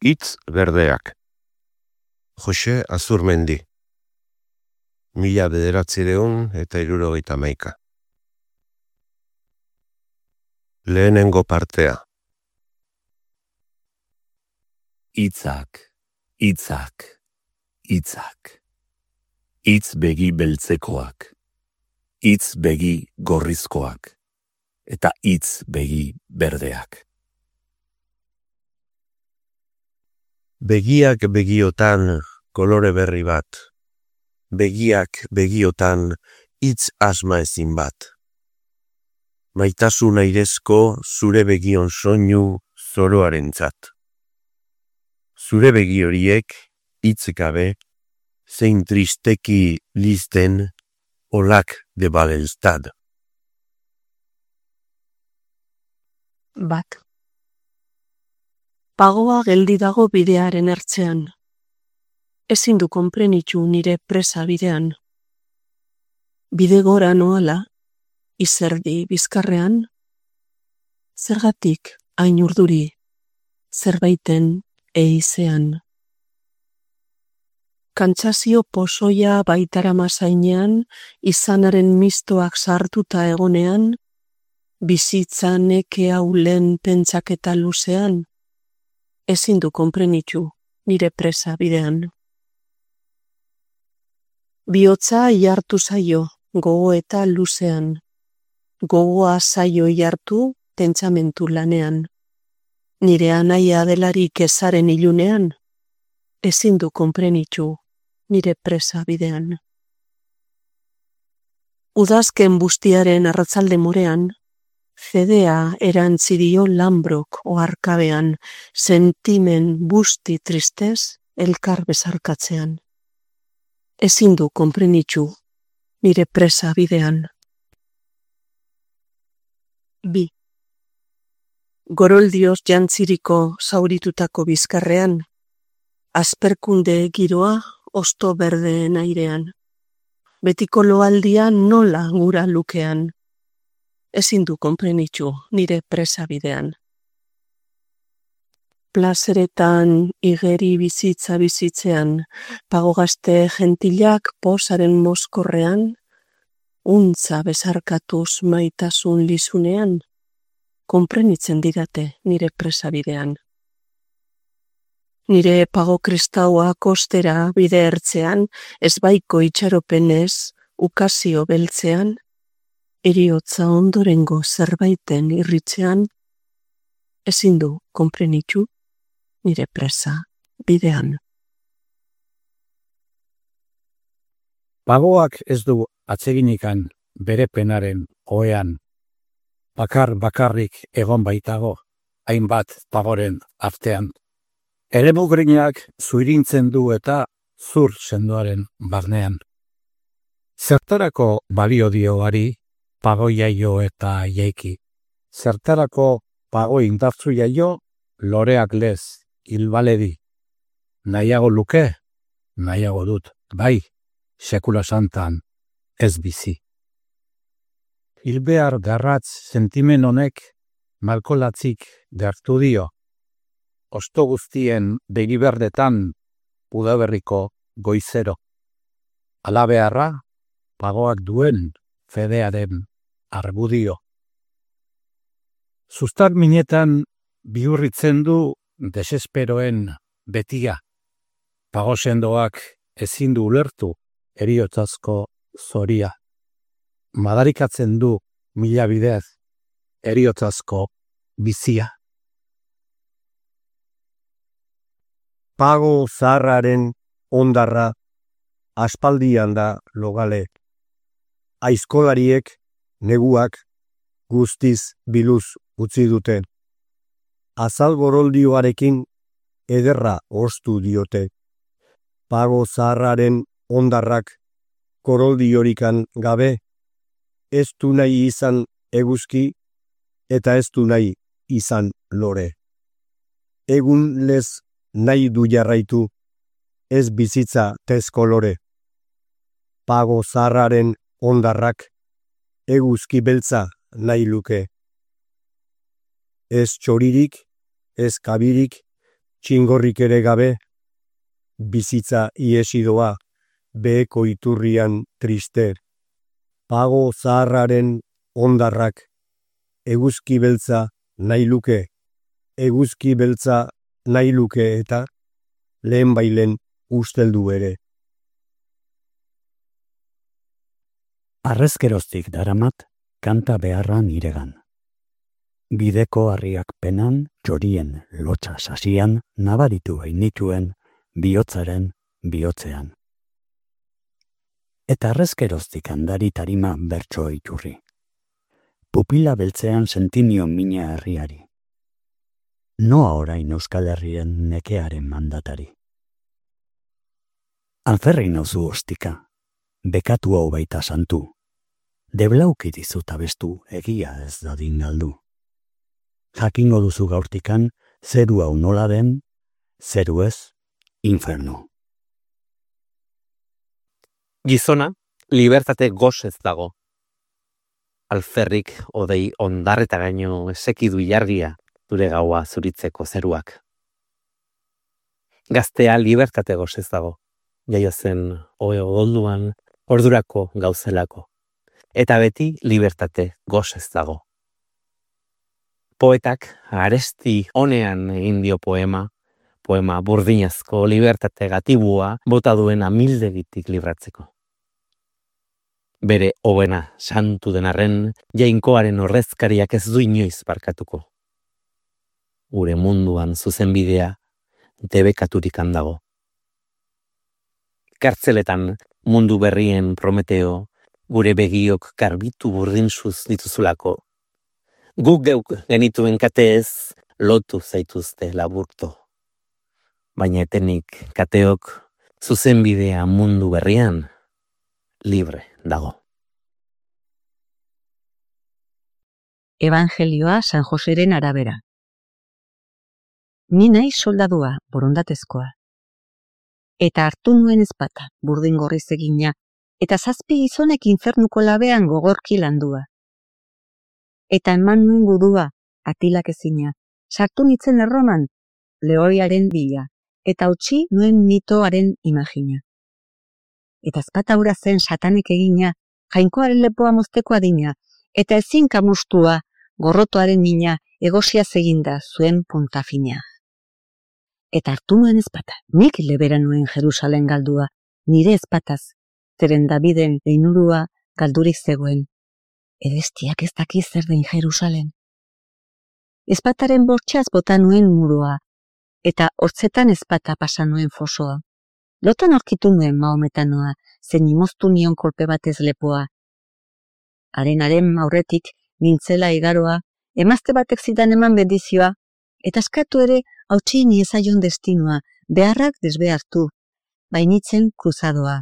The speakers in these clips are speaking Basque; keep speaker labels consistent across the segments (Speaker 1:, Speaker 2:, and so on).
Speaker 1: Hitz berdeak. Jose Azurmendi. 1971. Lehenengo partea.
Speaker 2: Hitzak, hitzak, hitzak. Hitz begi beltzekoak, hitz begi gorrizkoak, eta hitz begi berdeak.
Speaker 1: Begiak begiotan kolore berri bat. Begiak begiotan hitz asma ezin bat. Maitasun airezko zure begion soinu zoroarentzat. Zure begi horiek hitz gabe, zein tristeki lizten olak de Balelstad.
Speaker 3: Bat. Pagoa geldi dago bidearen ertzean. Ezin du konprenitu nire presa bidean. Bide gora noala, izerdi bizkarrean, zergatik hain urduri, zerbaiten eizean. Kantsazio pozoia baitarama zainean, izanaren mistoak sartuta egonean, bizitza neke haulen pentsaketa luzean, ezin du konprenitu nire presa bidean. Bihotza ihartu zaio, gogo eta luzean. Gogoa zaio ihartu pentsamentu lanean. Nire anaia delarik ezaren ilunean, ezin du konprenitu nire presa bidean. Udazken bustiaren arratzalde morean, fedea erantzidio Lambrok oharkabean, sentimen busti tristez elkar bezarkatzean. Ezin du konprenitu nire presa bidean. 2. Goroldioz jantziriko zauritutako bizkarrean, asperkunde giroa osto berdeen airean. Betiko loaldia nola gura lukean. Ezin du konprenitu nire presa bidean. Plazeretan igeri bizitza bizitzean, pagogazte gentilak posaren mozkorrean, untza bezarkatuz maitasun lizunean, konprenitzen didate nire presa bidean. Nire pago kristaua kostera bide ertzean, ezbaiko itxaropenez, ukazio beltzean, heriotza ondorengo zerbaiten irritzean, ezin du konprenitu nire presa bidean.
Speaker 4: Pagoak ez du atseginikan bere penaren ohean. Bakarrik egon baitago, hainbat pagoren artean. Eremugrinak zuirintzen du eta zur sendoaren barnean. Zertarako balio dioari pago jaio eta jaiki. Zertarako pago indartzu jaio loreak lez hilbaledi. Nahiago luke, nahiago dut, bai, sekula santan ez bizi. Hilbear garratz sentimen honek malkolatzik dertu dio. Osto guztien begiberdetan udaberriko goizero. Alabearra, pagoak duen fedearen argudio. Zuztar minetan bihurritzen du desesperoen betia. Pago sendoak ezin du ulertu heriotzazko zoria. Madarikatzen du mila bidez heriotzazko bizia.
Speaker 5: Pago zaharraren ondarra aspaldian da logale. Aizkolariek neguak guztiz biluz utzi dute. Azal goroldioarekin ederra ostu diote. Pago zaharraren ondarrak goroldiorik gabe ez du nahi izan eguzki eta ez du nahi izan lore. Egun lez nahi du jarraitu, ez bizitza tezkolore. Pago zaharraren ondarrak eguzki beltza nahi luke. Ez txoririk, ez kabirik, txingorrik ere gabe, bizitza iesidoa, beheko iturrian trister, pago zaharraren ondarrak, eguzki beltza nahi luke, eguzki beltza nahi luke eta lehen bailen usteldu ere.
Speaker 4: Arrezkeroztik daramat, kanta beharra niregan. Bideko harriak penan, txorien lotxa sasian, nabaritu hainituen, bihotzaren bihotzean. Eta arrezkeroztik handari tarima bertso iturri. Pupila beltzean sentinio mina herriari. Noa orain Euskal Herrien nekearen mandatari. Alferri nauzu ostika, bekatu hau baita santu. Deblauki dizut abestu egia ez dadin galdu. Jakingo duzu gaurtikan, zeru hau nola den, zeru ez, infernu.
Speaker 6: Gizona, libertate gozez dago. Alferrik odei ondarreta gaino esekidu ilargia dure gaua zuritzeko zeruak. Gaztea libertate gozez dago, jaio zen ohe odolduan ordurako gauzelako. Eta beti libertate gozez dago. Poetak aresti honean egin dio poema burdinazko libertate gatibua bota duen amildegitik libratzeko. Bere hobena santu denarren jainkoaren ordezkariak ez du inoiz barkatuko. Gure munduan zuzenbidea debekaturik handago. Kartzeletan mundu berrien Prometeo gure begiok garbitu burdinzuz dituzulako. Guk geuk genituen kateez lotu zaituzte laburto. Baina etenik kateok zuzenbidea mundu berrian libre dago.
Speaker 7: Evangelioa San Joseren arabera. Ni naiz soldadua, borondatezkoa. Eta hartu nuen ezpata, burdin gorriz egina, eta 7 gizonek infernuko labean gogorki landua. Eta eman nuen gudua, atilak ezina, sartu nitzen Erroman, lehoiaren bila, eta utzi nuen mitoaren imagina. Eta ezpata hura zen satanek egina, jainkoaren lepoa mozteko adina, eta ezin kamustua, gorrotoaren mina, egosia eginda zuen puntafina. Eta hartu nuen ezpata, nik lebera nuen Jerusalen galdua, nire ezpataz, zeren Daviden leinurua galdurik zegoen. Edestiak ez dakiz zer den Jerusalen. Ezpataren bortxaz bota nuen muroa, eta hortzetan ezpata pasa nuen fosoa. Lotan aurkitu nuen Mahometanoa, zen imoztu nion kolpe batez lepoa. Haren aurretik nintzela igaroa, emazte batek zidan eman bendizioa, eta eskatu ere hautsi niezaion destinua, beharrak desbehartu, bainitzen kruzadoa.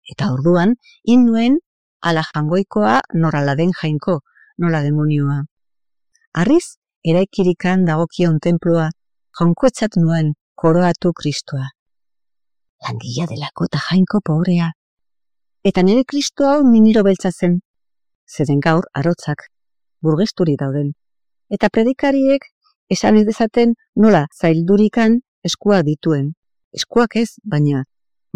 Speaker 7: Eta orduan, nuen ala jangoikoa norala den jainko, nola demonioa. Arriz, eraikirikan dagokion tenplua, jaunkoetzat nuen koroatu Kristoa. Langila delako eta jainko pobrea. Eta nire Kristo hau miniro beltza zen, zeren gaur arotzak, burgesturi dauden. Eta predikariek esan ez dezaten nola zaildurikan eskuak dituen. Eskuak ez, baina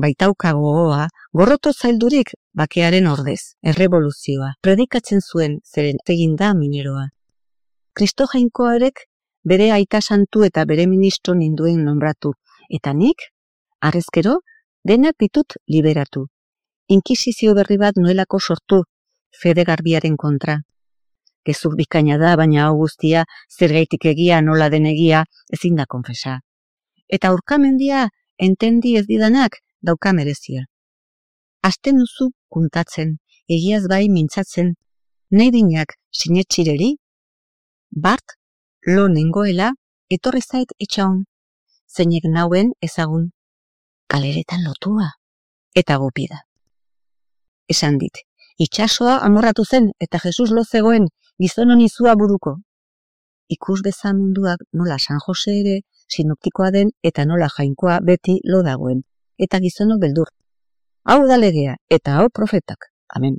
Speaker 7: baitauka gogoa, gorroto zaildurik bakearen ordez, errevoluzioa. Predikatzen zuen zeren egin da mineroa. Kristo jainkoarek bere aita santu eta bere ministro ninduen nombratu. Eta nik, harrezkero, denak ditut liberatu. Inkisizio berri bat nuelako sortu, fede garbiaren kontra. Gezur bikaina da, baina hau guztia, zergaitik egia nola den egia, ezin da konfesa. Eta urkamendia, entendi ez didanak, dauka merezia. Azten duzu kuntatzen, egiaz bai mintzatzen, nahi dinak sinetxireri, bart, lo nengoela, etorri zait etxaun, zeinek nauen ezagun, kaleretan lotua, eta gupida. Esan dit, itxasoa amorratu zen eta Jesus lo zegoen gizon honizua buruko. Ikus bezan munduak nola San Jose ere sinoptikoa den eta nola jainkoa beti lo dagoen. Eta gizonok beldur. Hau da legea eta hau profetak. Amen.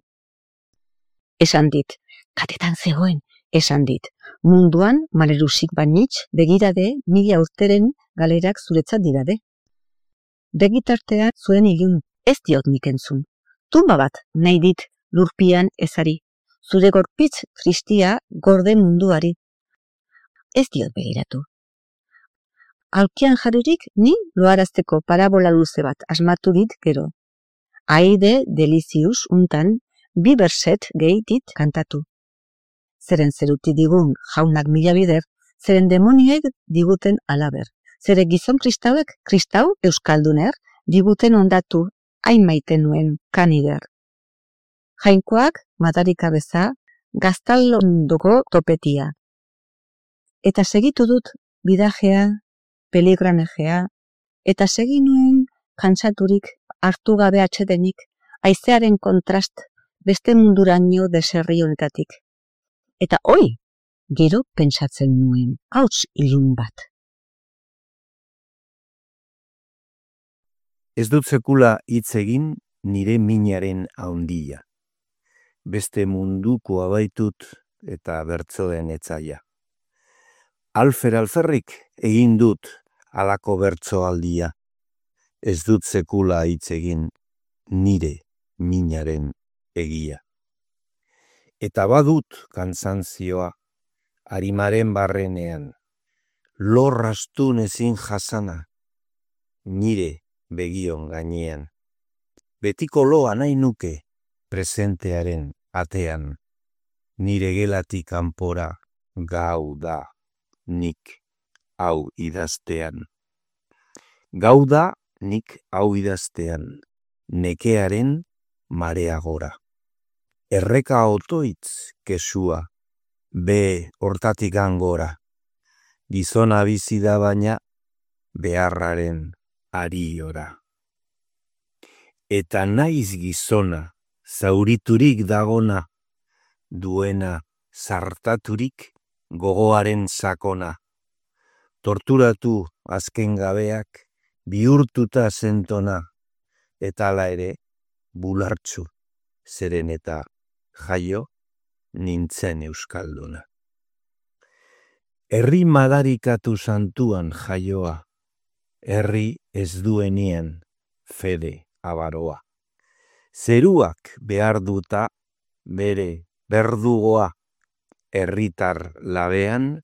Speaker 7: Esan dit, katetan zegoen esan dit, munduan malerusik banitz begirade 1000 urteren galerak zuretzat dirade. Begitartean zuen ilun ez diot nik entzun. Tumba bat nahi dit lurpian ezari, zure gorpitz tristia gorde munduari. Ez diot begiratu. Alkian jarririk ni loarazteko parabola luze bat asmatu dit gero. Aide delizius untan 2 berset gehi dit kantatu. Zeren zeruti digun jaunak mila bider, zeren demonioek diguten alaber. Zere gizon kristau euskalduner, diguten ondatu hain maite nuen kanider. Jainkoak madarika beza, gaztalondoko topetia. Eta segitu dut bidajea, peligranejea, eta segi nuen kantsaturik hartu gabe atsedenik, haizearen kontrast beste munduraino deserri honetatik. Eta hoi, gero pentsatzen nuen, hauts ilun bat.
Speaker 2: Ez dut sekula hitz egin nire minaren haundia. Beste munduko abaitut eta bertsoen etzaia. Alferrik egin dut halako bertsoaldia. Ez dut sekula hitz egin nire minaren egia. Eta badut kantzantzioa arimaren barrenean, lorrastun ezin jasana, nire begion gainean. Betiko loa nahi nuke presentearen atean, nire gelatik kanpora gau da nik hau idaztean. Gau da nik hau idaztean, nekearen marea gora. Erreka otoitz kesua, be hortatik angora. Gizona bizi da baina beharraren ariora. Eta naiz gizona, zauriturik dagona, duena zartaturik gogoaren sakona. Torturatu azken gabeak, bihurtuta zentona, eta hala ere bulartzu, zeren eta jaio nintzen euskalduna. Herri madarikatu santuan jaioa, herri ez duenean fede abaroa. Zeruak behar duta bere berdugoa, herritar labean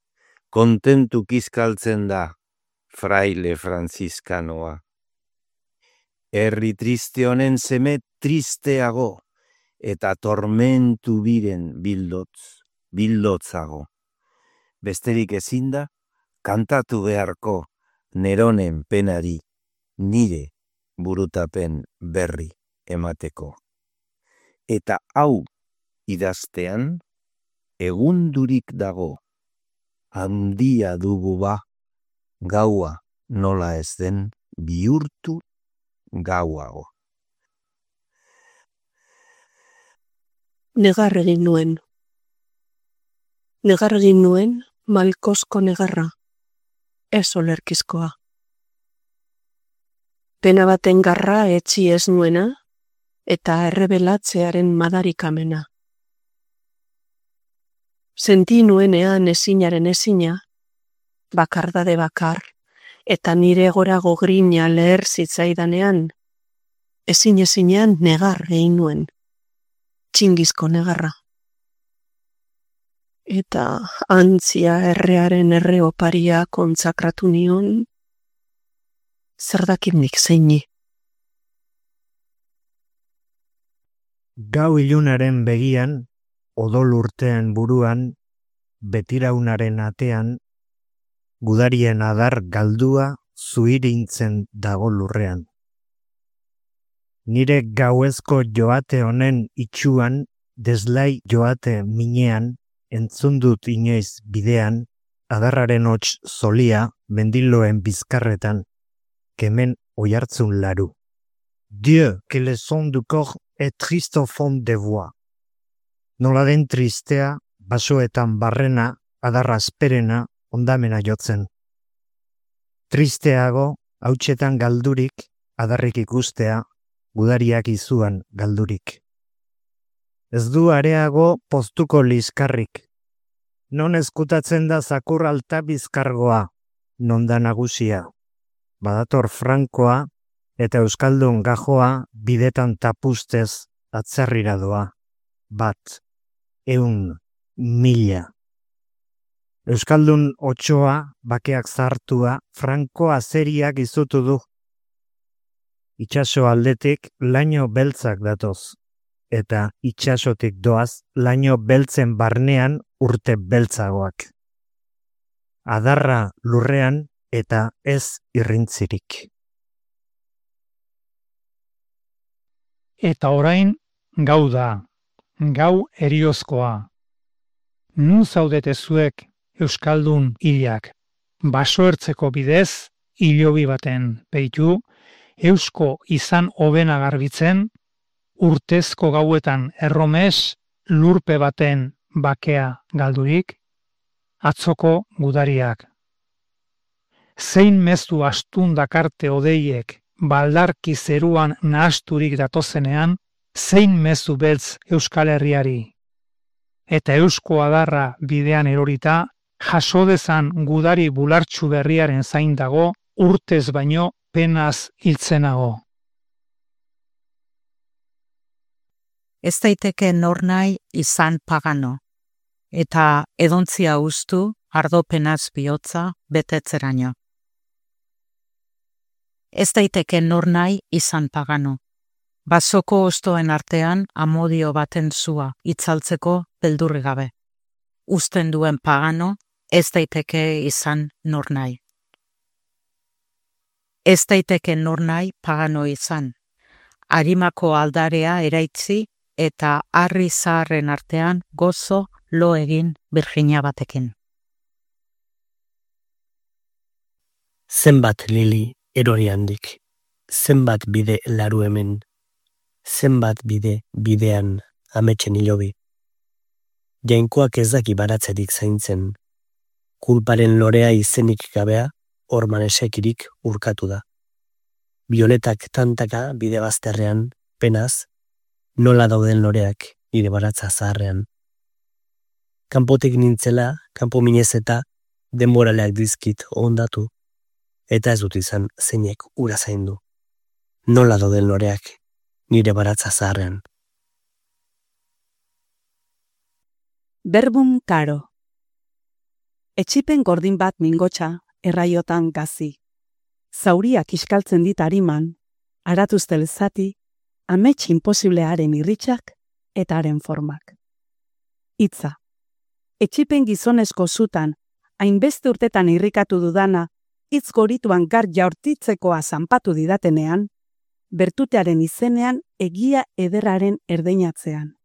Speaker 2: kontentu kizkaltzen da fraile franziskanoa. Herri triste honen seme tristeago, eta tormentu biren bildotzago. Besterik ezinda, kantatu beharko Neronen penari, nire burutapen berri emateko. Eta hau idaztean, egundurik dago, handia dugu ba, gaua nola ez den bihurtu gauago.
Speaker 3: Negar egin nuen. Negar egin nuen malkosko negarra, ez olerkizkoa. Pena baten garra etxi ez nuena, eta errebelatzearen madarikamena. Senti nuenean ezinaren ezina, bakardade bakar, eta nire gorago grina leher zitzaidanean, ezinean negar egin nuen, txingizko negarra. Eta antzia errearen erreoparia kontsakratu nion, zer dakit nik zeini.
Speaker 8: Gau ilunaren begian, odol urtean buruan, betiraunaren atean, gudarien adar galdua zuirintzen dago lurrean. Nire gauezko joate honen itxuan, deslai joate minean, entzundut inoiz bidean, adarraren hots zolia mendiloen bizkarretan, kemen oihartzun laru. Dieu, que le son du corps est triste au fond de voix. Nola den tristea, basoetan barrena, adarra asperena, ondamena jotzen. Tristeago, hautsetan galdurik, adarrik ikustea, gudariak izuan galdurik. Ez du areago poztuko liskarrik, Non eskutatzen da zakur alta bizkargoa, non da nagusia. Badator frankoa eta euskaldun gajoa bidetan tapustez atzerrira doa. 1, 100, 1000. Euskaldun otsoa, bakeak zartua, franko azeriak izutu du. Itxaso aldetik laino beltzak datoz, eta itxasotik doaz laino beltzen barnean urte beltzagoak. Adarra lurrean eta ez irrintzirik.
Speaker 9: Eta orain gau da, gau eriozkoa. Nun zaudete zuek euskaldun hilak, basoertzeko bidez hilobi baten peitu, eusko izan hobena garbitzen, urtezko gauetan erromes lurpe baten bakea galdurik, atzoko gudariak. Zein mezu astun dakarte odeiek baldarki zeruan nahasturik datozenean, zein mezu beltz Euskal Herriari. Eta eusko adarra bidean erorita, jaso dezan gudari bulartxu berriaren zain dago, urtez baino penaz hiltzenago.
Speaker 10: Ez daiteke nornai izan pagano, eta edontzia ustu ardopenaz bihotza betetzeraino. Ez daiteke nornai izan pagano, basoko ostoen artean amodio baten zua itzaltzeko beldurri gabe. Uzten duen pagano, ez daiteke izan nornai. Ez daiteke nornai pagano izan. Arimako aldarea eraitzi eta harri zaharren artean gozo lo egin Virginia batekin.
Speaker 11: Zenbat lili erori handik, zenbat bide laru hemen, zenbat bide bidean ametsen hilobi. Jainkoak ez daki baratzerik zaintzen, kulparen lorea izenik gabea orman esekirik urkatu da. Bioletak tantaka bide bazterrean, penaz, nola dauden loreak nire baratza zaharrean. Kanpotik nintzela, kanpo minez eta denboraleak dizkit ondatu, eta ez dut izan zeinek ura zaindu. Nola dauden loreak nire baratza zaharrean.
Speaker 3: Berbum karo. Etxipen gordin bat mingotxa, erraiotan gazi. Zauriak iskaltzen dit ariman, aratuztel zati, amets imposiblearen irritxak eta haren formak. Hitza. Etxipen gizonezko zutan, hainbeste urtetan irrikatu dudana, hitz gorituan gar jaurtitzekoa zanpatu didatenean, bertutearen izenean egia ederraren erdeinatzean.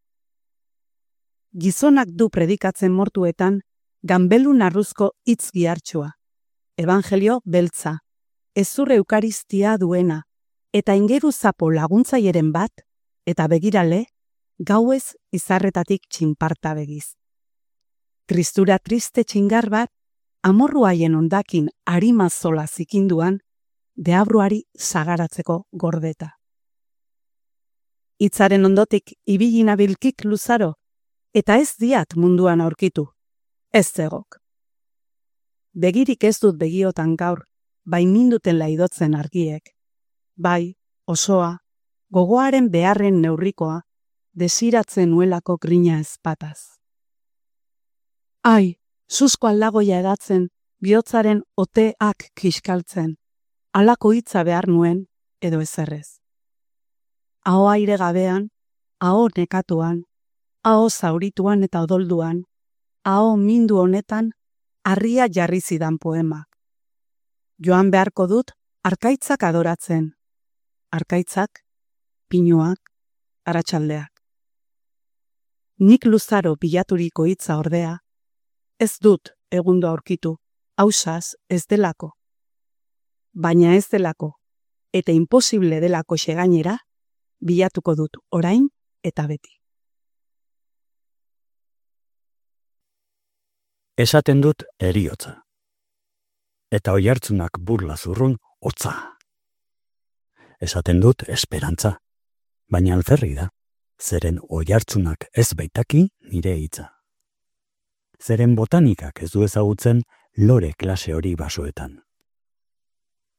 Speaker 3: Gizonak du predikatzen mortuetan, ganbelun arruzko hitz gihartxoa. Evangelio beltza, ezur eukaristia duena, eta ingeru zapo laguntzaieren bat, eta begirale, gauez izarretatik txinparta begiz. Kristura triste txingar bat, amorru haien ondakin arima zola zikinduan, deabruari sagaratzeko gordeta. Hitzaren ondotik ibilina bilkik luzaro, eta ez diat munduan aurkitu, ez zegok. Begirik ez dut begiotan gaur, bai minduten laidotzen argiek. Bai, osoa, gogoaren beharren neurrikoa, desiratzen nuelako grina ezpataz. Ai, zuzko aldagoia edatzen, bihotzaren oteak kiskaltzen, halako hitza behar nuen edo ezerrez. Aho aire gabean, aho nekatuan, aho zaurituan eta odolduan, aho mindu honetan, harria jarri zidan poemak. Joan beharko dut arkaitzak adoratzen. Arkaitzak, pinuak, aratsaldeak. Nik luzaro bilaturiko hitza ordea, ez dut egundo aurkitu, ausaz ez delako. Baina ez delako, eta imposible delako xegainera, bilatuko dut orain eta beti.
Speaker 4: Esaten dut eriotza. Eta oihartzunak burla zurrun hotza. Esaten dut esperantza, baina alferri da, zeren oihartzunak ez baitaki nire hitza. zeren botanikak ez du ezagutzen lore klase hori basoetan.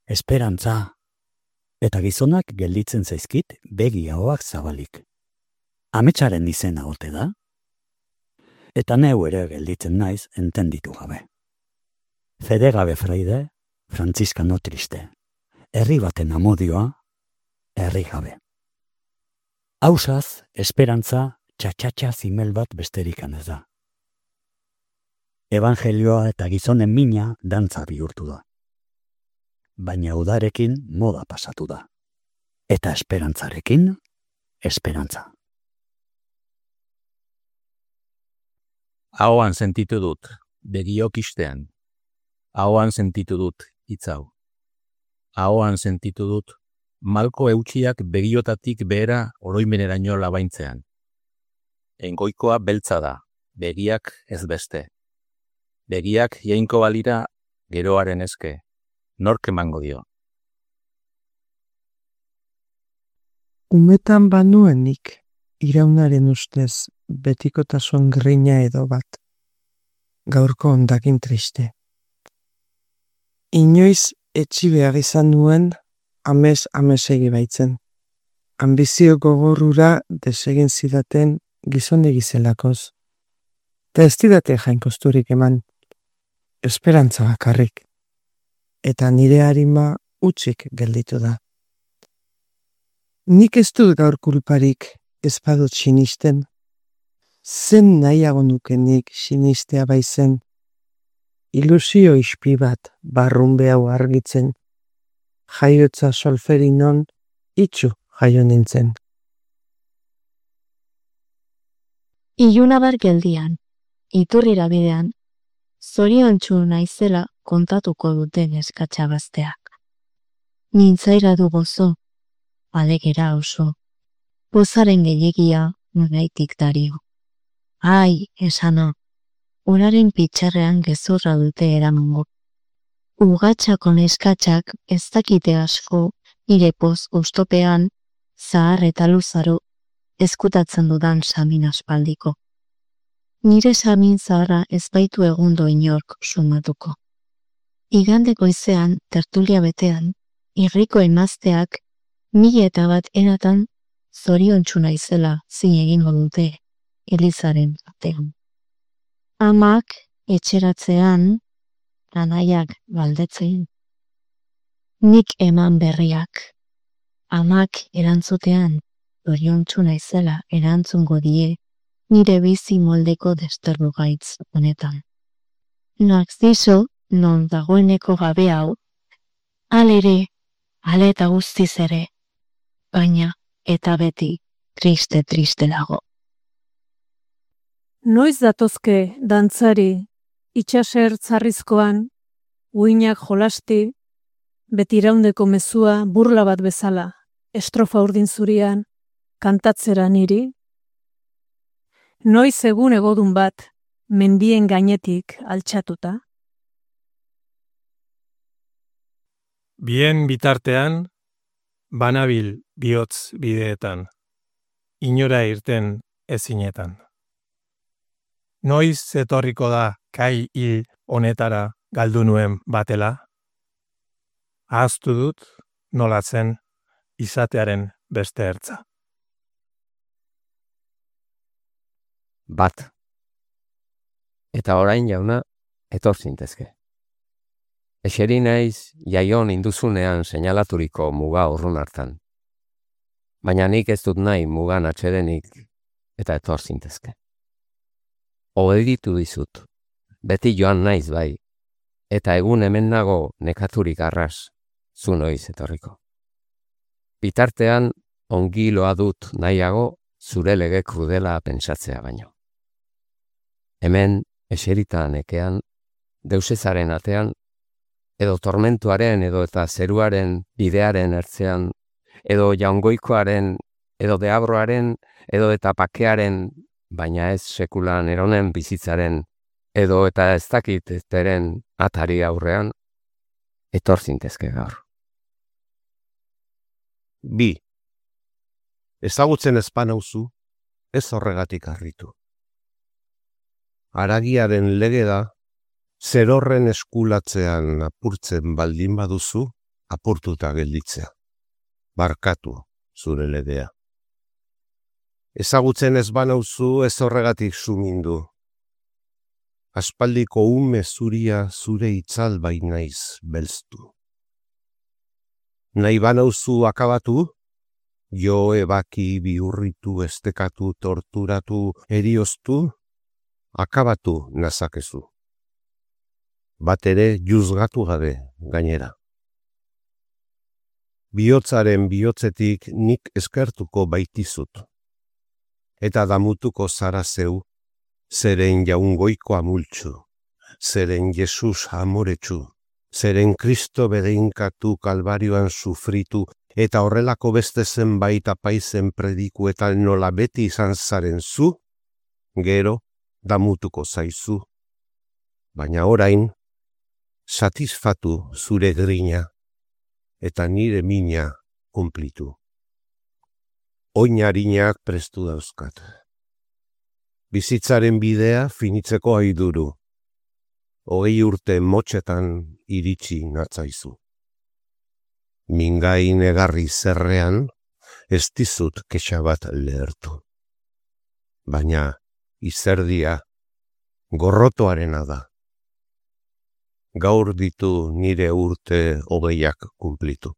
Speaker 4: Esperantza, eta gizonak gelditzen zaizkit begi ahoak zabalik. Ametsaren izena ote da? Eta neu ere gelditzen naiz entenditu gabe. Fede gabe fraide, frantziskano triste. Herri baten amodioa, herri gabe. Hausaz, esperantza, txatxatxa zimel bat besterikan ez da. Evangelioa eta gizonen mina dantza bihurtu da. Baina udarekin moda pasatu da. Eta esperantzarekin, esperantza.
Speaker 12: Ahoan sentitu dut, begiok istean. Ahoan sentitu dut, hitz hau. Ahoan sentitu dut, malko eutsiak begiotatik behera oroimeneraino labaintzean. Engoikoa beltza da, begiak ez beste. Begiak jainko balira geroaren eske, nork emango dio.
Speaker 13: Umetan banuenik, iraunaren ustez, betikotasun grina edo bat. Gaurko ondakin triste. Inoiz etxi behar izan nuen, amesegi baitzen. Ambizio gogorrura desegin zidaten gizonegi zelakoz. Ta ez didate jainkosturik eman, esperantza bakarrik. Eta nire harima utzik gelditu da. Nik ez dut gaur kulparik ez badut sinisten. Zen nahiago nukenik sinistea baizen. Ilusio ispi bat barrunbe hau argitzen. Jaiotza solferinon itxu jaio nintzen.
Speaker 14: Ilunabar geldian, iturrira bidean, zoriontsu naizela kontatuko duten eskatxabazteak. Nintzaira du gozo, alegera oso, pozaren gehiagia nunaitik dario. Ai, esana, uraren pitxarrean gezurra dute eramango. Ugatxako neskatxak ez dakite asko nire poz ustopean, zahar eta luzaro, eskutatzen dudan samin aspaldiko. Nire samin zaharra ez baitu egundo inork sumatuko. Igandeko izean, tertulia betean, irriko emazteak, 1001 eratan, zoriontsu naizela zin egingo dute, Elizaren batean. Amak etxeratzean, anaiak galdetzen. Nik eman berriak. Amak erantzutean, zoriontsu naizela erantzungo die, nire bizi moldeko desterru gaitz honetan. Narziso, non dagoeneko gabe hau, alere, ale eta guztiz ere, baina eta beti triste dago.
Speaker 3: Noiz datozke dantzari, itxaser tzarrizkoan, uinak jolasti, beti iraundeko mezua burla bat bezala, estrofa urdin zurian, kantatzera niri? Noiz egun egodun bat, mendien gainetik altxatuta?
Speaker 15: Bien bitartean, banabil bihotz bideetan, inora irten ezinetan. Noiz etorriko da kai hil honetara galdu nuen batela? Ahaztu dut nolatzen izatearen beste ertza.
Speaker 16: Bat. Eta orain jauna, etor zintezke. Eseri naiz jaion induzunean seinalaturiko muga urrun hartan. Baina nik ez dut nahi mugan atxedenik eta etor zintezke. Obeditu dizut, beti joan naiz bai, eta egun hemen nago nekaturik arras, zu noiz etorriko. Bitartean ongi loa dut nahiago zure lege krudela pentsatzea baino. Hemen eserita nekean, deusezaren atean, edo tormentuaren edo eta zeruaren bidearen ertzean, edo jaungoikoaren, edo deabroaren, edo eta pakearen, baina ez sekulan eronen bizitzaren, edo eta ez dakit ezteren atari aurrean, etor zintezke gaur.
Speaker 1: 2. Ezagutzen ezpan hauzu, ez horregatik harritu. Haragiaren lege da, zerorren eskulatzean apurtzen baldin baduzu, apurtuta gelditzea. Barkatu zure legea. Ezagutzen ez banauzu ez horregatik sumindu. Aspaldiko ume zuria zure itzal bainaiz belztu. Nahi banauzu akabatu, jo ebaki bihurritu, estekatu, torturatu, erioztu, akabatu nazakezu. Bat ere juzgatu gabe gainera. Bihotzaren bihotzetik nik eskertuko baitizut. Eta damutuko zara zeu, zeren jaungoiko amultxu, zeren Jesus amoretsu, zeren Kristo bedeinkatu kalbarioan sufritu, eta horrelako beste zenbait apaizen predikuetan nola beti izan zaren zu, gero damutuko zaizu. Baina orain, satisfatu zure grina, eta nire mina kumplitu. Oinarinak prestu dauzkat. Bizitzaren bidea finitzeko aiduru. 20 urte motxetan iritsi natzaizu. Mingain egarri zerrean, ez dizut kexa bat lehertu. Baina izerdia gorrotoarena da. Gaur ditu nire urte 20ak kumplitu.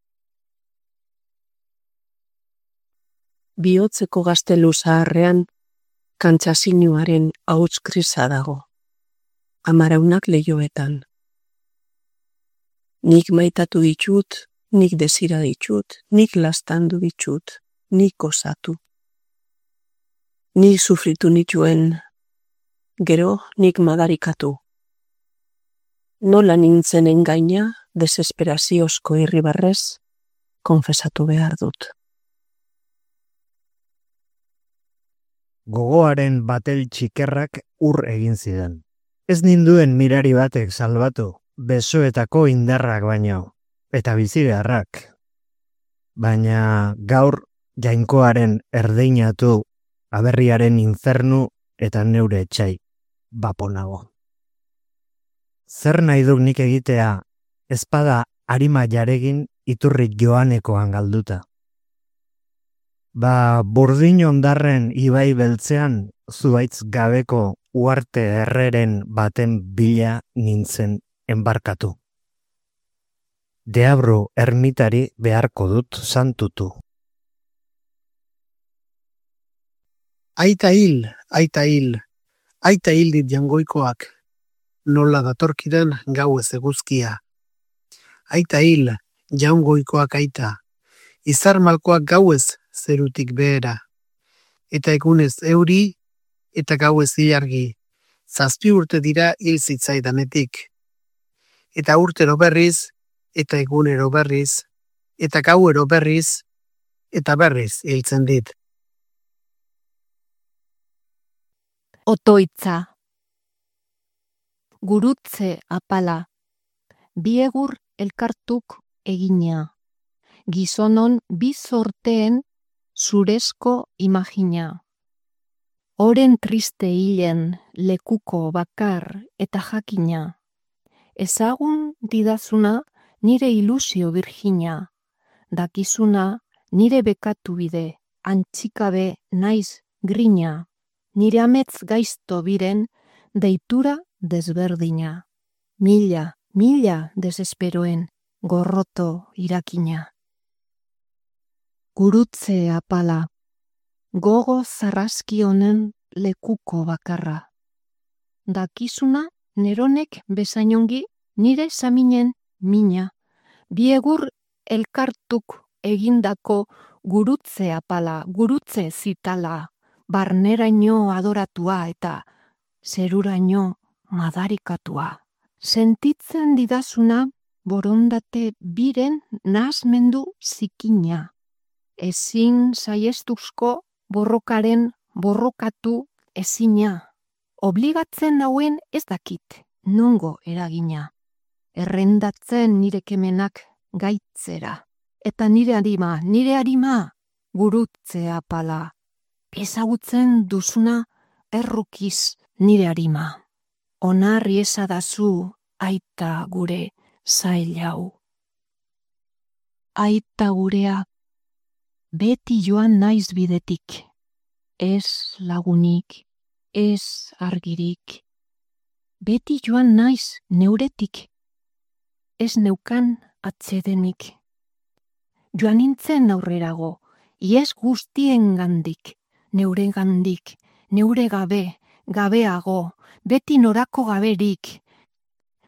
Speaker 13: Bihotzeko gaztelu zaharrean, kantxasinuaren hauts krisa dago. Amaraunak lehioetan. Nik maitatu ditut, nik desira ditut, nik lastandu ditut, nik osatu. Nik sufritu nituen, gero nik madarikatu. Nola nintzen engaina, desesperaziozko irribarrez, konfesatu behar dut.
Speaker 8: Gogoaren batel txikerrak ur egin zidan. Ez ninduen mirari batek salbatu, besoetako indarrak baino, eta bizigarrak. Baina gaur jainkoaren erdeinatu, aberriaren infernu eta neure etxai baponago. Zer nahi duk nik egitea, ezpada arima jaregin iturri joanekoan galduta. Ba, burdin ondarren ibai beltzean, zuaitz gabeko uarte erreren baten bila nintzen enbarkatu. Deabru ermitari beharko dut santutu.
Speaker 17: Aita hil, aita hil, aita hil dit jangoikoak, nola datorkidan gau ez eguzkia. Aita hil, jangoikoak aita, izar malkoak gauez zerutik behera. Eta egunez euri, eta gauez ilargi, 7 urte dira hil zitzaidanetik. Eta urtero berriz, eta egunero berriz, eta gauero berriz, eta berriz hiltzen dit.
Speaker 14: Otoitza. Gurutze apala. Biegur elkartuk egina. Gizonon bizorteen zurezko imagina. Oren triste hilen lekuko bakar eta jakina. Ezagun didazuna nire ilusio virgina. Dakizuna nire bekatu bide, antxikabe naiz grina. Nire amets gaizto biren deitura desberdina. Mila, mila desesperoen gorroto irakina. Gurutze apala, gogo zarraski honen lekuko bakarra. Dakizuna neronek bezainongi nire saminen mina. Biegur elkartuk egindako gurutze apala, gurutze zitala. Barneraino adoratua eta zeruraino madarikatua. Sentitzen didazuna borondate biren nahasmendu zikina. Ezin saiestuzko borrokaren borrokatu ezina. Obligatzen nauen ez dakit, nongo eragina. Errendatzen nire kemenak gaitzera. Eta nire arima, gurutze apala. Ezagutzen duzuna errukiz nire arima. onarri esadazu aita gure zail hau. Aita gurea, beti joan naiz bidetik, ez lagunik, ez argirik. Beti joan naiz neuretik, ez neukan atsedenik. Joan nintzen aurrerago, ies guztien gandik, neure gandik, neure gabe, gabeago, beti norako gaberik,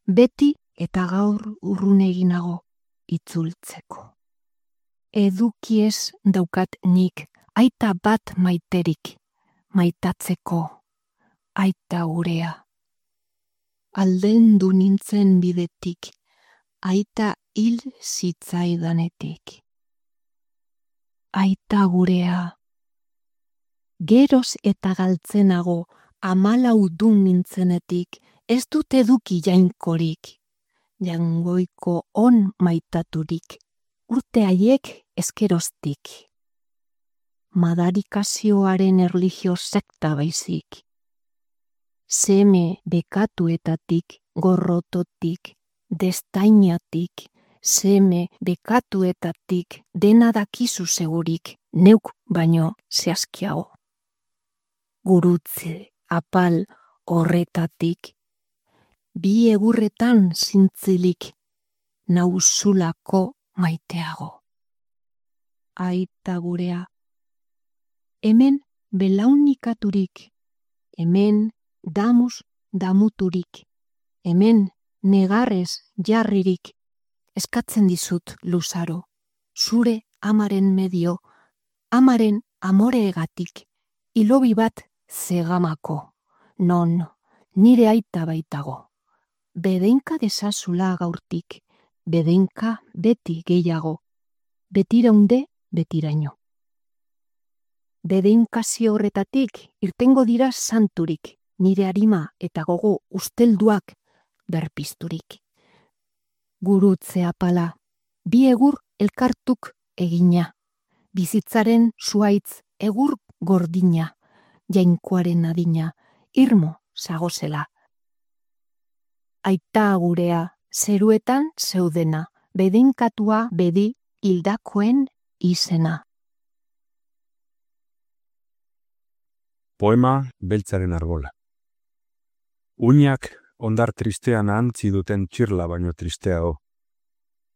Speaker 14: beti eta gaur urrun eginago itzultzeko. Edukiez daukat nik, aita bat maiterik, maitatzeko, aita gurea. Aldendu nintzen bidetik, aita hil zitzaidanetik. Aita gurea. Geroz eta galtzenago, 14 nintzenetik, ez dut eduki jainkorik, jangoiko on maitaturik, urte haiek ezkeroztik. Madarikazioaren erlijio sekta baizik. Seme bekatuetatik, gorrototik, destainatik, seme bekatuetatik, dena dakizu segurik, neuk baino zehazkiago. Gurutze, apal horretatik, bi egurretan zintzilik, nauzulako maiteago. Aita gurea, hemen belaunikaturik, hemen damuz damuturik, hemen negarrez jarririk, eskatzen dizut luzaro, zure amaren medio, amaren amoreegatik, hilobi bat zegamako, non nire aita baitago. Bedeinka desazula gaurtik, bedeinka beti gehiago, betiraunde betiraino. Bedeinkazio horretatik irtengo dira santurik, nire arima eta gogo ustelduak berpizturik. Gurutze apala, bi egur elkartuk egina, bizitzaren zuaitz egur gordina, jainkoaren adina, irmo zagozela. Aita gurea, zeruetan zeudena, bedeinkatua bedi hildakoen izena.
Speaker 18: Poema beltzaren argola. Uinak ondar tristean ahantzi duten txirla baino tristeago.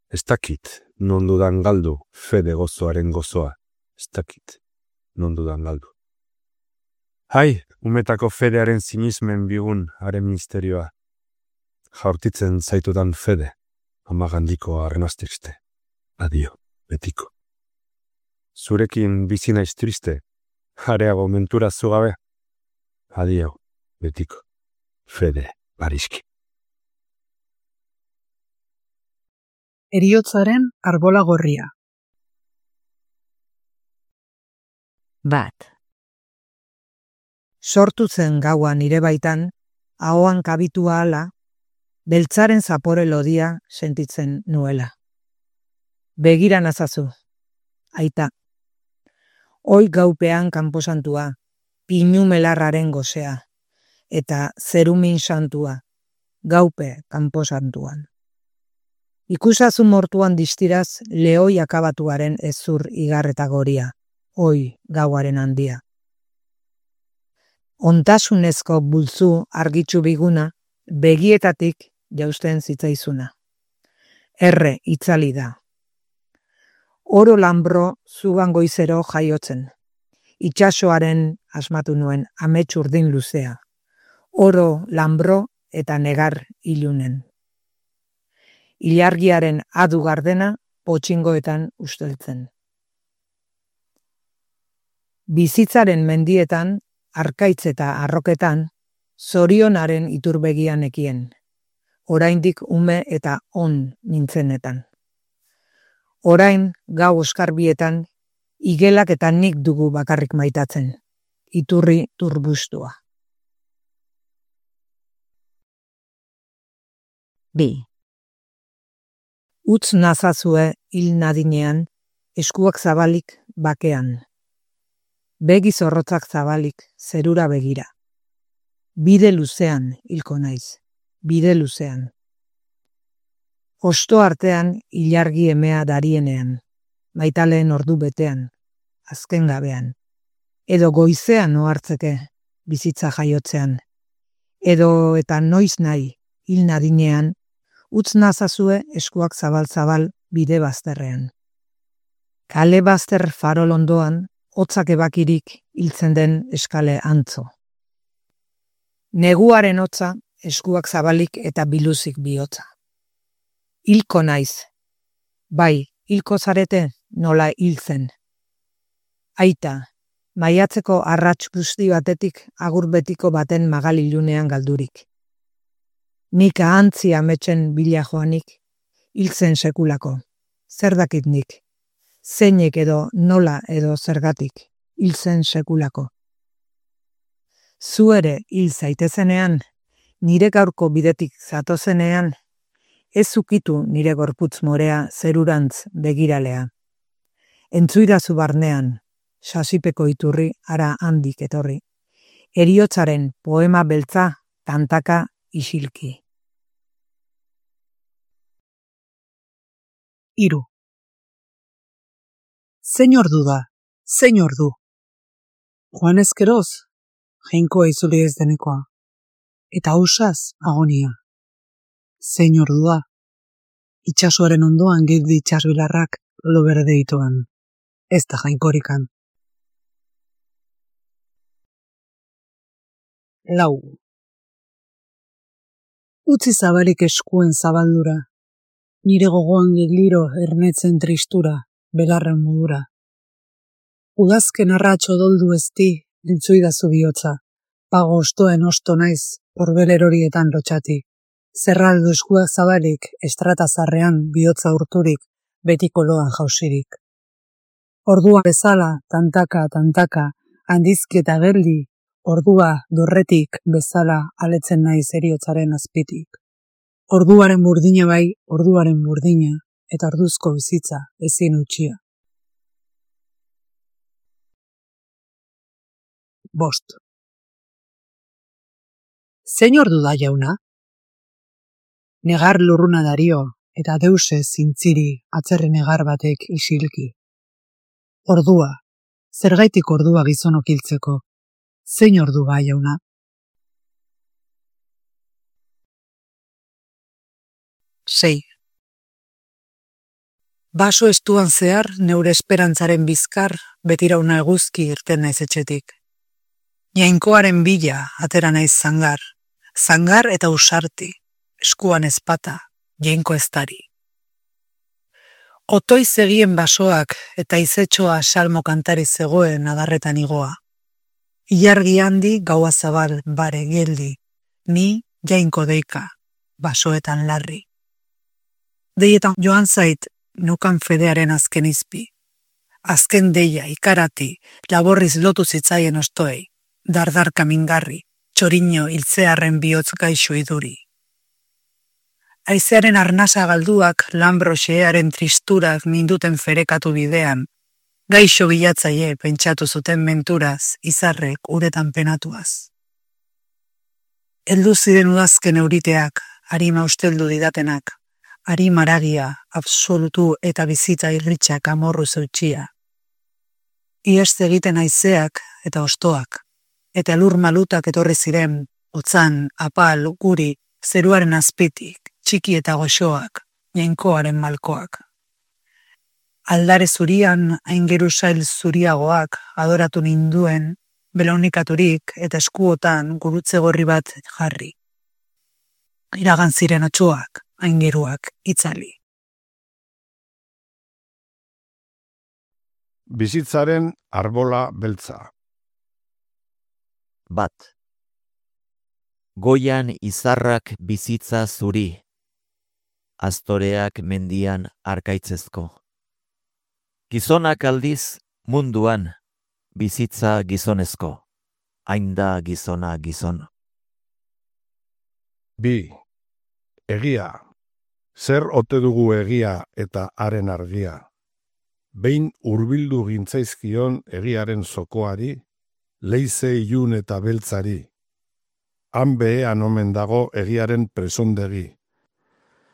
Speaker 18: Ez dakit non dudan galdu fede gozoaren gozoa. Ez dakit non dudan galdu. Hai, umetako fedearen sinismen bigun haren misterioa. Jaurtitzen zaitudan fede, amagandiko arrenaztixte. Adio, betiko. Zurekin bizi naiz triste, jareago mentura zugabe. Adio, betiko. Fede, bariski.
Speaker 3: Heriotzaren arbola gorria.
Speaker 7: Bat.
Speaker 19: Sortu zen gaua nire baitan, ahoan kabitua ala, beltzaren zapore lodia sentitzen nuela. Begira nazazu, aita. Hoi gaupean kanposantua, pinu melarraren gozea, eta zerumin santua, gaupe kanposantuan. Ikusazu mortuan distiraz lehoi akabatuaren ezur igarreta goria, hoi gauaren handia. Ontasunezko bultzu argitsu biguna, begietatik jausten zitzaizuna. Erre itzali da. Oro lanbro zugan goizero jaiotzen. Itsasoaren asmatu nuen amets urdin luzea. Oro lanbro eta negar ilunen. Ilargiaren adu gardena potxingoetan usteltzen. Bizitzaren mendietan, arkaitz eta arroketan, zorionaren iturbegian ekien. Oraindik ume eta on nintzenetan. Orain gau oskarbietan, igelak eta nik dugu bakarrik maitatzen. Iturri turbustua.
Speaker 7: B.
Speaker 19: Utz nazazue hil nadinean, eskuak zabalik bakean. Begi zorrotzak zabalik, zerura begira. Bide luzean hilko naiz, bide luzean. Osto artean ilargi emea darienean, maitaleen ordu betean, azken gabean. Edo goizean ohartzeke, bizitza jaiotzean. Edo eta noiz nahi, hil nadinean, utz nazazue eskuak zabal-zabal bide bazterrean. Kale bazter farol ondoan, hotzak ebakirik hiltzen den eskale antzo. Neguaren hotza, eskuak zabalik eta biluzik bihotza. Hilko naiz. Bai, hilko zarete nola hiltzen. Aita, maiatzeko arrats guzti batetik agur betiko baten magalilunean galdurik. Nik ahantzi ametsen bila joanik, hiltzen sekulako. Zer dakit nik? Zeinek edo nola edo zergatik, hiltzen sekulako. Zu ere hil zaitezenean, nire gaurko bidetik zatozenean, ez ukitu nire gorputz morea zerurantz begiralea. Entzuidazu barnean, sasipeko iturri ara handik etorri. Heriotzaren poema beltza tantaka isilki.
Speaker 20: 3. Zein ordu da, zein ordu. Joan ezkeroz, jainkoa izuli ez denekoa. Eta ausaz agonia. Zein ordu da. Itxasoaren ondoan gildi itxasbilarrak lo berde itoan. Ez da jainkorikan. 4. Utzi zabalik eskuen zabaldura. Nire gogoan giliro ernetzen tristura, belarren modura. Udazken arratxo doldu ezti, entzuidazu bihotza. Pago ostoen osto naiz, horbel horietan lotxati. Zerraldu eskuak zabalik, estratazarrean bihotza urturik, betiko loan jausirik. Ordua bezala, tantaka, tantaka, handizki eta geldi, ordua dorretik bezala aletzen naiz heriotzaren azpitik. Orduaren burdina bai, orduaren burdina, eta orduzko bizitza ezin utxia. 5. Zein ordu da jauna? Negar lurruna dario, eta deuse zintziri atzerri negar batek isilki. Ordua, zergaitik ordua gizonok hiltzeko. Zein ordu ba jauna? 6. Baso estuan zehar, neure esperantzaren bizkar, betirauna eguzki irten naiz etxetik. Jainkoaren bila atera naiz zangar, zangar eta usarti, eskuan ezpata, jainko eztari. Otoi zegien basoak eta izetxoa salmo kantari zegoen adarretan igoa. Ilargi handi gaua zabal bare geldi, ni jainko deika, basoetan larri. Deietan joan zait, nukan fedearen azken izpi. Azken deia, ikarati, laborriz lotu zitzaien ostoei, dardarka mingarri, txoriño hiltzearren bihotz gaixo iduri. Aizearen arnasa galduak, lambroxearen tristurak ninduten ferekatu bidean, gaixo bilatzaile pentsatu zuten menturaz, izarrek uretan penatuaz. Heldu ziren udazken euriteak, harima usteldu didatenak, harima aragia, absolutu eta bizitza irritxak amorru zeutxia. Iest egiten haizeak eta ostoak, eta lur malutak etorri ziren, otzan, apal, guri, zeruaren azpitik, txiki eta goxoak, jainkoaren malkoak. Aldare zurian, aingerusail zuriagoak, adoratu ninduen, belaunikaturik eta eskuotan gurutze gorri bat jarri. Iragan ziren otxoak, aingeruak, itzali.
Speaker 21: Bizitzaren arbola beltza.
Speaker 22: 1. Goian izarrak bizitza zuri, astoreak mendian arkaitzezko. Gizonak aldiz munduan, bizitza gizonezko, hain da gizona gizon.
Speaker 21: 2. Egia. Zer ote dugu egia eta haren argia? Behin hurbildu gintzaizkion egiaren zokoari, leize ilun eta beltzari. han behean omen dago egiaren presondegi.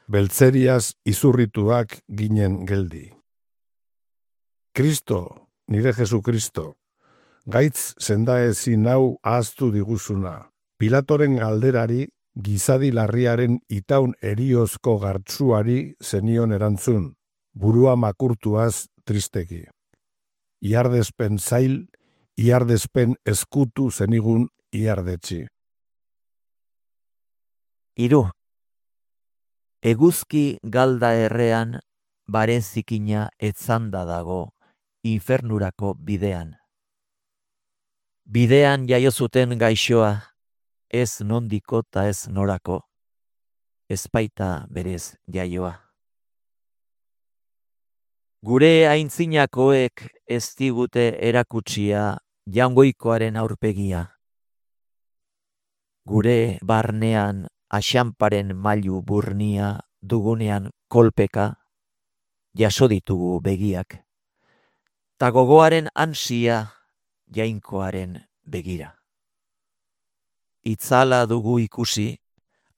Speaker 21: Beltzeriaz izurrituak ginen geldi. Kristo, nire Jesu Kristo, gaitz sendaezin hau ahaztu diguzuna. Pilatoren galderari, gizadi larriaren itaun eriozko gartzuari zenion erantzun, burua makurtuaz tristeki. Iardespen zail, iardespen eskutu zenigun iardetxi.
Speaker 22: 3. Eguzki galda errean, bare zikina etzanda dago, infernurako bidean. Bidean jaio zuten gaixoa, ez nondiko ta ez norako, ez baita berez jaioa. Gure aintzinakoek ez digute erakutsia jangoikoaren aurpegia. Gure barnean axanparen mailu burnia dugunean kolpeka, jaso ditugu begiak, ta gogoaren ansia jainkoaren begira. Itzala dugu ikusi,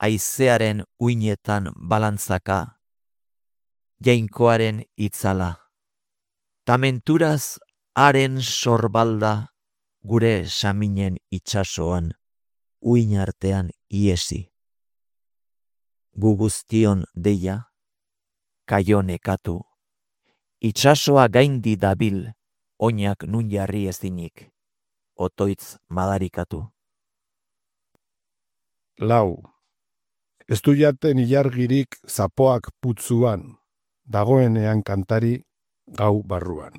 Speaker 22: haizearen uinetan balantzaka, jainkoaren itzala. Ta menturaz haren sorbalda gure saminen itsasoan, uin artean iesi. Gu guztion deia, kaio nekatu, itsasoa gaindi dabil, oinak nun jarri ezinik, otoitz madarikatu.
Speaker 21: 4. Ez du jaten ilargirik zapoak putzuan, dagoenean kantari gau barruan.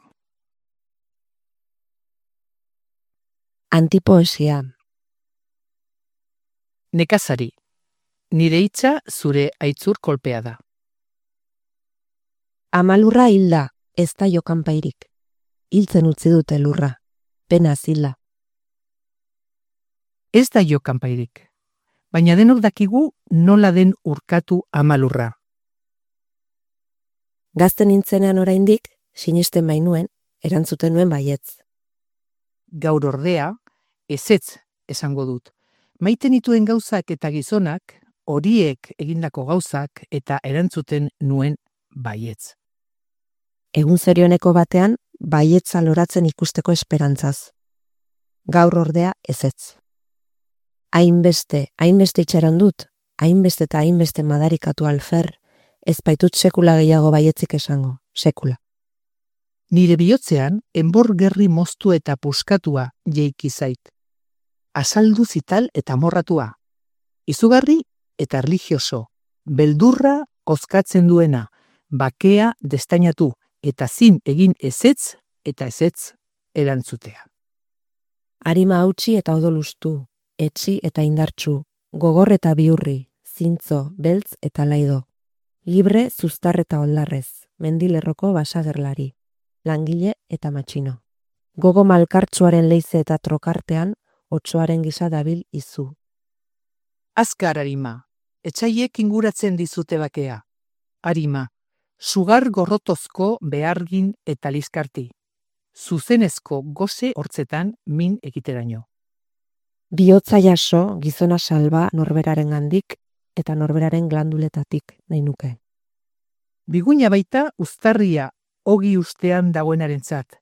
Speaker 5: Antipoesia.
Speaker 6: Nekazari, nire hitza zure aitzur kolpea da.
Speaker 5: Amalurra hilda, ez da jokanpairik. Hiltzen utzi dute lurra, pena zila.
Speaker 6: Ez da jokanpairik, baina denok dakigu nola den urkatu amalurra.
Speaker 5: Gazten nintzenean oraindik, sinisten bainuen, erantzuten nuen baietz.
Speaker 6: Gaur ordea, ezetz esango dut. Maiten dituen gauzak eta gizonak, horiek egindako gauzak eta erantzuten nuen baietz.
Speaker 5: Egun zerioneko batean, baietza loratzen ikusteko esperantzaz. Gaur ordea ezetz. Hainbeste itxaron dut, hainbeste eta hainbeste madarikatu alfer, ez baitut sekula gehiago baietzik esango, sekula.
Speaker 6: Nire bihotzean, enbor gerri moztu eta puskatua jeiki zait. Azaldu zital eta morratua. Izugarri eta erlijioso, beldurra kozkatzen duena, bakea destainatu eta zin egin ezetz eta ezetz erantzutea.
Speaker 5: Arima hautsi eta odolustu, etxi eta indartsu, gogor eta biurri, zintzo, beltz eta laido. Libre, zuztar eta oldarrez, mendilerroko basagerlari, langile eta matxino. Gogo malkartsuaren leize eta trokartean, otsoaren gisa dabil izu.
Speaker 6: Azkar, Arima, etxaiek inguratzen dizute bakea. Arima, sugar gorrotozko behargin eta liskarti. Zuzenezko goze hortzetan min egiteraino.
Speaker 5: Bihotza jaso, gizona salba norberaren gandik eta norberaren glanduletatik nahi nuke.
Speaker 6: Biguina baita uztarria ogi ustean dagoenarentzat,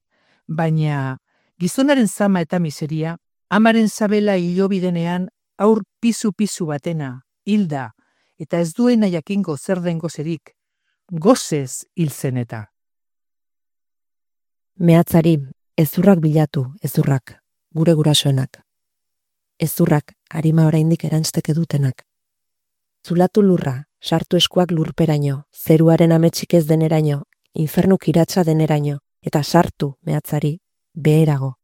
Speaker 6: baina gizonaren zama eta miseria, amaren zabela hilobidenean aur pisu-pisu batena, hilda, eta ez duena jakingo zer den gozerik, gozez hiltzen eta.
Speaker 5: Mehatzari, ezurrak bilatu, ezurrak, gure gurasoenak. Ezurrak, Arima oraindik erantzteke dutenak. Zulatu lurra, sartu eskuak lurperaino, zeruaren ametsik ez deneraino, infernuk iratsa deneraino, eta sartu, mehatzari, beherago.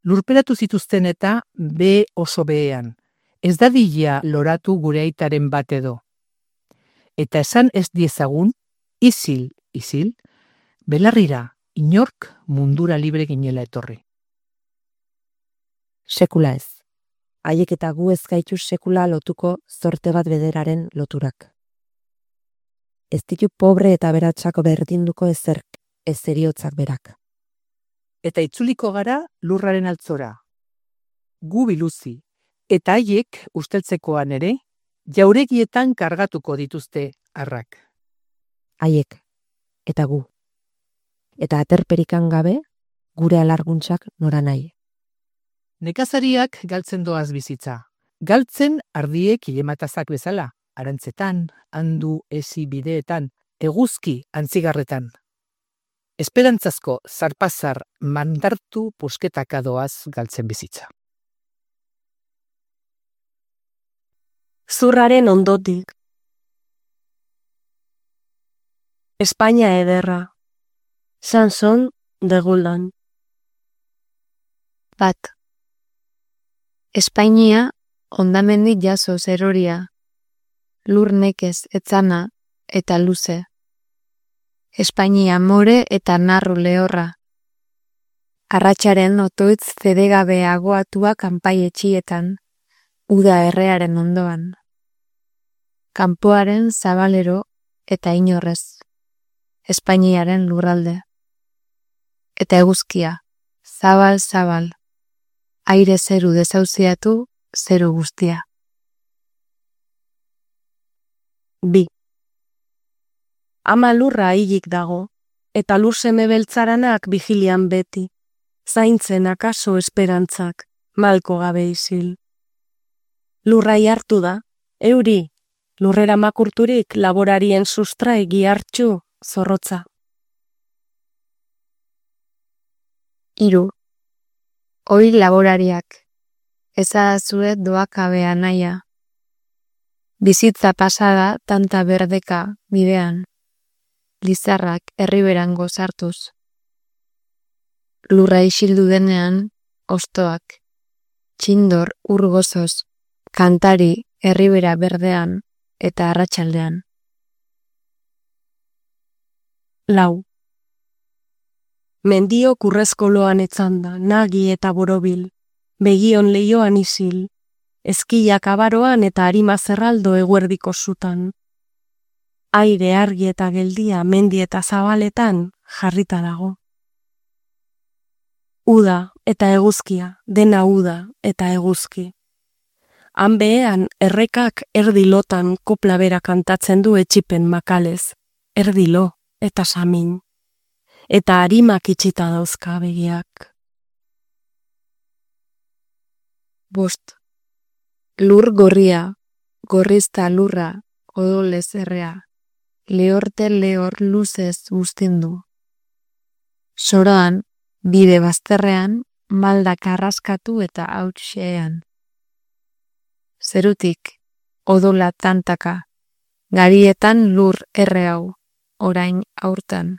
Speaker 6: Lurperatu zituzten eta be oso behean, ez dadila loratu gure aitaren bat edo. Eta esan ez diezagun, izil, belarrira, inork mundura libre ginela etorri.
Speaker 5: Sekula ez. Haiek eta gu ez gaitu sekula lotuko zorte bat bederaren loturak. Ez ditu pobre eta beratzako berdinduko ezerk, ez eriotzak berak.
Speaker 6: Eta itzuliko gara lurraren altzora. Gu biluzi, Eta haiek, usteltzekoan ere, jauregietan kargatuko dituzte arrak.
Speaker 5: Haiek, eta gu. Eta aterperikan gabe, gure alarguntzak nora nahi.
Speaker 6: Nekazariak galtzen doaz bizitza. Galtzen ardiek ilematazak bezala, arantzetan, handu ezi bideetan, eguzki antzigarretan. Esperantzazko zarpazar mandartu pusketaka doaz galtzen bizitza.
Speaker 2: Zurraren ondotik. Espainia ederra. Sanson de Guldan.
Speaker 9: Bat. Espainia hondamendik jaso zeroria. Lur nekez etzana eta luze. Espainia more eta narru lehorra. Arratxaren otoitz zedegabe agoatua kanpai etxietan, uda errearen ondoan. Kanpoaren zabalero eta inorrez. Espainiaren lurralde. Eta eguzkia, zabal-zabal. Aire zeru dezauziatu, zeru guztia.
Speaker 2: Bi. Ama lurra hilik dago, eta lur seme beltzaranak vigilian beti. Zaintzen akaso esperantzak, malko gabe isil. Lurrai hartu da, euri, lurrera makurturik laborarien sustrai gihartxu, zorrotza.
Speaker 9: Hiru. Hoi laborariak, ezadazue doakabea naia. Bizitza pasada tanta berdeka bidean, lizarrak herriberango sartuz. Lurra isildu denean, ostoak, txindor urgozoz, kantari herribera berdean eta arratsaldean.
Speaker 2: Lau. Mendio kurrezkoloan etzanda, nagi eta borobil, begion leioan isil, ezkiak abaroan eta arima zerraldo eguerdiko zutan. Aire argi eta geldia mendi eta zabaletan jarrita dago. Uda eta eguzkia, dena uda eta eguzki. Han behean errekak erdilotan kopla bera kantatzen du etxipen makalez, erdilo eta samin. Eta harimak itxita dauzka begiak.
Speaker 9: Bost. Lur gorria, gorrizta lurra, odolez errea, lehorte lehor luzez guztindu. Soroan, bide bazterrean, maldak arraskatu eta hautxean. Zerutik, odola tantaka, garietan lur erre hau, orain aurtan.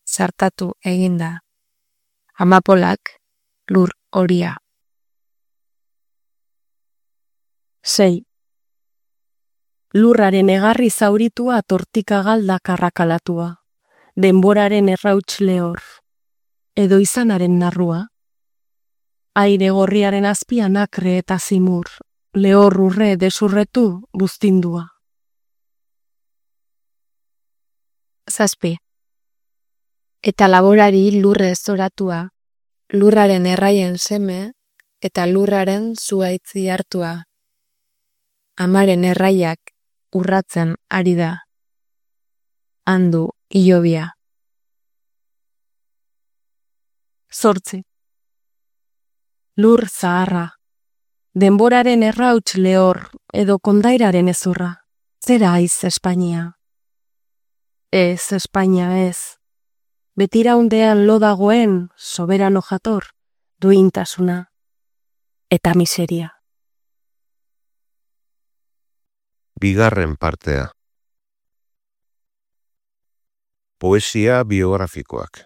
Speaker 9: Sartatu eginda. Amapolak, lur horia.
Speaker 2: 6. Lurraren egarri zauritua tortika galdak arrakalatua, denboraren errauts lehor, edo izanaren narrua. Aire gorriaren azpian akre eta zimur, lehor urre desurretu buztindua.
Speaker 9: 7. Eta laborari lurre zoratua, lurraren erraien seme eta lurraren zuaitzi hartua. Amaren erraiak urratzen ari da. Handu ilobia.
Speaker 2: 8. Lur zaharra, denboraren errauts lehor edo kondairaren ezurra. Zera aiz Espainia. Ez Espainia ez. Betiraundean lo dagoen, soberano jator, duintasuna eta miseria.
Speaker 1: Bigarren partea. Poesia biografikoak.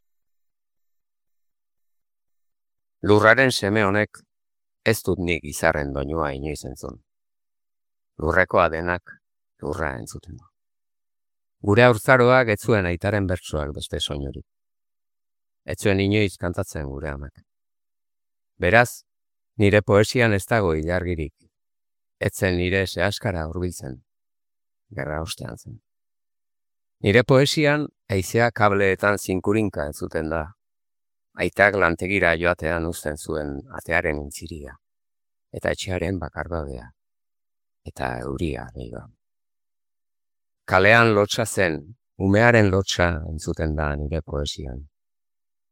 Speaker 16: Lurraren seme honek ez dut nik izarren doinua inoiz entzun. Lurrekoa denak lurra entzuten du. Gure haurtzaroak ez zuen aitaren bertsoak beste soinurik. Ez zuen inoiz kantatzen gure amak. Beraz, nire poesian ez dago ilargirik. Ez zen nire zehaskara hurbiltzen. Gerra ostean zen. Nire poesian haizea kableetan zinkurinka entzuten da. Aitak lantegira joatean uzten zuen atearen intziria. eta etxearen bakardadea, eta euria gehiago. Kalean lotsa zen, umearen lotsa entzuten da nire poesian,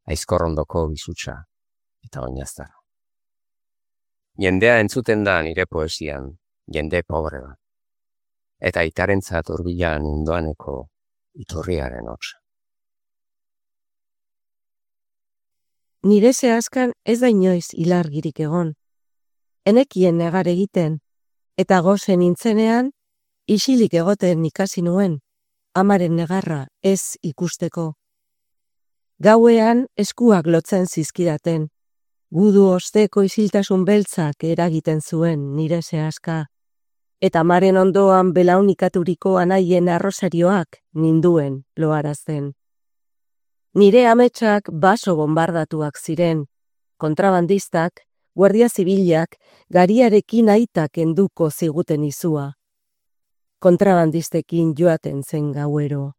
Speaker 16: aizkorrondoko bizutsa eta oinaztara. Jendea entzuten da nire poesian, jende pobre bat, eta itarentzat hurbilan indoaneko iturriaren hotsa.
Speaker 2: Nire zehazkan ez da inoiz ilargirik egon. Enekien negar egiten, eta gozen nintzenean, isilik egoten ikasi nuen, amaren negarra ez ikusteko. Gauean eskuak lotzen zizkidaten, gudu osteko isiltasun beltzak eragiten zuen nire zehazka, eta amaren ondoan belaunikaturiko anaien arrosarioak ninduen loarazten. Nire ametsak baso bombardatuak ziren, kontrabandistak, guardia zibilak, gariarekin aitak enduko ziguten izua. Kontrabandistekin joaten zen gauero.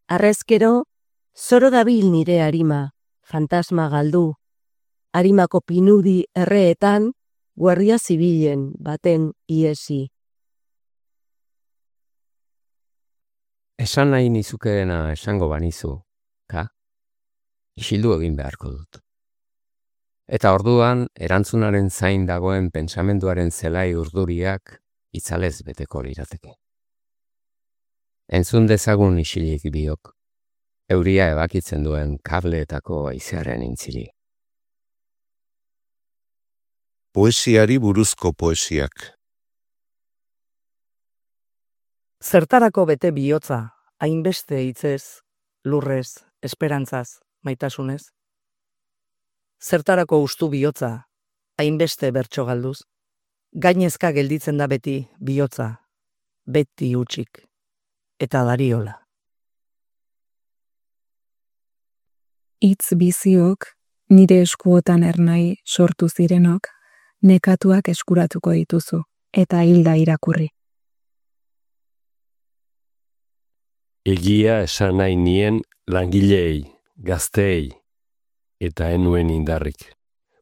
Speaker 2: Arrezkero, zoro dabil nire arima, fantasma galdu. Arimako pinudi erreetan, guardia zibilen baten iesi.
Speaker 16: Esan nahi nizukeena esango banizu, ka? Isildu egin beharko dut. Eta orduan, erantzunaren zain dagoen pentsamenduaren zelai urduriak itzalez beteko lirateke. Entzun dezagun isilik biok, euria ebakitzen duen kableetako haizearen intzili.
Speaker 1: Poesiari buruzko poesiak.
Speaker 10: Zertarako bete bihotza, hainbeste hitzez, lurrez, esperantzaz, maitasunez? Zertarako ustu bihotza, hainbeste bertso galduz? Gainezka gelditzen da beti bihotza, beti hutsik, eta dariola.
Speaker 9: Hitz biziok, nire eskuotan ernai sortu zirenok, nekatuak eskuratuko dituzu, eta hilda irakurri.
Speaker 18: Egia esan nahi nien langilei, gazteei, eta enuen indarrik.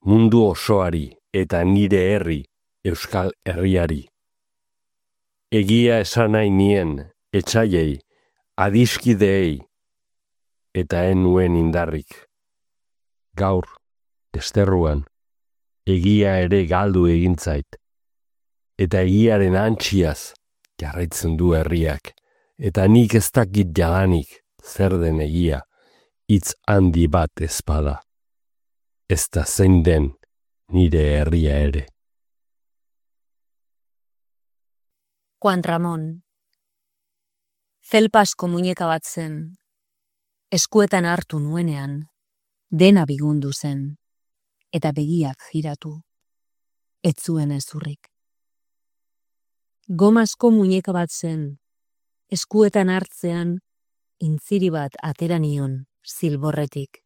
Speaker 18: Mundu osoari eta nire herri, Euskal Herriari. Egia esan nahi nien etsaiei, adiskideei, eta enuen indarrik. Gaur, desterruan, egia ere galdu egintzait, eta egiaren antxiaz jarraitzen du herriak, eta nik ez dakit jadanik zer den egia, hitz handi bat ezpada. Ez da zein den nire herria ere.
Speaker 11: Juan Ramón. Zelpasko muñeka bat zen, eskuetan hartu nuenean, dena bigundu zen, eta begiak jiratu, ez zuen ezurrik. Gomazko muñeka bat zen, eskuetan hartzean, intziri bat atera nion, zilborretik,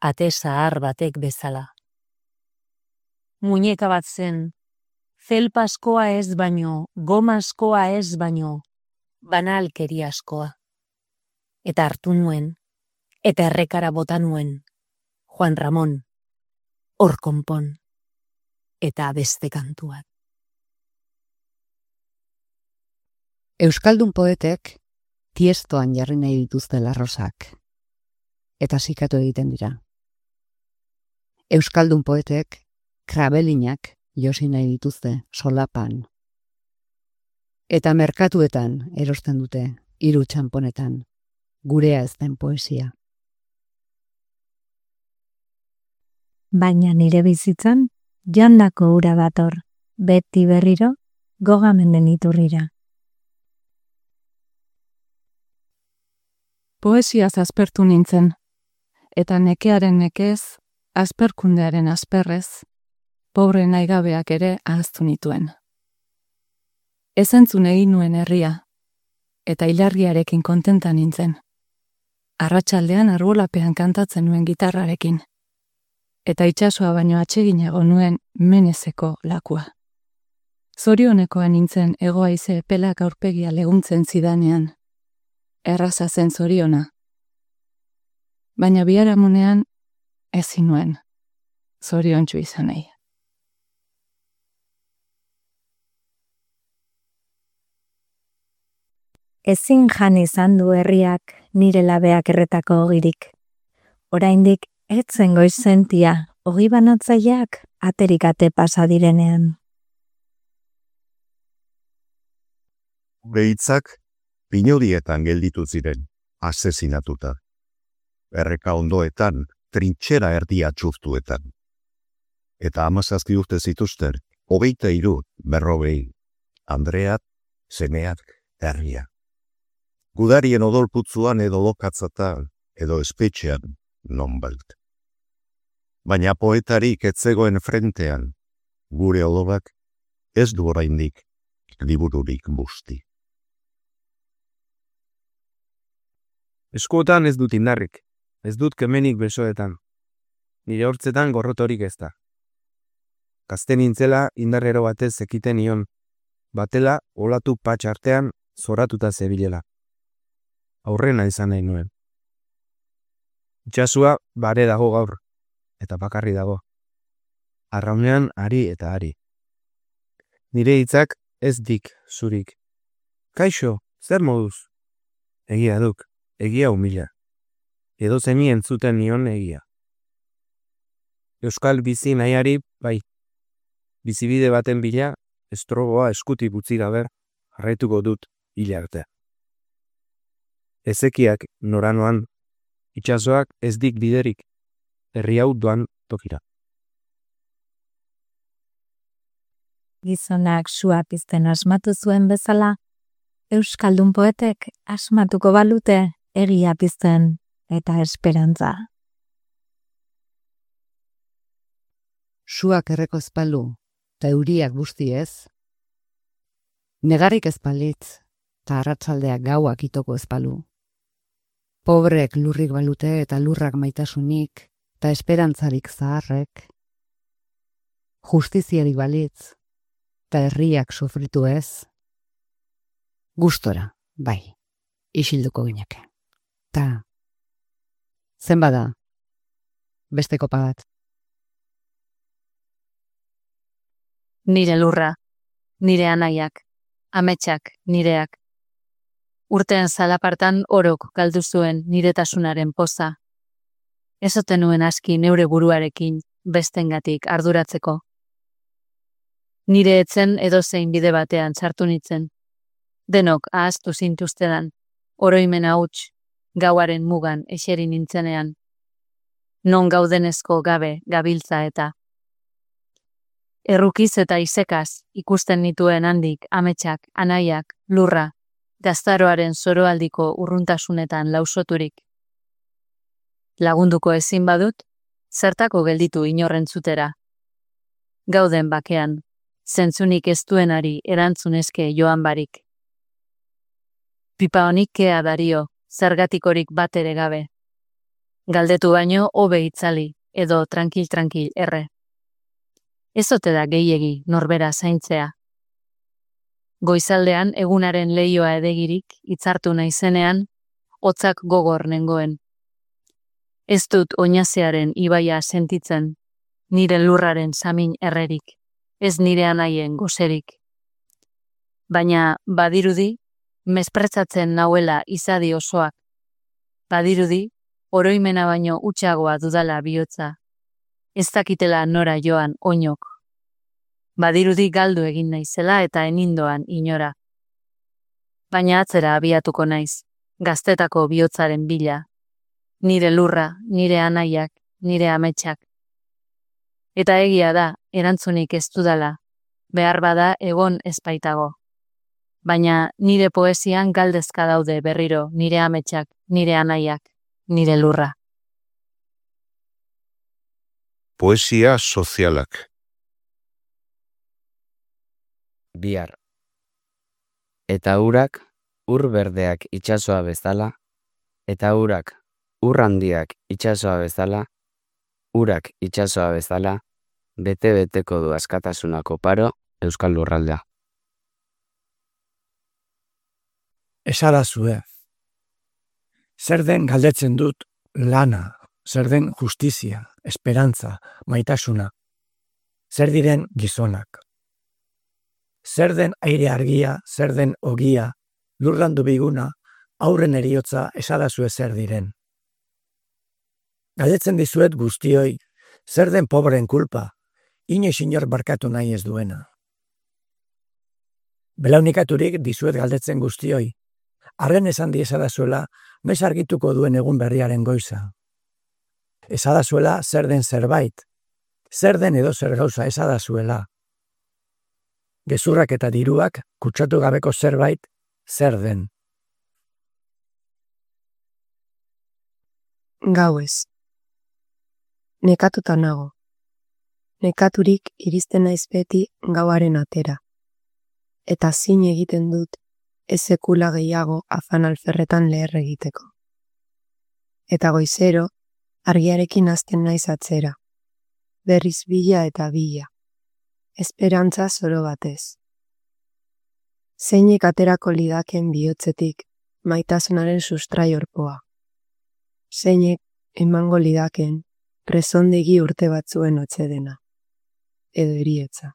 Speaker 11: ate zahar batek bezala. Muñeka bat zen, zelpaskoa ez baino, gomazkoa ez baino, banalkeriaskoa. Eta hartu nuen, eta errekara bota nuen, Juan Ramón, hor konpon, eta beste kantuak.
Speaker 23: Euskaldun poetek tiestoan jarri nahi dituzte larrosak, eta zikatu egiten dira. Euskaldun poetek krabelinak josi nahi dituzte solapan, eta merkatuetan erosten dute hiru txanponetan, gurea ez den poesia.
Speaker 9: Baina nire bizitzan, jandako ura dator, beti berriro, gogamenden iturrira.
Speaker 2: Poesiaz aspertu nintzen, eta nekearen nekez, asperkundearen asperrez, pobre naigabeak ere ahaztu nituen. Ez entzun egin nuen herria, eta ilargiarekin kontenta nintzen. Arratsaldean arbolapean kantatzen nuen gitarrarekin, eta itsasoa baino atseginago nuen menezeko lakua. Zorionekoa nintzen hegoaize epelak aurpegia leguntzen zidanean, erraza zen zoriona. Baina biharamunean ezin nuen zoriontsu izan nahi.
Speaker 9: Ezin jan izan du herriak nire labeak erretako ogirik. Oraindik etzen goizentia, ogi banatzaileak aterik ate pasa direnean.
Speaker 1: Behitzak pinodietan gelditu ziren, asesinatuta. Erreka ondoetan, trintxera erdia txurtuetan. Eta 17 urte zituzten, 23, 40, Andreat, semeak, herria. Gudarien odolputzuan edo lokatzatan, edo espetxean, nonbait. Baina poetarik etzegoen frentean, gure odolak ez du oraindik libururik busti.
Speaker 4: Eskuotan ez dut indarrik, ez dut kemenik besoetan. Nire hortzetan gorrotorik ez da. Gazte nintzela indarrero batez ekiten nion, batela olatu patx artean zoratuta zebilela. Aurrena izan nahi nuen. Itxasua bare dago gaur, eta bakarri dago. Arraunean ari eta ari. Nire hitzak ez dik zurik. Kaixo, zer moduz? Egia duk, egia humila. Edo zeni entzuten nion egia. Euskal bizi nahiari, bai. Bizibide baten bila, estrogoa eskutik utzi gabe, jarraituko dut hila arte. Ezekiak noranoan, itsasoak ez dik biderik, herri hau doan tokira.
Speaker 9: Gizonak sua pizten asmatu zuen bezala, euskaldun poetek asmatuko balute egia pizten eta esperantza.
Speaker 23: Suak erreko ezpalu, eta euriak busti ez. Negarrik ezpalitz, eta arratsaldeak gauak itoko ezpalu. Pobrek lurrik balute eta lurrak maitasunik, eta esperantzarik zaharrek. Justiziarik balitz, eta herriak sufritu ez. Gustora, bai, isilduko gineke. Ta, zenbada, beste kopa bat.
Speaker 11: Nire lurra, nire anaiak, ametsak nireak. Urteen zalapartan orok galdu zuen niretasunaren poza. Ez ote nuen aski neure buruarekin bestengatik arduratzeko. Nire etzen edozein bide batean sartu nitzen. Denok ahaztu zintuztedan, oroimena huts, gauaren mugan eseri nintzenean. Non gaudenezko gabe gabiltza eta. Errukiz eta isekaz ikusten nituen handik ametsak, anaiak, lurra, gaztaroaren zoroaldiko urruntasunetan lausoturik. Lagunduko ezin badut, zertako gelditu inorrentzutera. Gauden bakean, zentzunik ez duenari erantzunezke joan barik. Pipa honik kea dario, zergatikorik bat ere gabe. Galdetu baino hobe itzali, edo tranquil erre. Ez ote da gehiegi norbera zaintzea. Goizaldean egunaren leioa edegirik hitzartu naizenean, hotzak gogor nengoen. Ez dut oinazearen ibaia sentitzen, nire lurraren samin errerik, ez nire anaien goserik. Baina badirudi, mespretzatzen nauela izadi osoak. Badirudi, oroimena baino utxagoa dudala bihotza. Ez dakitela nora joan oinok. Badirudi galdu egin naizela eta enindoan inora. Baina atzera abiatuko naiz, gaztetako bihotzaren bila. Nire lurra, nire anaiak, nire ametsak. Eta egia da, erantzunik ez dudala, behar bada egon ezpaitago. Baina nire poesian galdezka daude berriro nire ametsak, nire anaiak, nire lurra.
Speaker 1: Poesia sozialak.
Speaker 16: Bihar. Eta urak ur berdeak itsasoa bezala, eta urak ur handiak itsasoa bezala, urak itsasoa bezala, bete-beteko du askatasunako paro Euskal Lurraldea.
Speaker 12: Esarazue. Zer den galdetzen dut lana, zer den justizia, esperantza, maitasuna. Zer diren gizonak. Zer den aire argia, zer den ogia, lurrandu biguna, aurren eriotza esadazu zer diren. Galdetzen dizuet guztioi, zer den pobreen kulpa, inoiz inor barkatu nahi ez duena. Belaunikaturik dizuet galdetzen guztioi, arren esan di esadazuela, noiz argituko duen egun berriaren goiza. Esadazuela zer den zerbait, zer den edo zer gauza esadazuela. Gezurrak eta diruak kutsatu gabeko zerbait, zer den.
Speaker 2: Gauez. Nekatuta nago. Nekaturik iristen naiz beti gauaren atera. Eta zin egiten dut ez sekula gehiago afan alferretan leher egiteko. Eta goizero, argiarekin hasten naiz atzera. Berriz bila eta bila. Esperantza zoro batez. Zeinek aterako lidaken bihotzetik maitasunaren sustraiorpoa. Zeinek emango lidaken presondegi urte batzuen otsedena. Edo eriotza.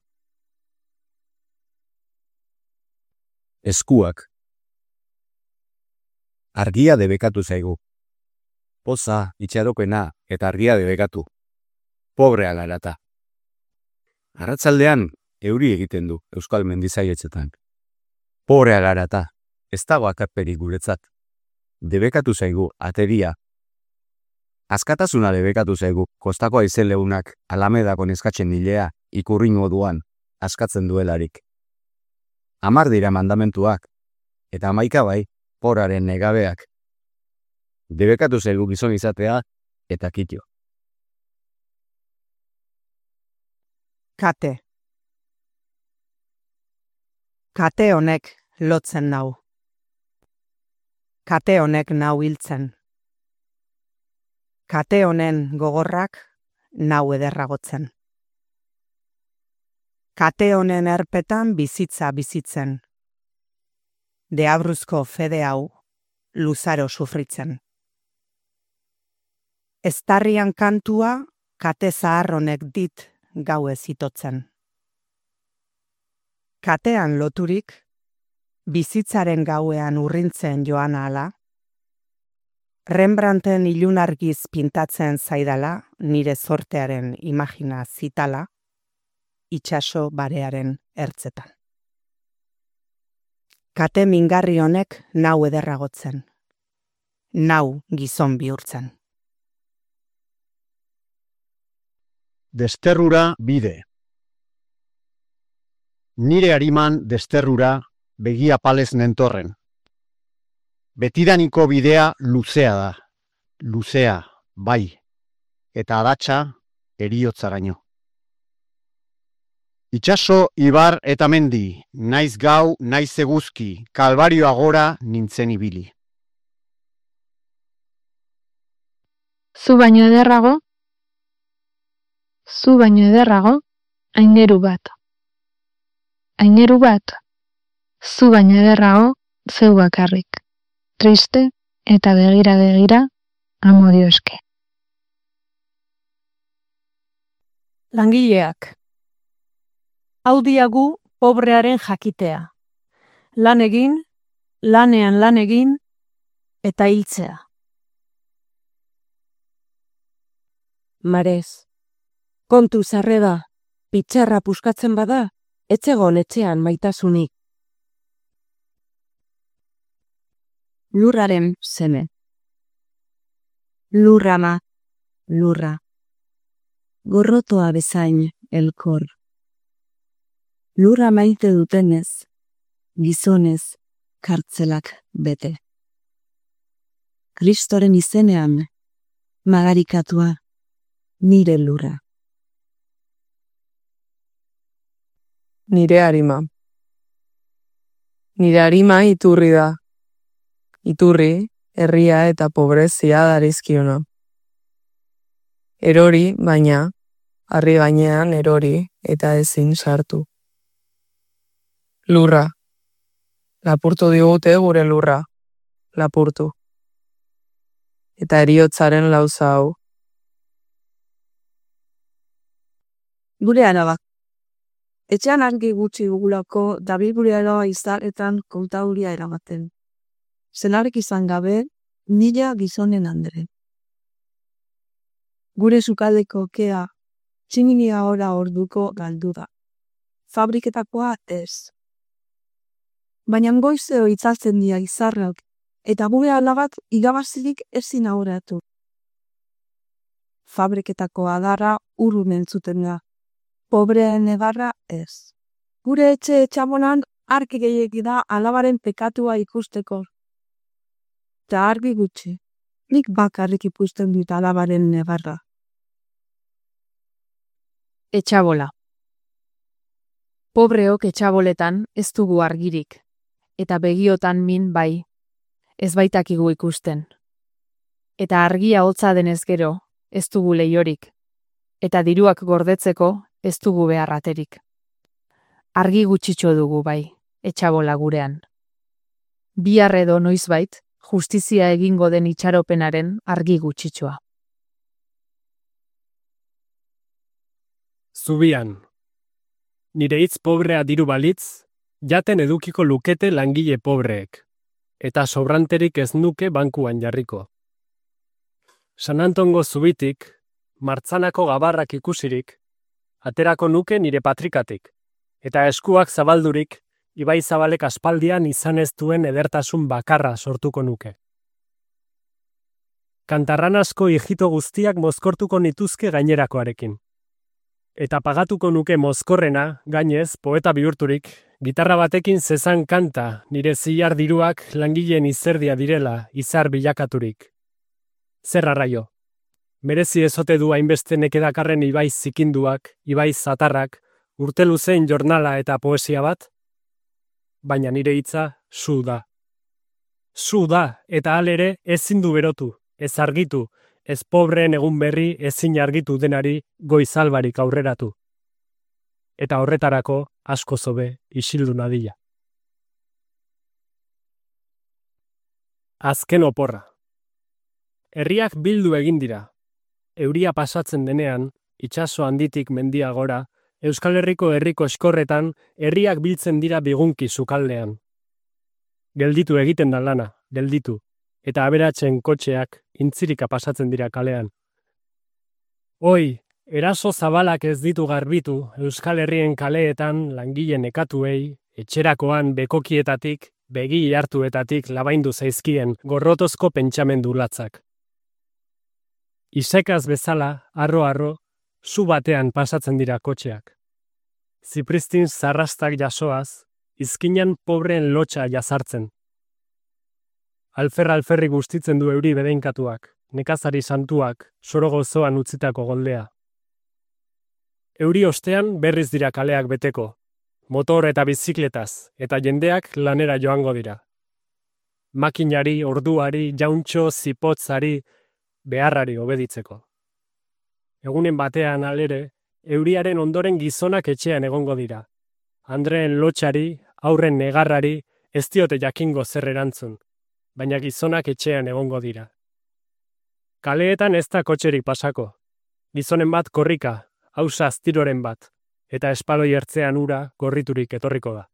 Speaker 8: Eskuak. Argia debekatu zaigu. Poza, itxarokena eta argia debekatu. Pobrea larata. Arratzaldean euri egiten du euskal mendizaietxetan. Pobrea larata, ez dago akarperik guretzat. Debekatu zaigu ateria. Askatasuna debekatu zaigu kostako aizen leunak Alamedako neskatzen nilea ikurrin moduan askatzen duelarik. 10 dira mandamentuak, eta 11 bai, poraren negabeak. Debekatu zaigu gizon izatea eta kitio.
Speaker 3: Kate. Kate honek lotzen nau. Kate honek nau hiltzen. Kate honen gogorrak nau ederragotzen. Kate honen erpetan bizitza bizitzen. Deabruzko fede hau luzaro sufritzen. Eztarrian kantua kate zahar honek dit gauez itotzen. Katean loturik, bizitzaren gauean urrintzen joan ala, Rembrandten ilunargiz pintatzen zaidala, nire zortearen imagina zitala, itsaso barearen ertzetan. Kate mingarri honek nau ederragotzen, nau gizon bihurtzen.
Speaker 13: Desterrura bide. Nire hariman desterrura begia palez nentorren. Betidaniko bidea luzea da, luzea, bai, eta adatsa eriotzaraino. Itsaso, ibar eta mendi, naiz gau, naiz eguzki, kalbarioa gora nintzen ibili.
Speaker 15: Zu baino ederrago, aingeru bat. Aingeru bat, zu baino ederrago, zeu bakarrik. Triste eta begira, amodio eske.
Speaker 24: Langileak. Hau diagu pobrearen jakitea. Lan egin, lanean lan egin, eta hiltzea.
Speaker 2: Marez. Kontu zarreda, pitxarra puskatzen bada, etzegon etxean maitasunik.
Speaker 9: Lurraren seme. Lurrama, lurra. Gorrotoa bezain elkor. Lurra maite dutenez, gizonez, kartzelak bete. Kristoren izenean, magarikatua, nire lurra.
Speaker 25: Nire harima. Nire harima iturri da. Iturri, herria eta pobrezia darizkiona. Erori, baina, harri gainean erori eta ezin sartu. Lurra. Lapurtu digute gure lurra. Lapurtu. Eta heriotzaren lauza hau.
Speaker 3: Gure anaba.
Speaker 7: Etxean argi gutxi dugulako dabilgureara izaretan kontauria eramaten. Senarek izan gabe, nila gizonen andre. Gure sukaldeko kea, tximinia ora orduko galdu da. Fabriketakoa ez. Baina goizeo itzaltzen dira izarrak, eta gure alabak igabazirik ezin aurratu. Fabriketako adarra urrun entzuten da. Pobreen egarra ez. Gure etxe etxabonan argi gehiegi da alabaren pekatua ikusteko. Eta argi gutxi, nik bakarrik ikusten dut alabaren negarra.
Speaker 11: Etxabola. Pobreok etxaboletan ez dugu argirik, eta begiotan min bai, ez baitakigu ikusten. Eta argia hotza denez gero, ez dugu leiorik, eta diruak gordetzeko ez dugu beharraterik. Argi gutxitxo dugu bai, etxabola gurean. Bihar edo noizbait, justizia egingo den itxaropenaren argi gutxitxoa.
Speaker 14: Zubian. Nire hitz pobrea diru balitz, jaten edukiko lukete langile pobreek, eta sobranterik ez nuke bankuan jarriko. San Antongo zubitik, martzanako gabarrak ikusirik, aterako nuke nire patrikatik, eta eskuak zabaldurik, ibai zabalek aspaldian izan ez duen edertasun bakarra sortuko nuke. Kantarranasko hijito guztiak mozkortuko nituzke gainerakoarekin. Eta pagatuko nuke mozkorrena, gainez, poeta bihurturik, gitarra batekin zezan kanta nire zilar diruak langileen izerdia direla izar bilakaturik. Zer arraio? Merezi ezote du hainbeste nekedakarren ibai zikinduak, ibai zatarrak, urte luzein jornala eta poesia bat? Baina nire hitza zu da. Zu da, eta halere ezin du berotu, ez argitu, ez pobreen egun berri ezin argitu denari goizalbarik aurreratu. Eta horretarako asko zobe isildu nadila. Azken oporra. Herriak bildu egin dira. Euria pasatzen denean, itsaso handitik mendia gora, Euskal Herriko herriko eskorretan herriak biltzen dira bigunki sukaldean. Gelditu egiten da lana, gelditu, eta aberatzen kotxeak intzirika pasatzen dira kalean. Hoi, eraso zabalak ez ditu garbitu Euskal Herrien kaleetan langileen nekatuei, etxerakoan bekokietatik, begi hartuetatik labaindu zaizkien gorrotozko pentsamendu latzak. Isekaz bezala, arro-arro, zu batean pasatzen dira kotxeak. Zipristin zarrastak jasoaz, izkinan pobreen lotxa jazartzen. Alferri gustitzen du euri bedeinkatuak, nekazari santuak, soro gozoan utzitako goldea. Euri ostean berriz dira kaleak beteko, motor eta bizikletaz, eta jendeak lanera joango dira. Makinari, orduari, jauntxo, zipotzari, beharrari obeditzeko. Egunen batean alere, euriaren ondoren gizonak etxean egongo dira. Andreen lotxari, aurren negarrari, ez diote jakingo zer erantzun, baina gizonak etxean egongo dira. Kaleetan ez da kotxerik pasako. Gizonen bat korrika, hausa aztiroren bat, eta espaloi ertzean ura gorriturik etorriko da.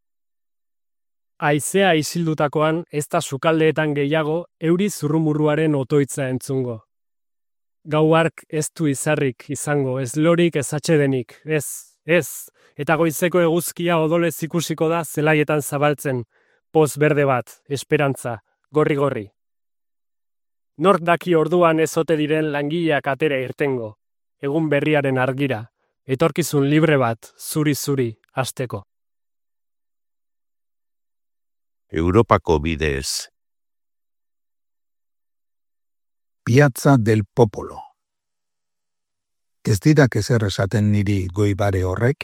Speaker 14: Haizea isildutakoan ez da sukaldeetan gehiago euri zurrumurruaren otoitza entzungo. Gau hark ez du izarrik izango, ez lorik ez atsedenik, ez, eta goizeko eguzkia odolez ikusiko da zelaietan zabaltzen, poz berde bat, esperantza, gorri-gorri. Nork daki orduan ez ote diren langileak atera irtengo, egun berriaren argira, etorkizun libre bat, zuri-zuri, hasteko.
Speaker 1: Europako bidez.
Speaker 17: Piazza del Popolo. Ez didak ezer esaten niri goibare horrek?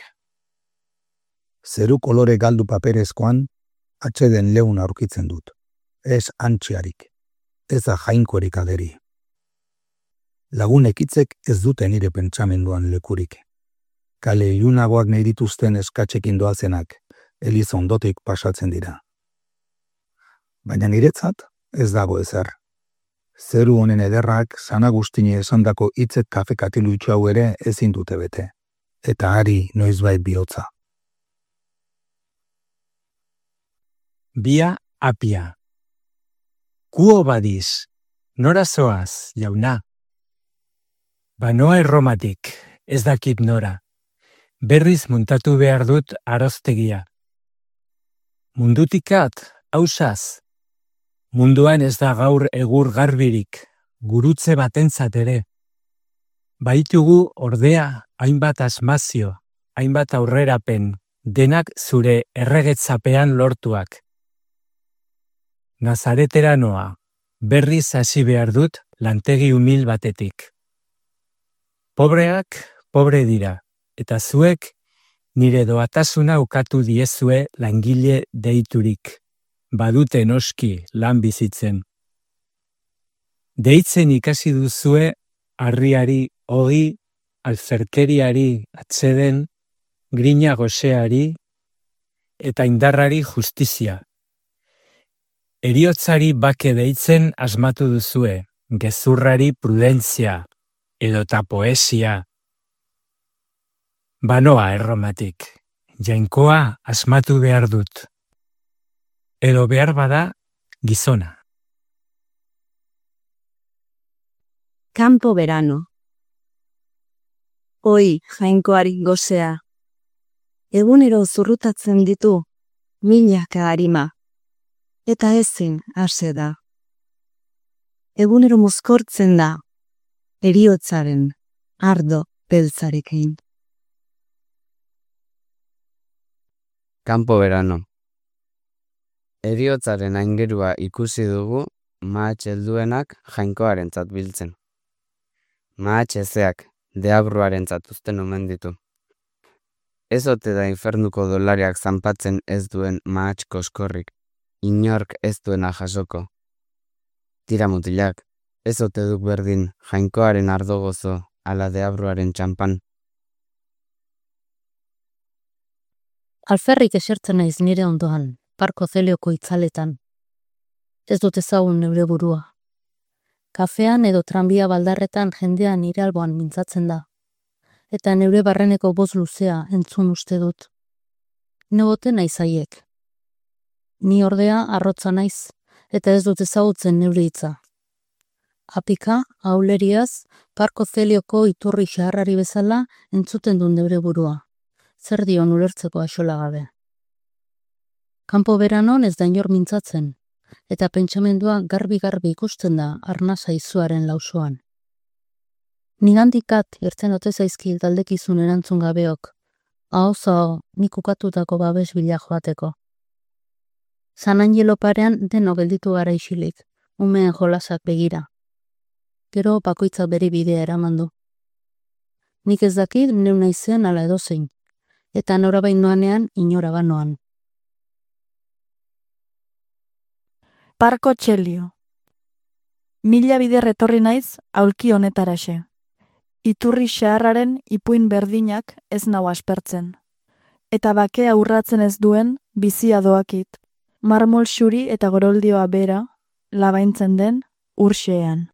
Speaker 17: Zeru kolore galdu paperezkoan, atxeden leun aurkitzen dut. Ez antxiarik, ez da jainkorik aderi. Lagunekitzek ez dute nire pentsamenduan lekurik. Kale ilunagoak nahi dituzten eskatxekin doazenak, elizondotik pasatzen dira. Baina niretzat ez dago ezer. Zeru honen ederrak San Agustini esandako hitzek kafe katilu itxau ere ezin dute bete. Eta hari noizbait bihotza.
Speaker 5: Bia apia. Kuo badiz, nora zoaz, jauna? Banoa Erromatik, ez dakit nora. Berriz muntatu behar dut aroztegia. Mundutikat, hausaz. Munduan ez da gaur egur garbirik, gurutze batentzat ere. Baitugu ordea hainbat asmazio, hainbat aurrerapen, denak zure erregetzapean lortuak. Nazaretera noa, berriz hasi behar dut lantegi humil batetik. Pobreak, pobre dira, eta zuek nire doatasuna ukatu diezue langile deiturik. Badute noski lan bizitzen. Deitzen ikasi duzue harriari, ogi, alferkeriari atseden, grina goseari eta indarrari justizia. Heriotzari bake deitzen asmatu duzue, gezurrari prudentzia edota poesia. Banoa Erromatik, jainkoa asmatu behar dut. Edo behar bada gizona.
Speaker 2: Campo verano. Oi, jainkoari gozea. Egunero zurrutatzen ditu, milaka harima. Eta ezin hase da. Egunero mozkortzen da, heriotzaren ardo beltzarekin.
Speaker 8: Campo verano. Heriotzaren aingerua ikusi dugu mahatx helduenak jainkoarentzat biltzen. Mahatx ezeak deabruarentzat uzten omen ditu. Ez ote da infernuko dolariak zanpatzen ez duen mahatx koskorrik, inork ez duena jasoko. Tira mutilak, ez ote duk berdin jainkoaren ardo gozo ala deabruaren txampan.
Speaker 11: Alferrik esertzen naiz nire ondoan, Parko Zelioko itzaletan. Ez dut ezagun neure burua. Kafean edo tranbia baldarretan jendea nire alboan mintzatzen da. Eta neure barreneko boz luzea entzun uste dut. Negote naiz haiek. Ni ordea arrotza naiz, eta ez dut ezagutzen neure hitza. Apika, auleriaz, Parko Zelioko iturri xaharrari bezala entzuten dut neure burua. Zer dion ulertzeko axola gabe. Campo veranon ez da inor mintzatzen, eta pentsamendua garbi-garbi ikusten da arnasa izuaren lausoan. Nigandikat irten ote zaizkil taldekizun erantzun gabeok, aho nik ukatutako babes bila joateko. San Angelo parean deno gelditu gara isilik, umeen jolasak begira. Gero bakoitzak bere bidea eramandu. Nik ez dakit neu naizen ala edozein, eta norabain noanean inora banoan.
Speaker 24: Parko Txelio. Mila bider etorri naiz aulki honetaraxe. Iturri xaharraren ipuin berdinak ez nau aspertzen. Eta bakea urratzen ez duen bizia doakit. Marmol xuri eta goroldioa bera, labaintzen den urxean.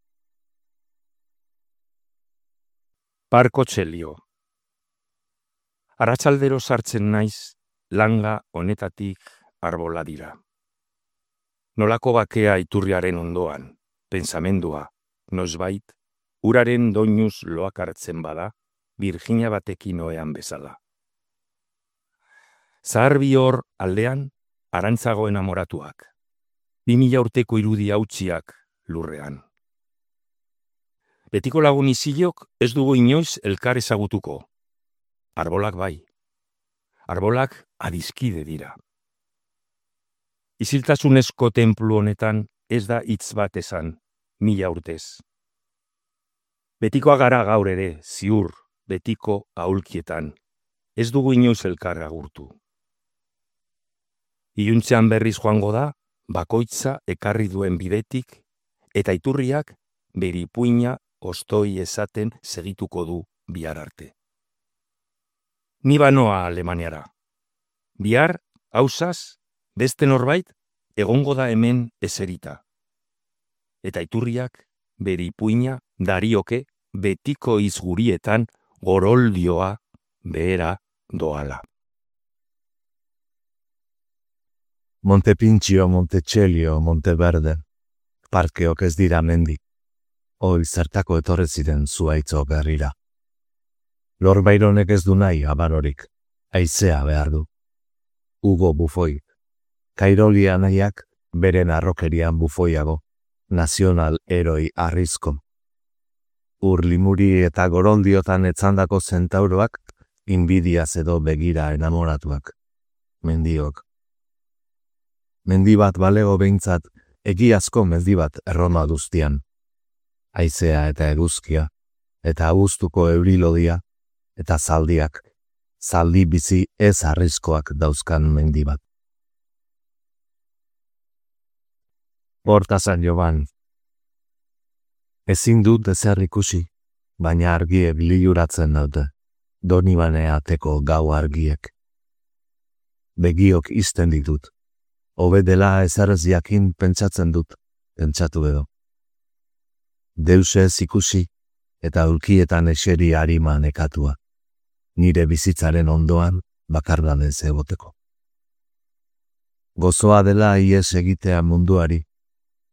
Speaker 19: Parko Txelio. Arratsaldero sartzen naiz, langa honetatik arbola dira. Nolako bakea iturriaren ondoan, pentsamendua, nosbait, uraren doinuz loak hartzen bada, Virginia batekin oean bezala. Zahar hor aldean, arantzago enamoratuak. 2000 urteko irudi hautsiak lurrean. Betiko lagun izilok ez dugu inoiz elkar ezagutuko. Arbolak bai. Arbolak adizkide dira. Iziltasunezko tenplu honetan ez da hitz bat esan, 1000 urtez. Betikoa gara gaur ere, ziur, betiko aulkietan. Ez dugu inoiz elkar agurtu. Iluntzean berriz joango da, bakoitza ekarri duen bidetik, eta iturriak bere ipuina ostoi esaten segituko du bihar arte. Ni banoa Alemaniara. Bihar, hausaz, beste norbait, egongo da hemen eserita. Eta iturriak bere ipuina darioke betiko izgurietan goroldioa behera doala.
Speaker 1: Montepintxio, Montetxelio, Monteverde, parkeok ez dira mendi. Hoi zertako etorre ziren zuaitzo berrira. Lorbaironek ez du nahi abarorik, haizea behar du. Hugo Bufoi, Kairolia nahiak beren arrokerian bufoiago, nazional heroi arrizko. Limuri eta gorondiotan etzandako zentauroak, inbidiaz edo begira enamoratuak. Mendiok. Mendi bat balego behintzat, egiazko mendi bat Erroma duztian. Haizea eta eguzkia, eta abuztuko eurilodia, eta zaldiak, zaldi bizi ez arrizkoak dauzkan mendi bat. Hortazan Joban. Ezin dut ezer ikusi, baina argiek liluratzen dute, Donibane ateko gau argiek. Begiok izten ditut, hobe dela ezarez jakin pentsatzen dut, pentsatu edo. Deuse ez ikusi, eta ulkietan eseri harima nekatua, nire bizitzaren ondoan bakardanez egoteko. Gozoa dela ies egitea munduari,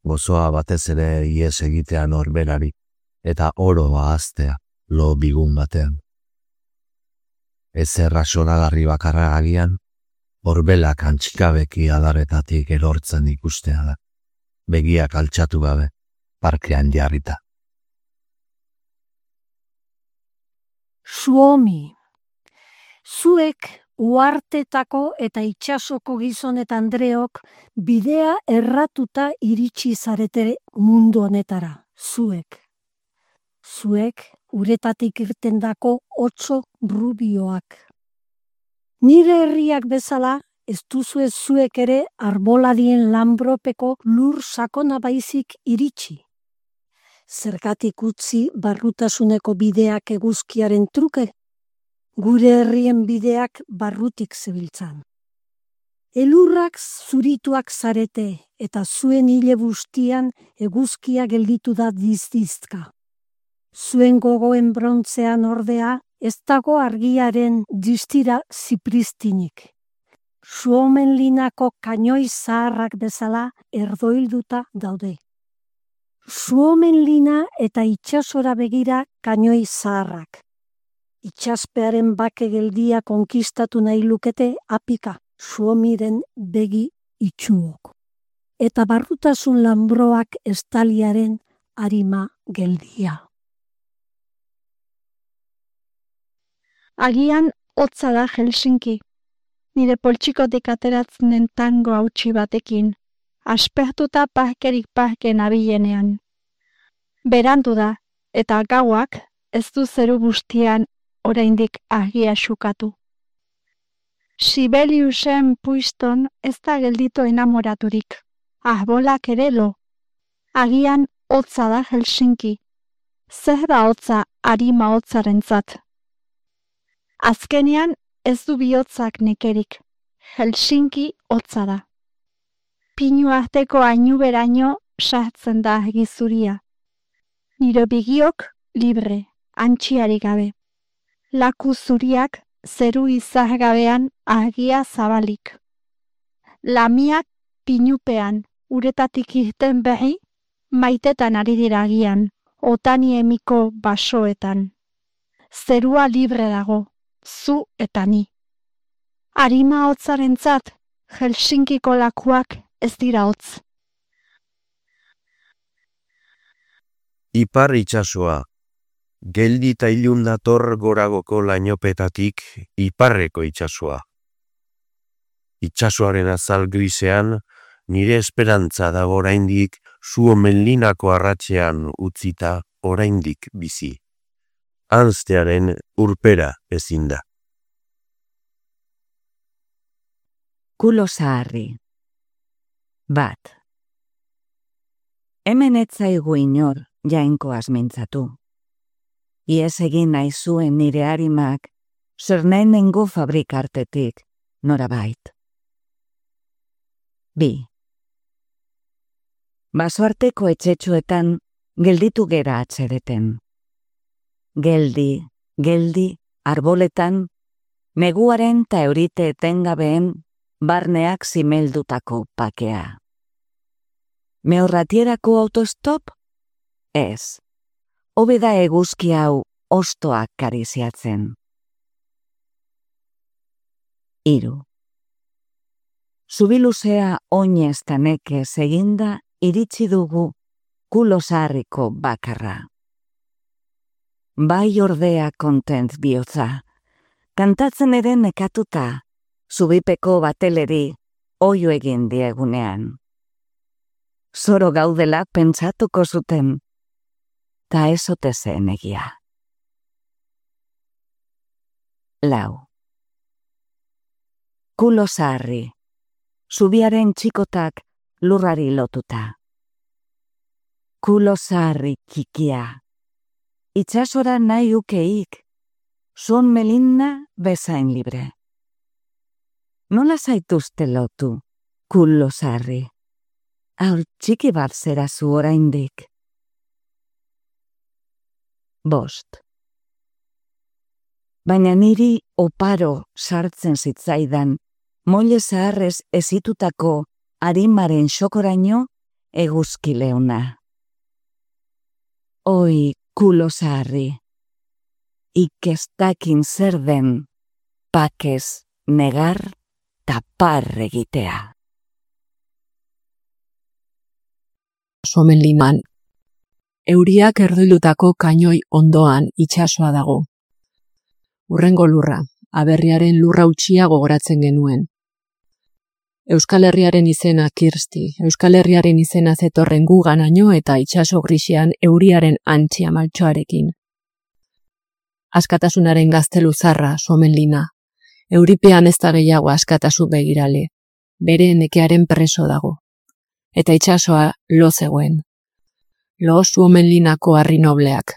Speaker 1: gozoa batez ere ies egitea norberari, eta oro ahaztea lo bigun batean. Ezer rasonagarri bakarra agian, horbelak antxikabeki adaretatik erortzen ikustea da, begiak altxatu gabe, parkean jarrita.
Speaker 6: Suomi, zuek uhartetako eta itsasoko gizon eta andreok bidea erratuta iritsi zarete mundu honetara, zuek. Zuek uretatik irtendako otso rubioak. Nire herriak bezala, ez duzue zuek ere arboladien lanbropeko lur sakona baizik iritsi. Zergatik utzi barrutasuneko bideak eguzkiaren truke, gure herrien bideak barrutik zebiltzan. Elurrak zurituak zarete eta zuen hile bustian eguzkia gelditu da dizdizka. Zuen gogoen brontzean ordea ez dago argiaren distira zipristinik. Suomenlinako kainoi zaharrak bezala erdoilduta daude. Suomenlina eta itsasora begira kainoi zaharrak. Itsaspearen bake geldia konkistatu nahi lukete apika Suomiren begi itxuok. Eta barrutasun lanbroak estaliaren arima geldia.
Speaker 10: Agian hotza da Helsinki, nire poltsikotik ateratzen den tango hautsi batekin, aspertuta parkerik parken abilenean. Berandu da, eta gauak ez du zeru bustian oraindik argia xukatu. Sibeliusen puiston ez da gelditu enamoraturik, arbolak ere lo. Agian hotza da Helsinki, zer da hotza arima hotzarentzat. Azkenean ez du bihotzak nekerik, Helsinki hotza da. Pinu arteko ainuberaino sartzen da gizuria. Nire begiok libre, antxiari gabe. Laku zuriak zeru izar gabean argia zabalik. Lamiak pinupean uretatik irten berri, maitetan ari dira agian, otani emiko basoetan. Zerua libre dago, zu eta ni. Arima hotzarentzat, Helsinkiko lakuak ez dira hotz.
Speaker 1: Ipar itsasoa, geldi eta ilun dator goragoko lainopetatik iparreko itsasoa. Itsasoaren azal grisean, nire esperantza da oraindik Suomenlinako arratsean utzita oraindik bizi. Anztearen urpera ezin da.
Speaker 20: Kulo zaharri. Bat. Hemen ez zaigu inor jainkoaz mintzatu. Iez egin nahi zuen nire harimak, zernenengo fabrikartetik norabait. 2. Basoarteko etxetxoetan gelditu gera atzereten. Geldi, arboletan, neguaren ta eurite etengabeen barneak zimeldutako pakea. Meorratierako autostop? Ez. Hobe da eguzki hau ostoak kariziatzen. 3. Zubiluzea oinez ta nekez eginda iritsi dugu kulo zaharriko bakarra. Bai ordea kontent bihotza, kantatzen ere nekatuta, zubipeko bateleri oio egin diegunean. Zoro gaudela pentsatuko zuten, ta ez ote zen egia. 4. Kulo zaharri, zubiaren txikotak lurrari lotuta. Kulo zaharri txikia, itsasora nahi ukeik, zon melinna bezain libre. Nola zaituzte lotu, kulo zaharri? Haur txiki bat zera zu oraindik. 5. Baina niri oparo sartzen zitzaidan, moile zaharrez ezitutako arimaren xokoraino eguzki leuna. Oi, kulo zaharri, ikestakin zer den, pakez negar tapar egitea.
Speaker 4: Somenliman. Euriak erdoilutako kainoi ondoan itsasoa dago. Urrengo lurra, aberriaren lurra utxia gogoratzen genuen. Euskal Herriaren izena Kirsti, Euskal Herriaren izena zetorren guganaino eta itsaso grisian euriaren antxia maltsoarekin. Askatasunaren gaztelu zarra, Somenlina. Euripean ez da gehiago askatasu begirale, bere nekearen preso dago. Eta itsasoa lo zegoen. Lo Somenlinako harri nobleak.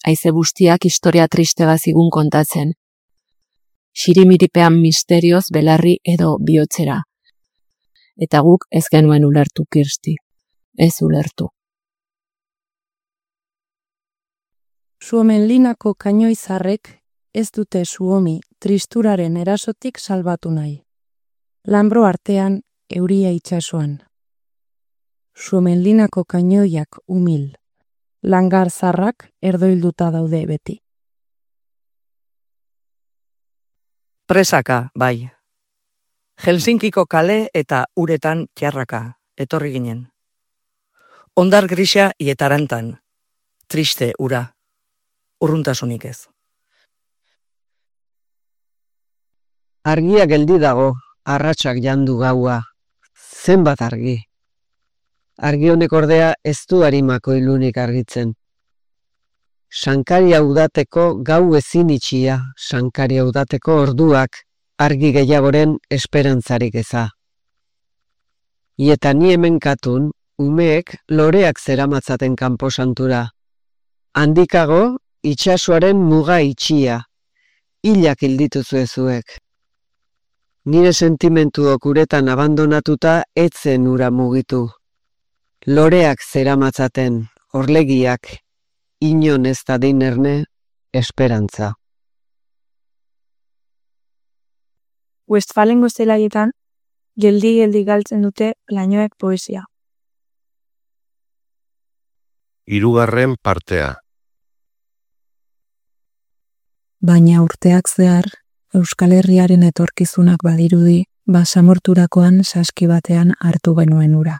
Speaker 4: Haize bustiak historia tristega zigun kontatzen. Xirimiripean misterioz belarri edo bihotzera. Eta guk ez genuen ulertu, Kirsti. Ez ulertu.
Speaker 2: Somenlinako kainoizarrek ez dute Suomi tristuraren erasotik salbatu nahi. Lanbro artean euria itsasoan. Somenlinako kainoiak umil. Langar zarrak erdoilduta daude beti.
Speaker 18: Presaka, bai. Helsinkiko kale eta uretan txarraka, etorri ginen. Ondar grisa ietarantan, triste ura, urruntasunik ez.
Speaker 21: Argia geldi dago, arratsak jandu gaua, zenbat argi. Argi honek ordea ez du arimako ilunik argitzen. Sankaria udateko gau ezin itxia, sankaria udateko orduak, argi gehiagoren esperantzarik eza. Ieta ni hemen katun, umeek loreak zeramatzaten kanposantura. Handikago, itsasoaren muga itxia, hilak hildituzu ezuek. Nire sentimentuok uretan abandonatuta etzen ura mugitu. Loreak zeramatzaten, orlegiak, inon ez da dinerne, esperantza.
Speaker 7: Westfalengo zelaietan, geldi-geldi galtzen dute lainoek poesia.
Speaker 22: 3. partea.
Speaker 23: Baina urteak zehar, Euskal Herriaren etorkizunak badirudi, basamorturakoan saski batean hartu genuen ura.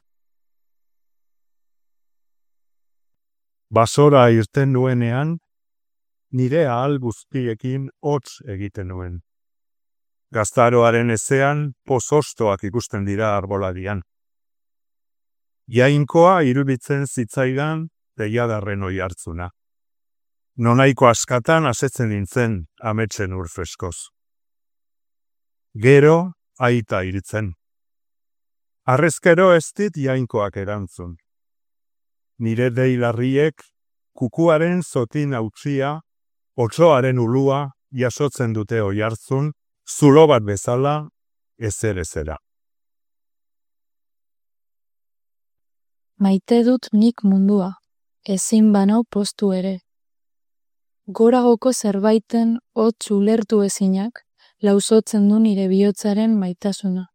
Speaker 26: Basora irten nuenean, nire ahal guztiekin hotz egiten nuen. Gaztaroaren ezean pozostoak ikusten dira arboladian. Jainkoa iruditzen zitzaidan deiadarren oi hartzuna. Nonaiko askatan asetzen nintzen ametsen ur freskoz. Gero aita iritzen. Arrezkero ez dit jainkoak erantzun. Nire deilarriek kukuaren zotin hautzia, otsoaren ulua jasotzen dute oihartzun, zulo bat bezala ezer-ezera.
Speaker 24: Maite dut nik mundua, ezin banau postu ere. Goragoko zerbaiten hotz ulertu ezinak,
Speaker 2: lausotzen du nire bihotzaren maitasuna.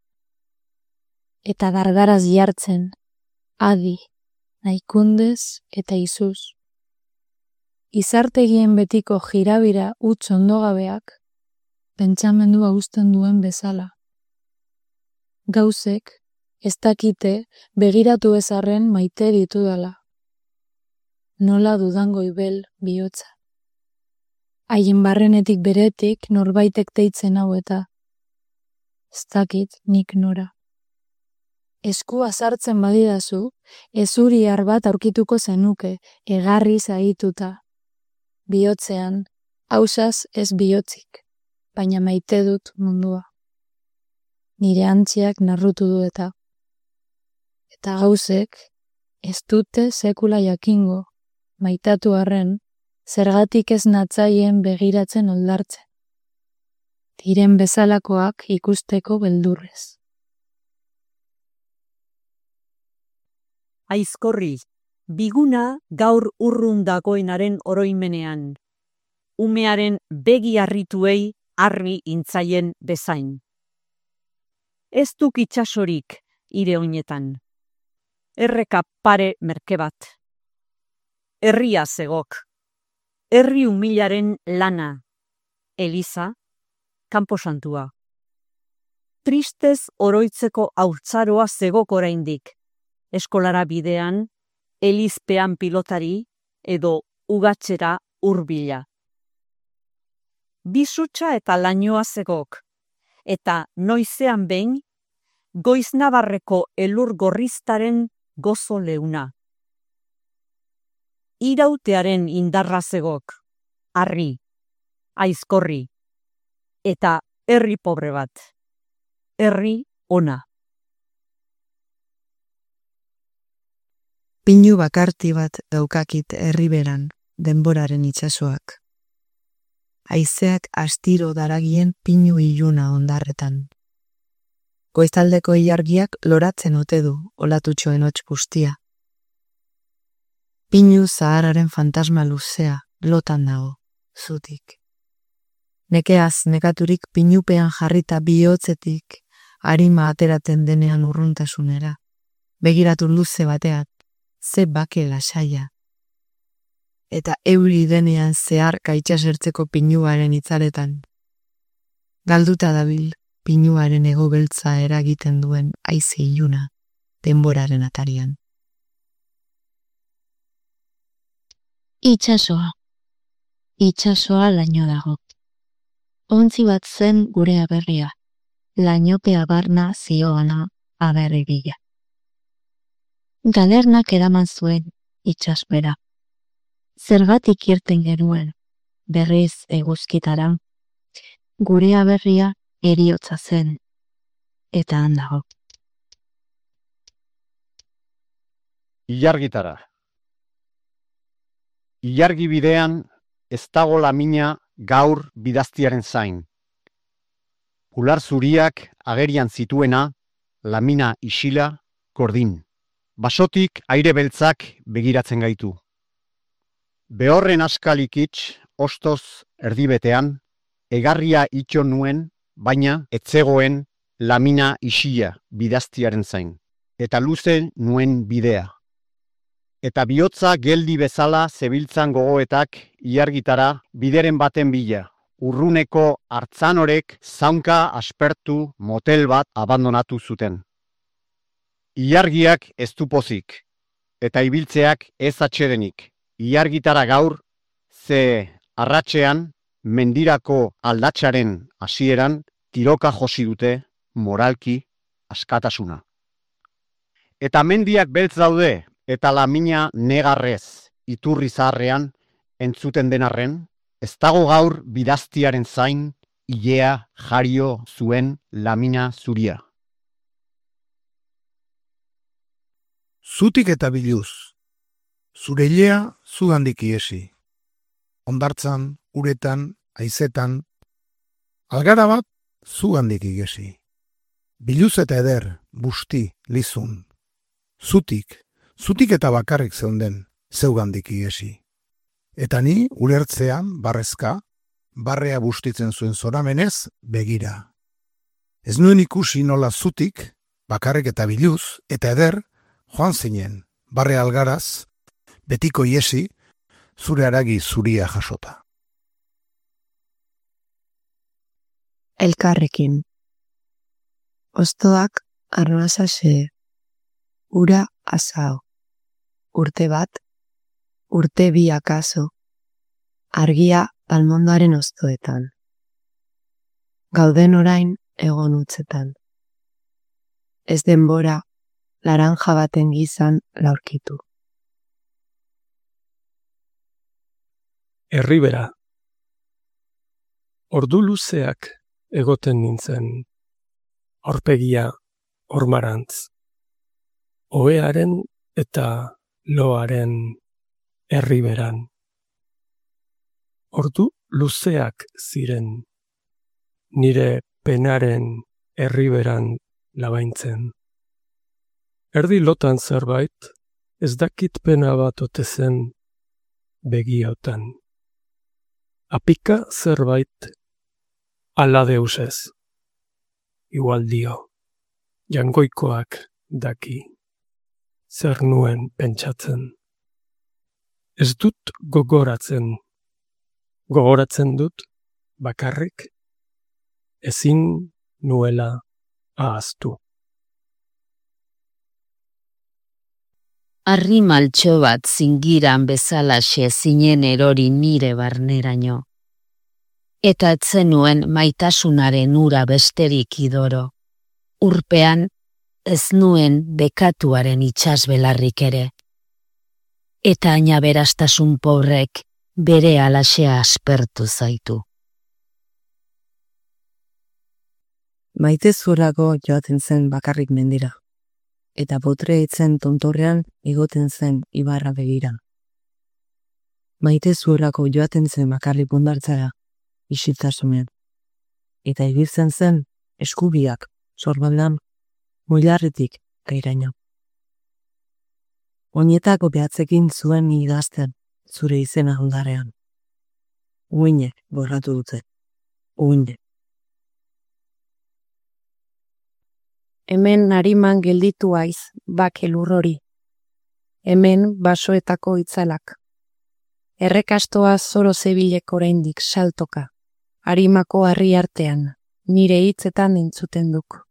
Speaker 2: Eta dardaraz jartzen, adi, naikundez eta izuz. Izartegien betiko jirabira utz ondogabeak, pentsamendua uzten duen bezala. Gauzek, ez dakite begiratu ezarren maite ditudala. Nola dudan goibel bihotza. Haien barrenetik beretik norbaitek deitzen hau eta ez dakit nik nora. Eskua sartzen badidazu, ezuriar bat aurkituko zenuke, egarri zaituta. Bihotzean, hausaz ez bihotzik, baina maite dut mundua. Nire antziak narrutu du eta gauzek ez dute sekula jakingo, maitatu arren, zergatik ez natzaien begiratzen oldartzen. Diren bezalakoak ikusteko beldurrez.
Speaker 3: Aizkorri, biguna gaur urrun dagoenaren oroimenean. Umearen begi harrituei argi intzaien bezain. Ez duk itxasorik ire oinetan. Erreka pare merke bat. Herria zegok. Herri humilaren lana. Eliza, kanposantua. Tristez oroitzeko haurtzaroa zegok oraindik. Eskolara bidean, elizpean pilotari edo ugatzera hurbila. Bizutsa eta lainoa zegok, eta noizean behin, Goiznabarreko elur gorriztaren gozo leuna. Irautearen indarra zegok, harri, aizkorri, eta herri pobre bat, herri ona.
Speaker 23: Pinu bakarti bat daukakit herriberan, denboraren itsasoak. Haizeak astiro daragien pinu iluna ondarretan. Goizaldeko ilargiak loratzen ote du olatutxoen hots bustia. Pinu zahararen fantasma luzea lotan dago, zutik. Nekeaz nekaturik pinupean jarrita bihotzetik arima ateraten denean urruntasunera. Begiratu luze bateat, ze bake lasaia. Eta euri denean zeharka itxasertzeko pinuaren itzaletan. Galduta dabil, pinuaren ego beltza eragiten duen haize iluna, denboraren atarian.
Speaker 9: Itxasoa. Itxasoa laino dago. Ontzi bat zen gure aberria, lainopea barna zioana aberrigila. Galernak eraman zuen itxaspera. Zergatik irten genuen, berriz eguzkitara, gure aberria eriotza zen, eta handago.
Speaker 12: Ilargitara. Ilargi bidean ez dago lamina gaur bidaztiaren zain. Ular zuriak agerian zituena, lamina isila, gordin. Basotik aire beltzak begiratzen gaitu. Behorren askalikitz, ostoz erdibetean, egarria itxo nuen, baina etzegoen lamina isila bidaztiaren zain. Eta luze nuen bidea. Eta bihotza geldi bezala zebiltzan gogoetak ilargitara bideren baten bila. Urruneko hartzanorek zaunka aspertu motel bat abandonatu zuten. Ilargiak ez du pozik, eta ibiltzeak ez atsedenik. Ilargitara gaur, ze arratsean, mendirako aldatsaren hasieran, tiroka josi dute moralki askatasuna. Eta mendiak beltz daude, eta lamina negarrez iturri zaharrean entzuten denarren, ez dago gaur bidaztiaren zain, ilea jario zuen lamina zuria.
Speaker 17: Zutik eta biluz, zure ilea zugandik iesi. Ondartzan, uretan, haizetan, algara bat zugandik igesi. Biluz eta eder, busti, lizun. Zutik eta bakarrik zeunden, zeugandik igesi. Eta ni ulertzean, barrezka, barrea bustitzen zuen zoramenez, begira. Ez nuen ikusi nola zutik, bakarrik eta biluz, eta eder, joan zinen, barre algaraz, betiko iesi, zure haragi zuria jasota.
Speaker 23: Elkarrekin. Ostoak arnazase, ura asao. Urte bat, urte bi akaso, argia almondoaren oztoetan. Gauden orain egon utzetan. Ez denbora, laranja baten gizan laurkitu.
Speaker 5: Erribera. Ordu luzeak egoten nintzen, aurpegia ormarantz. Ohearen eta loaren erriberan. Ordu luzeak ziren, nire penaren erriberan labaintzen. Erdi lotan zerbait, ez dakit pena bat ote zen begiotan. Apika zerbait ala deusez. Igual dio, jangoikoak daki, zer nuen pentsatzen. Ez dut gogoratzen. Gogoratzen dut bakarrik ezin nuela ahaztu.
Speaker 13: Arri maltxo bat zingiran bezalaxe zinen erori nire barneraino. Eta etzenuen maitasunaren ura besterik idoro. Urpean ez nuen bekatuaren itsasbelarrik ere. Eta aina berastasun pobrek bere alasea aspertu zaitu.
Speaker 23: Maite zurako joaten zen bakarrik mendira, eta botre etzen tontorrean igoten zen ibarra begira. Maite zurako joaten zen bakarrik bondartzara, isiltasunean, eta ibiltzen zen eskubiak, sorbaldan, muilarretik gairaino. Oinetako behatzekin zuen idazten, zure izena ondarean. Uinek borratu dute. Uinek.
Speaker 2: Hemen nariman gelditu aiz, bake lurrori. Hemen basoetako itzalak. Errekastoa zoro zebilek oraindik saltoka. Harimako harri artean, nire hitzetan entzuten duk.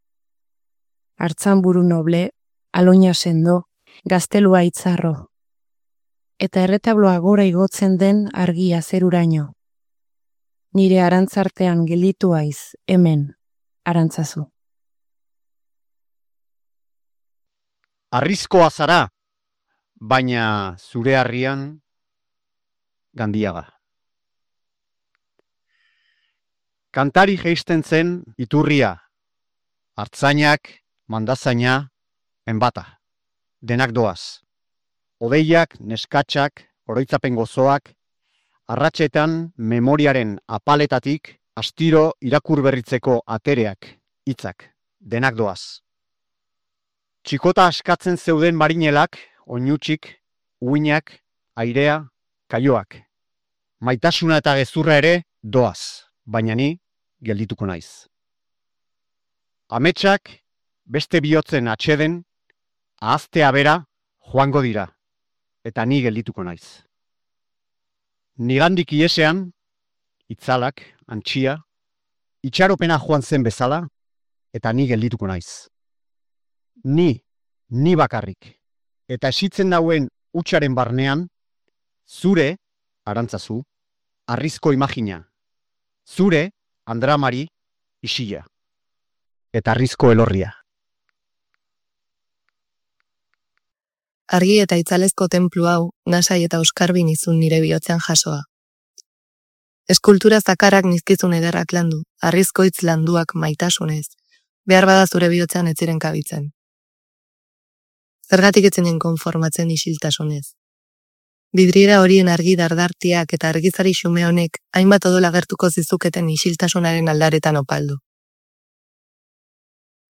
Speaker 2: Hartzanburu noble, aloina sendo, gaztelua itzarro. Eta erretabloa gora igotzen den argia zeruraino. Nire arantzartean gelditu aiz, hemen, arantzazu.
Speaker 12: Arrizkoa zara, baina zure harrian Gandiaga. Kantari jeisten zen iturria, hartzainak, mandazaina, enbata. Denak doaz. Odeiak, neskatxak, oroitzapen gozoak, arratsetan memoriaren apaletatik astiro irakur berritzeko atereak, hitzak, denak doaz. Txikota askatzen zeuden marinelak, oinutsik, uinak, airea, kaioak. Maitasuna eta gezurra ere doaz, baina ni geldituko naiz. Ametsak beste bihotzen atxeden, ahaztea bera joango dira, eta ni geldituko naiz. Nigandik iesean, itzalak, antxia, itxaropena joan zen bezala, eta ni geldituko naiz. Ni bakarrik, eta esitzen dauen hutsaren barnean, zure, arantzazu, harrizko imagina, zure, andramari, isila, eta harrizko elorria.
Speaker 14: Argi eta itzalezko tenplu hau, nasai eta euskarbin izun nire bihotzean jasoa. Eskultura zakarrak nizkizun ederrak landu, harrizko hitz landuak maitasunez, behar bada zure bihotzean ez ziren kabitzen. Zergatik etzenen konformatzen isiltasunez. Bidriera horien argi dardartiak eta argizari xume honek hainbat odola gertuko zizuketen isiltasunaren aldaretan opaldu.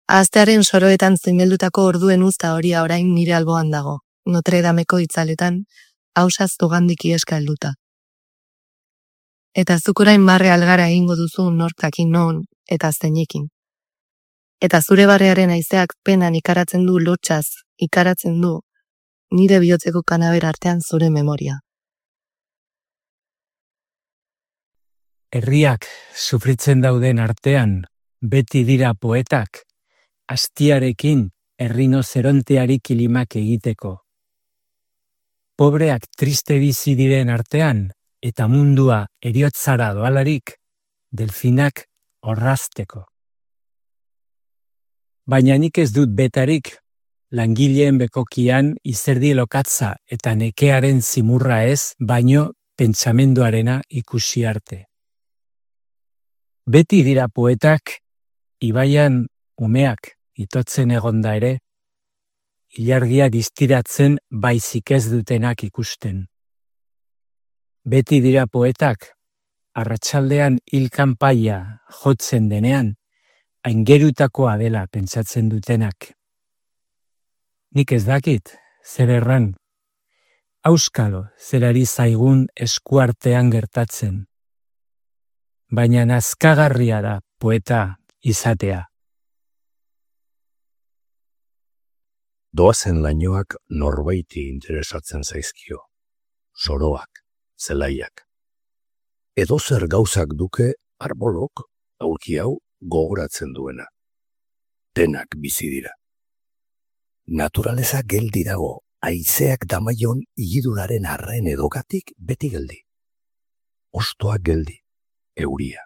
Speaker 14: Ahaztearen soroetan zimeldutako orduen uzta horia orain nire alboan dago, Notre Dameko itzaletan, hausaz zugandik ieska helduta. Eta zuk orain barre algara egingo duzu nortakin non eta zeinekin. Eta zure barrearen haizeak penan ikaratzen du lotxaz, ikaratzen du nire bihotzeko kanaber artean zure memoria.
Speaker 8: Herriak sufritzen dauden artean, beti dira poetak, astiarekin errinozeronteari kilimak egiteko. Pobreak triste bizi diren artean, eta mundua heriotzara doalarik, delfinak orrazteko. Baina nik ez dut betarik, langileen bekokian izerdi lokatza eta nekearen zimurra ez, baino pentsamenduarena ikusi arte. Beti dira poetak, ibaian umeak itotzen egonda ere, ilargia distiratzen baizik ez dutenak ikusten. Beti dira poetak, arratsaldean hilkanpaia jotzen denean, aingerutakoa dela pentsatzen dutenak. Nik ez dakit, zer erran, auskalo zerari zaigun eskuartean gertatzen. Baina nazkagarria da poeta izatea.
Speaker 1: Doazen lainoak norbaiti interesatzen zaizkio. Soroak, zelaiak. Edozer gauzak duke arbolok, aulki hau, gogoratzen duena. Denak bizi dira. Naturaleza geldi dago, haizeak damaion igiduraren arren edogatik beti geldi. Ostoak geldi, euria.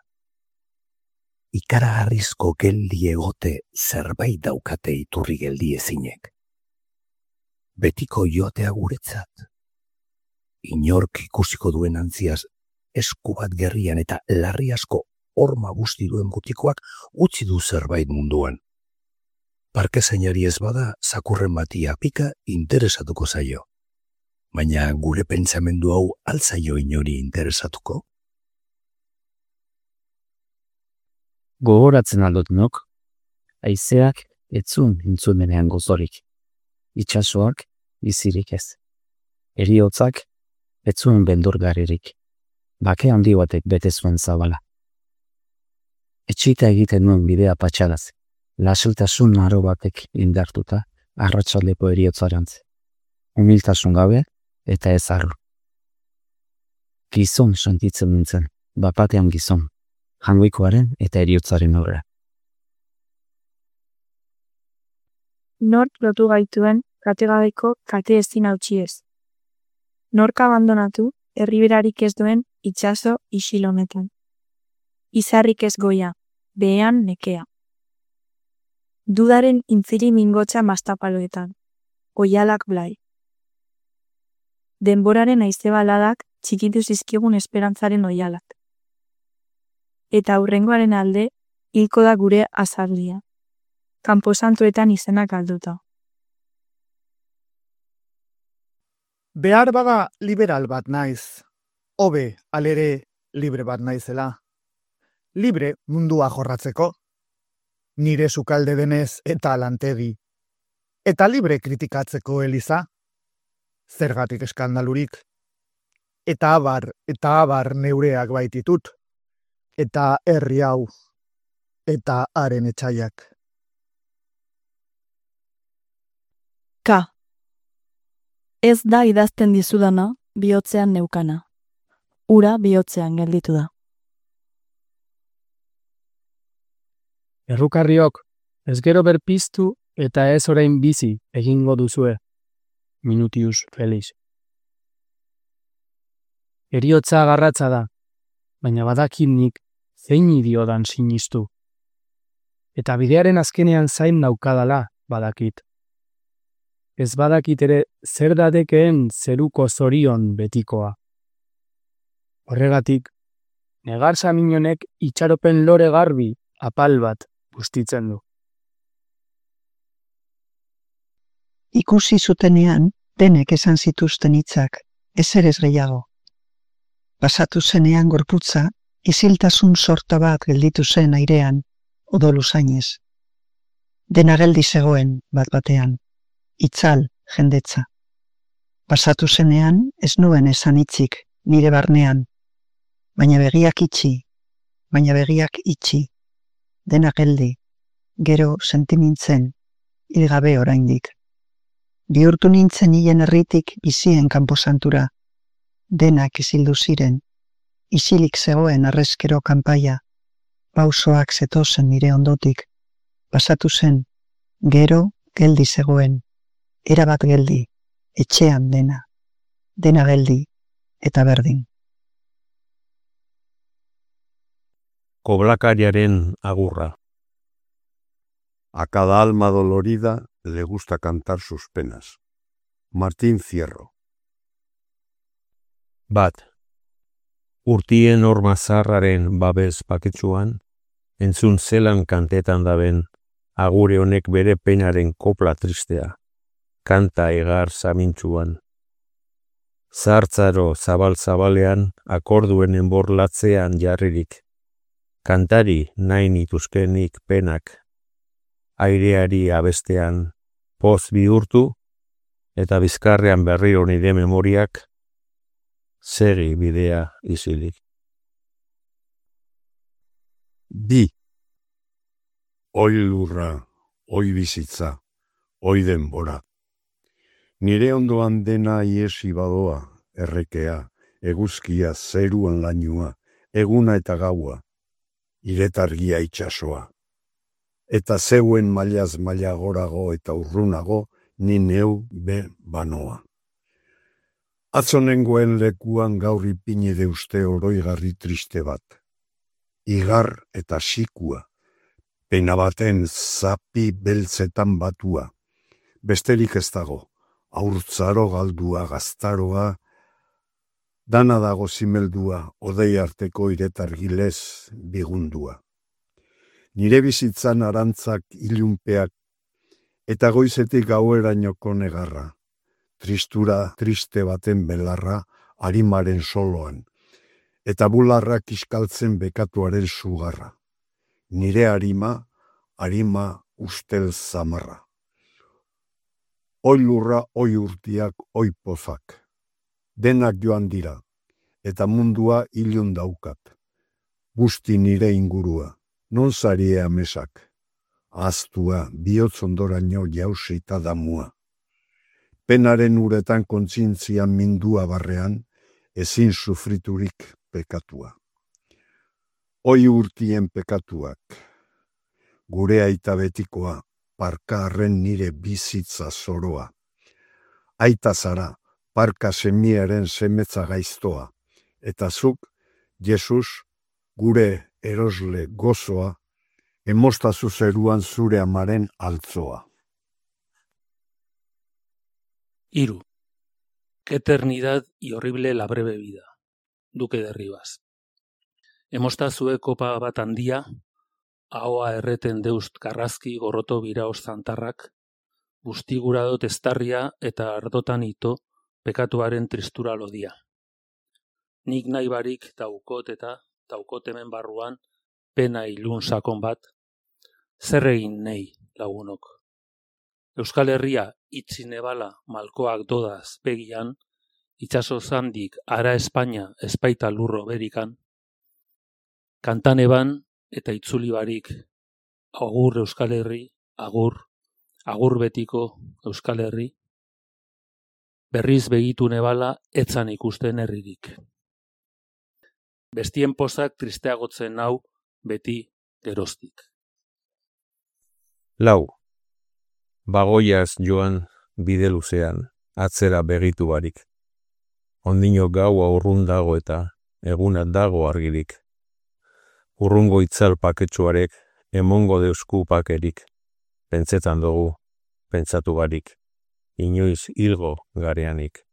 Speaker 1: Ikaragarrizko geldi egote zerbait daukate iturri geldi ezinek. Betiko joatea guretzat. Inork ikusiko duen antziaz, esku bat gerrian eta larri asko horma guzti duen butikoak utzi du zerbait munduan. Parke zainari ez bada, zakurren bati apika interesatuko zaio. Baina gure pentsamendu hau altzaio inori interesatuko?
Speaker 11: Gogoratzen aldot nok, haizeak etzun intzumenean gozorik. Itxasoak bizirik ez. Heriotzak etzuen beldurgarririk. Bake handi batek bete zuen zabala. Etxita egiten nuen bidea patxadaz. Lasiltasun aro batek indartuta arratsaldeko heriotzarantz. Humiltasun gabe eta ez arru. Gizon sentitzen nintzen, bapatean gizon. Jangoikoaren eta heriotzaren aurra.
Speaker 24: Nork lotu gaituen kategabeiko kate ezin hautsi ez. Nork abandonatu herriberarik ez duen itsaso isil honetan. Izarrik ez goia, behean nekea. Dudaren intziri mingotsa mastapaloetan, oialak blai. Denboraren haize baladak txikitu zizkigun esperantzaren oialak. Eta aurrengoaren alde, hilko da gure azaldia. Kanposantuetan izenak galduta.
Speaker 15: Behar bada liberal bat naiz. Hobe, alere, libre bat naizela. Libre mundua jorratzeko. Nire sukalde denez eta lantegi. Eta libre kritikatzeko Eliza. Zergatik eskandalurik. Eta abar neureak baititut. Eta herri hau. Eta haren etxaiak.
Speaker 24: Ka. Ez da idazten dizudana, bihotzean neukana. Ura bihotzean gelditu da.
Speaker 5: Errukarriok, ez gero berpiztu eta ez orain bizi egingo duzue. Minutius Felix. Heriotza garratza da, baina badakinik zein idiodan sinistu. Eta bidearen azkenean zain naukadala badakit. Ez badakit ere zer dadekeen zeruko zorion betikoa. Horregatik, negar saminonek itxaropen lore garbi apal bat bustitzen du.
Speaker 16: Ikusi zutenean, denek esan zituzten hitzak, ezer ez gehiago. Pasatu zenean gorputza, isiltasun sorta bat gelditu zen airean, odolu zainez. Dena geldi zegoen bat batean, itzal jendetza. Pasatu zenean, ez nuen esan hitzik, nire barnean. baina begiak itxi, dena geldi, gero sentimintzen, hilgabe oraindik. Bihurtu nintzen hilen herritik bizien kanposantura, denak isildu ziren, isilik zegoen arrezkero kanpaia, pausoak zetozen nire ondotik, pasatu zen, gero geldi zegoen, erabat geldi, etxean dena geldi eta berdin.
Speaker 22: Koblakariaren agurra.
Speaker 4: A cada alma dolorida le gusta cantar sus penas. Martín Fierro.
Speaker 22: Bat. Urtien ormazarraren babes paketsuan, entzun zelan kantetan daben, agure honek bere penaren kopla tristea, kanta egar zamintzuan. Zartzaro zabal-zabalean, akorduen enborlatzean jarririk, kantari nahi nituzkenik penak, aireari abestean, poz bihurtu, eta bizkarrean berriro nire memoriak, segi bidea izilik.
Speaker 4: Bi. Oi lurra, oi bizitza, oi denbora. Nire ondoan dena iesi badoa, errekea, eguzkia, zeruan lainua, eguna eta gaua, iretargia itsasoa. Eta zeuen mailaz maila gorago eta urrunago, ni neu be banoa. Atzonengoen lekuan gaur ipini deuste oroigarri triste bat. Igar eta sikua, pena baten zapi beltzetan batua. Besterik ez dago, haurtzaro galdua gaztaroa, dana dago zimeldua, odei arteko iretargilez bigundua. Nire bizitzan arantzak ilunpeak, eta goizetik gauerainoko negarra, tristura triste baten belarra arimaren soloan, eta bularrak iskaltzen bekatuaren sugarra. Nire arima ustel zamarra. Oi lurra, oi urtiak, oi pozak. Denak joan dira, eta mundua ilun daukat. Busti nire ingurua, non zarie amesak. Aztua, bihotz ondoraino jausita damua. Penaren uretan kontzientzian mindua barrean, ezin sufriturik pekatua. Oi urtien pekatuak, gure aita betikoa, parkarren nire bizitza zoroa. Aita zara, parka semiaren semetza gaiztoa, eta zuk, Jesus, gure erosle gozoa, emostazu zeruan zure amaren altzoa.
Speaker 6: Hiru. Qué eternidad y horrible la breve vida. Duque de Rivas. Emostazue kopa bat handia, ahoa erreten deust karrazki gorroto biraos zantarrak, bustigura testarria eta ardotan ito pekatuaren tristura lodia. Nik nahi barik daukot eta daukot hemen barruan pena ilun sakon bat, zer egin nahi lagunok. Euskal Herria itzi nebala malkoak dodaz begian, itxaso zandik ara Espainia espaita lurro berikan, kantan eban eta itzuli barik, agur Euskal Herri, agur betiko Euskal Herri, berriz begitu nebala etzan ikusten herririk. Bestien pozak tristeagotzen hau beti geroztik.
Speaker 22: Lau. Bagoiaz joan bide luzean, atzera begitu barik. Ondino gaua urrun dago eta egunat dago argirik. Urrungo itzal paketsuarek, emongo deusku pakerik. Pentsetan dugu, pentsatu barik. Inoiz hilgo gareanik.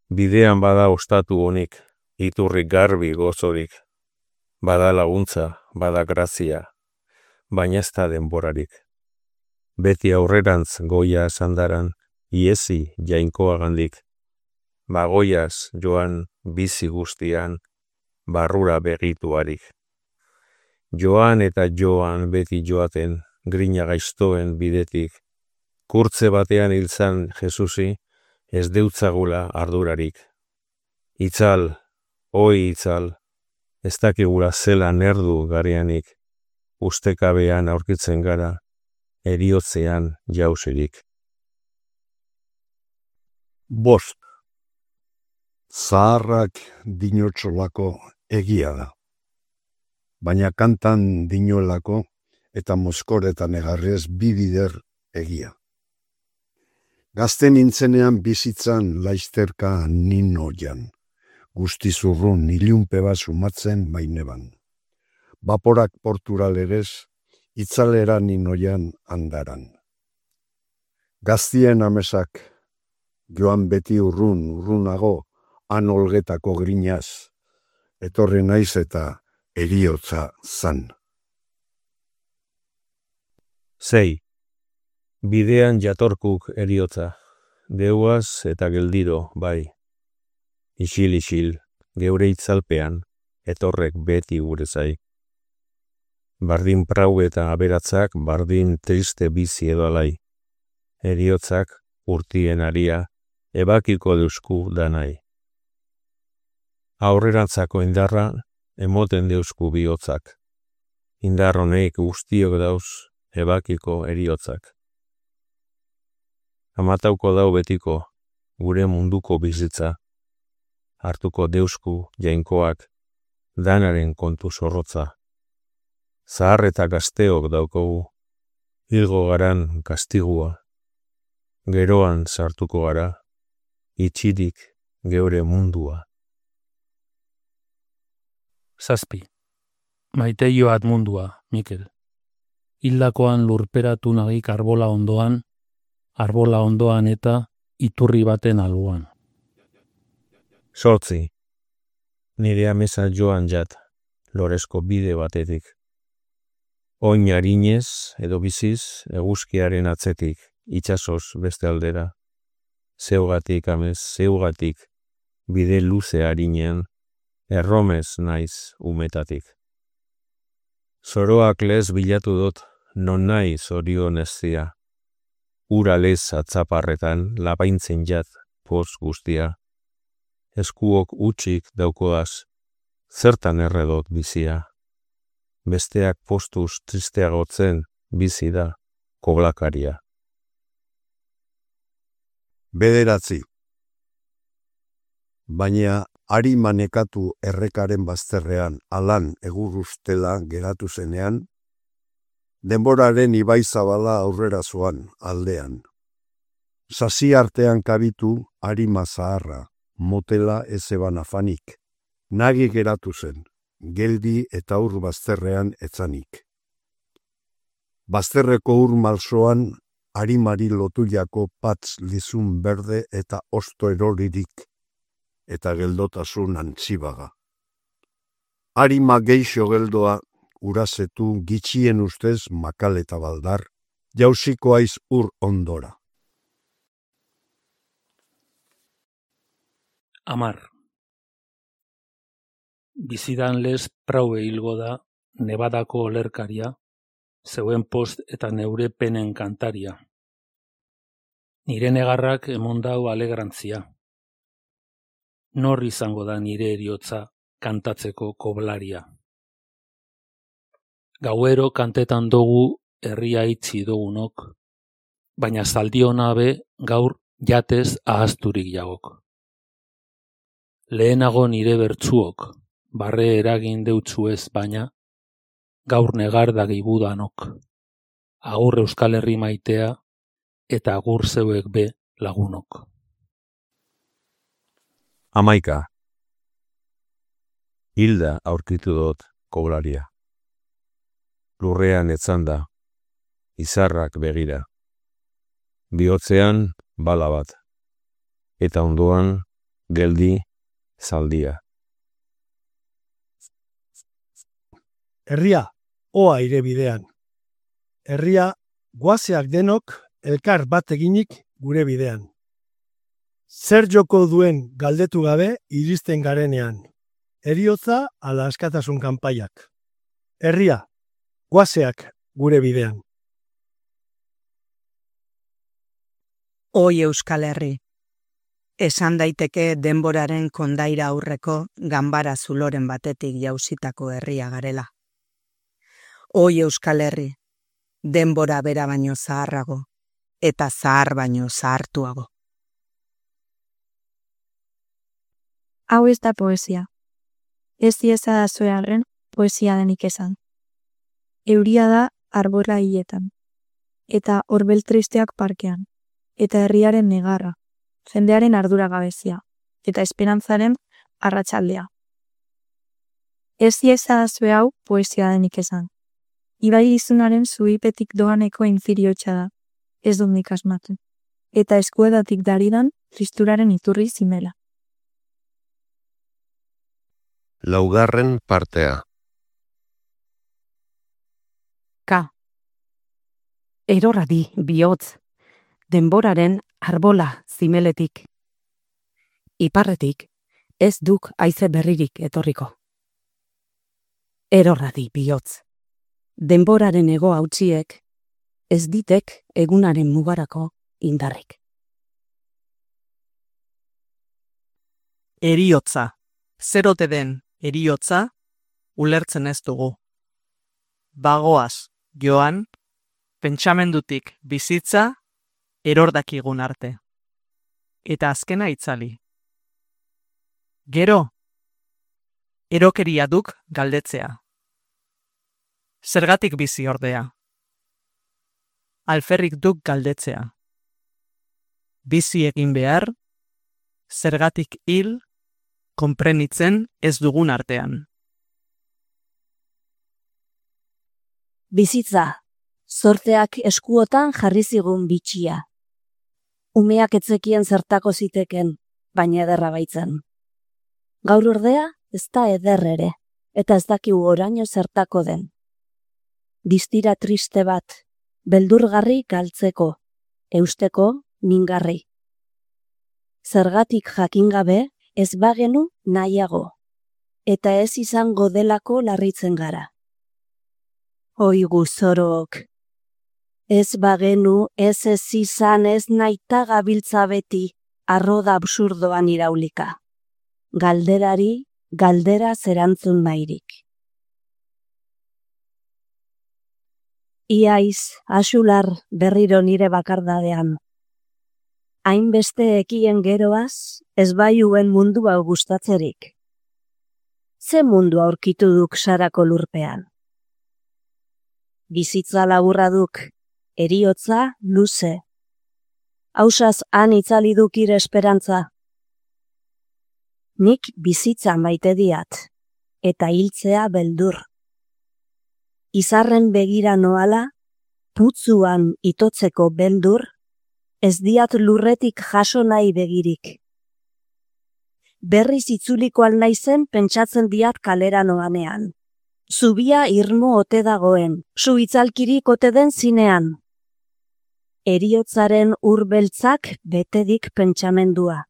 Speaker 22: Bidean bada ostatu honik, iturri garbi gozorik. Bada laguntza, bada grazia, baina ez da denborarik. Beti aurrerantz goia sandaran, iesi jainkoagandik. Bagoiaz joan bizi guztian, barrura begituarik. Joan eta joan beti joaten, grina gaiztoen bidetik. Kurtze batean hiltzan Jesusi, ez deutzagula ardurarik. Itzal, Oi itzal, ez dakigula zelan erdu garianik, ustekabean aurkitzen gara, eriotzean jausirik.
Speaker 4: Bost. Zaharrak dinotxolako egia da. Baina kantan dinoelako eta moskoretan egarrez bibider egia. Gazte nintzenean bizitzan laizterka ninoian. Guztizurrun ilunpe bat sumatzen baineban. Baporak porturalerez, itzalera ninoian andaran. Gaztien amesak, joan beti urrunago, han olgetako grinaz, etorri naiz eta eriotza zan.
Speaker 22: 6. Bidean jatorkuk eriotza, deuaz eta geldiro, bai. Isil, geure itzalpean, etorrek beti gure zai. Bardin prau eta aberatzak, bardin triste bizi edo alai. Eriotzak, urtien aria, ebakiko deusku danai. Aurrerantzako indarra, emoten deusku bihotzak. Indar honek guztiok dauz, ebakiko eriotzak. Amatauko dau betiko, gure munduko bizitza. Hartuko deusku jainkoak, danaren kontu zorrotza. Zahar eta gazteok daukogu, hilgo garan kastigua. Geroan sartuko gara, itxirik geure mundua.
Speaker 6: 7. Maite joat mundua, Mikel. Hildakoan lurperatu nagik arbola ondoan eta iturri baten alboan.
Speaker 22: 8. Nire amesa joan jat, loresko bide batetik. Oin harinez edo biziz eguzkiaren atzetik, itsasoz beste aldera. Zeugatik amez, zeugatik, bide luze harinean, erromez naiz umetatik. Zoroak lez bilatu dut, non nahi zorion eztia. Ura lez atzaparretan lapaintzen jat, poz guztia. Eskuok utxik daukoaz, zertan erredot bizia. Besteak postuz tristeagotzen bizi da koblakaria.
Speaker 4: 9. Baina ari manekatu errekaren bazterrean alan egurrustela geratu zenean, denboraren ibai zabala aurrera zoan aldean. Sasi artean kabitu arima zaharra, motela ezeban afanik. Nagi geratu zen, geldi eta ur bazterrean etzanik. Bazterreko ur malsoan arimari lotuliako patz lizun berde eta osto eroririk eta geldotasun antzibaga. Arima geixo geldoa urazetu gitxien ustez makal eta baldar, jausiko aiz ur ondora.
Speaker 6: 10. Bizidan lez praue hilgo da, Nevadako olerkaria, zeuen post eta neure penen kantaria. Nire negarrak emondau alegrantzia. Nor izango da nire eriotza kantatzeko koblaria. Gauero kantetan dugu herria itzi dugunok, baina zaldiona be gaur jatez ahazturik jagok. Lehenago nire bertzuok, barre eragin deutzuez baina, gaur negar dagibudanok. Agur Euskal Herri maitea eta agur zeuek be lagunok.
Speaker 22: 11. Hilda aurkitu dut koblaria. Lurrean etzanda, izarrak begira. Bihotzean bala bat, eta ondoan geldi zaldia.
Speaker 10: Herria, oa ire bidean. Herria, guazeak denok elkar bat eginik gure bidean. Zer joko duen galdetu gabe iristen garenean. Heriotza ala askatasun kanpaiak. Herria, guazeak gure bidean.
Speaker 3: Oi Euskal Herri. Esan daiteke denboraren kondaira aurreko ganbara zuloren batetik jausitako herria garela. Oi Euskal Herri, denbora bera baino zaharrago, eta zahar baino zahartuago.
Speaker 24: Hau ez da poesia. Ez dieza da zoearen poesia denik esan. Euria da arbola hiletan, eta horbel tristeak parkean, eta herriaren negarra, jendearen arduragabezia, eta esperantzaren arratsaldea. Ez dieza da zoe hau poesia denik esan. Ibai izunaren zuipetik doaneko infiriotxa da, ez dut nik asmatu, eta eskuedatik daridan tristuraren iturri zimela.
Speaker 22: Laugarren partea.
Speaker 7: Ka. Eroradi bihotz, denboraren arbola zimeletik. Iparretik ez duk haize berririk etorriko. Eroradi bihotz, denboraren ego hautsiek ez ditek egunaren mugarako indarrik.
Speaker 18: Eriotza, zerote den eriotza, ulertzen ez dugu. Bagoaz, joan, pentsamendutik bizitza, erordakigun arte. Eta azkena itzali. Gero, erokeria duk galdetzea. Zergatik bizi ordea. Alferrik duk galdetzea. Bizi egin behar, zergatik hil, konprenitzen ez dugun artean.
Speaker 19: Bizitza, zorteak eskuotan jarri zigun bitxia. Umeak etzekien zertako ziteken, baina ederra baitzen. Gaur ordea ez da eder ere, eta ez dakigu oraino zertako den. Distira triste bat, beldurgarri galtzeko, eusteko mingarri. Zergatik jakingabe ez bagenu nahiago, eta ez izango delako larritzen gara. Oigu zorok, ez bagenu ez izan ez naita gabiltza beti arroda absurdoan iraulika. Galderari, galdera zerantzun nahirik. Iaiz, asular berriro nire bakardadean. Hainbeste ekien geroaz, ez baiuen mundua gustatzerik. Ze mundu aurkitu duk sarako lurpean? Bizitza laburra duk, eriotza luze. Hausaz han itzali duk ire esperantza. Nik bizitza maite diat, eta hiltzea beldur. Izarren begira noala, putzuan itotzeko beldur, ez diat lurretik jaso nahi begirik. Berriz itzuliko alnaizen pentsatzen diat kalera noanean. Zubia irmo ote dagoen, zu itzalkirik ote den zinean. Eriotzaren urbeltzak betedik pentsamendua.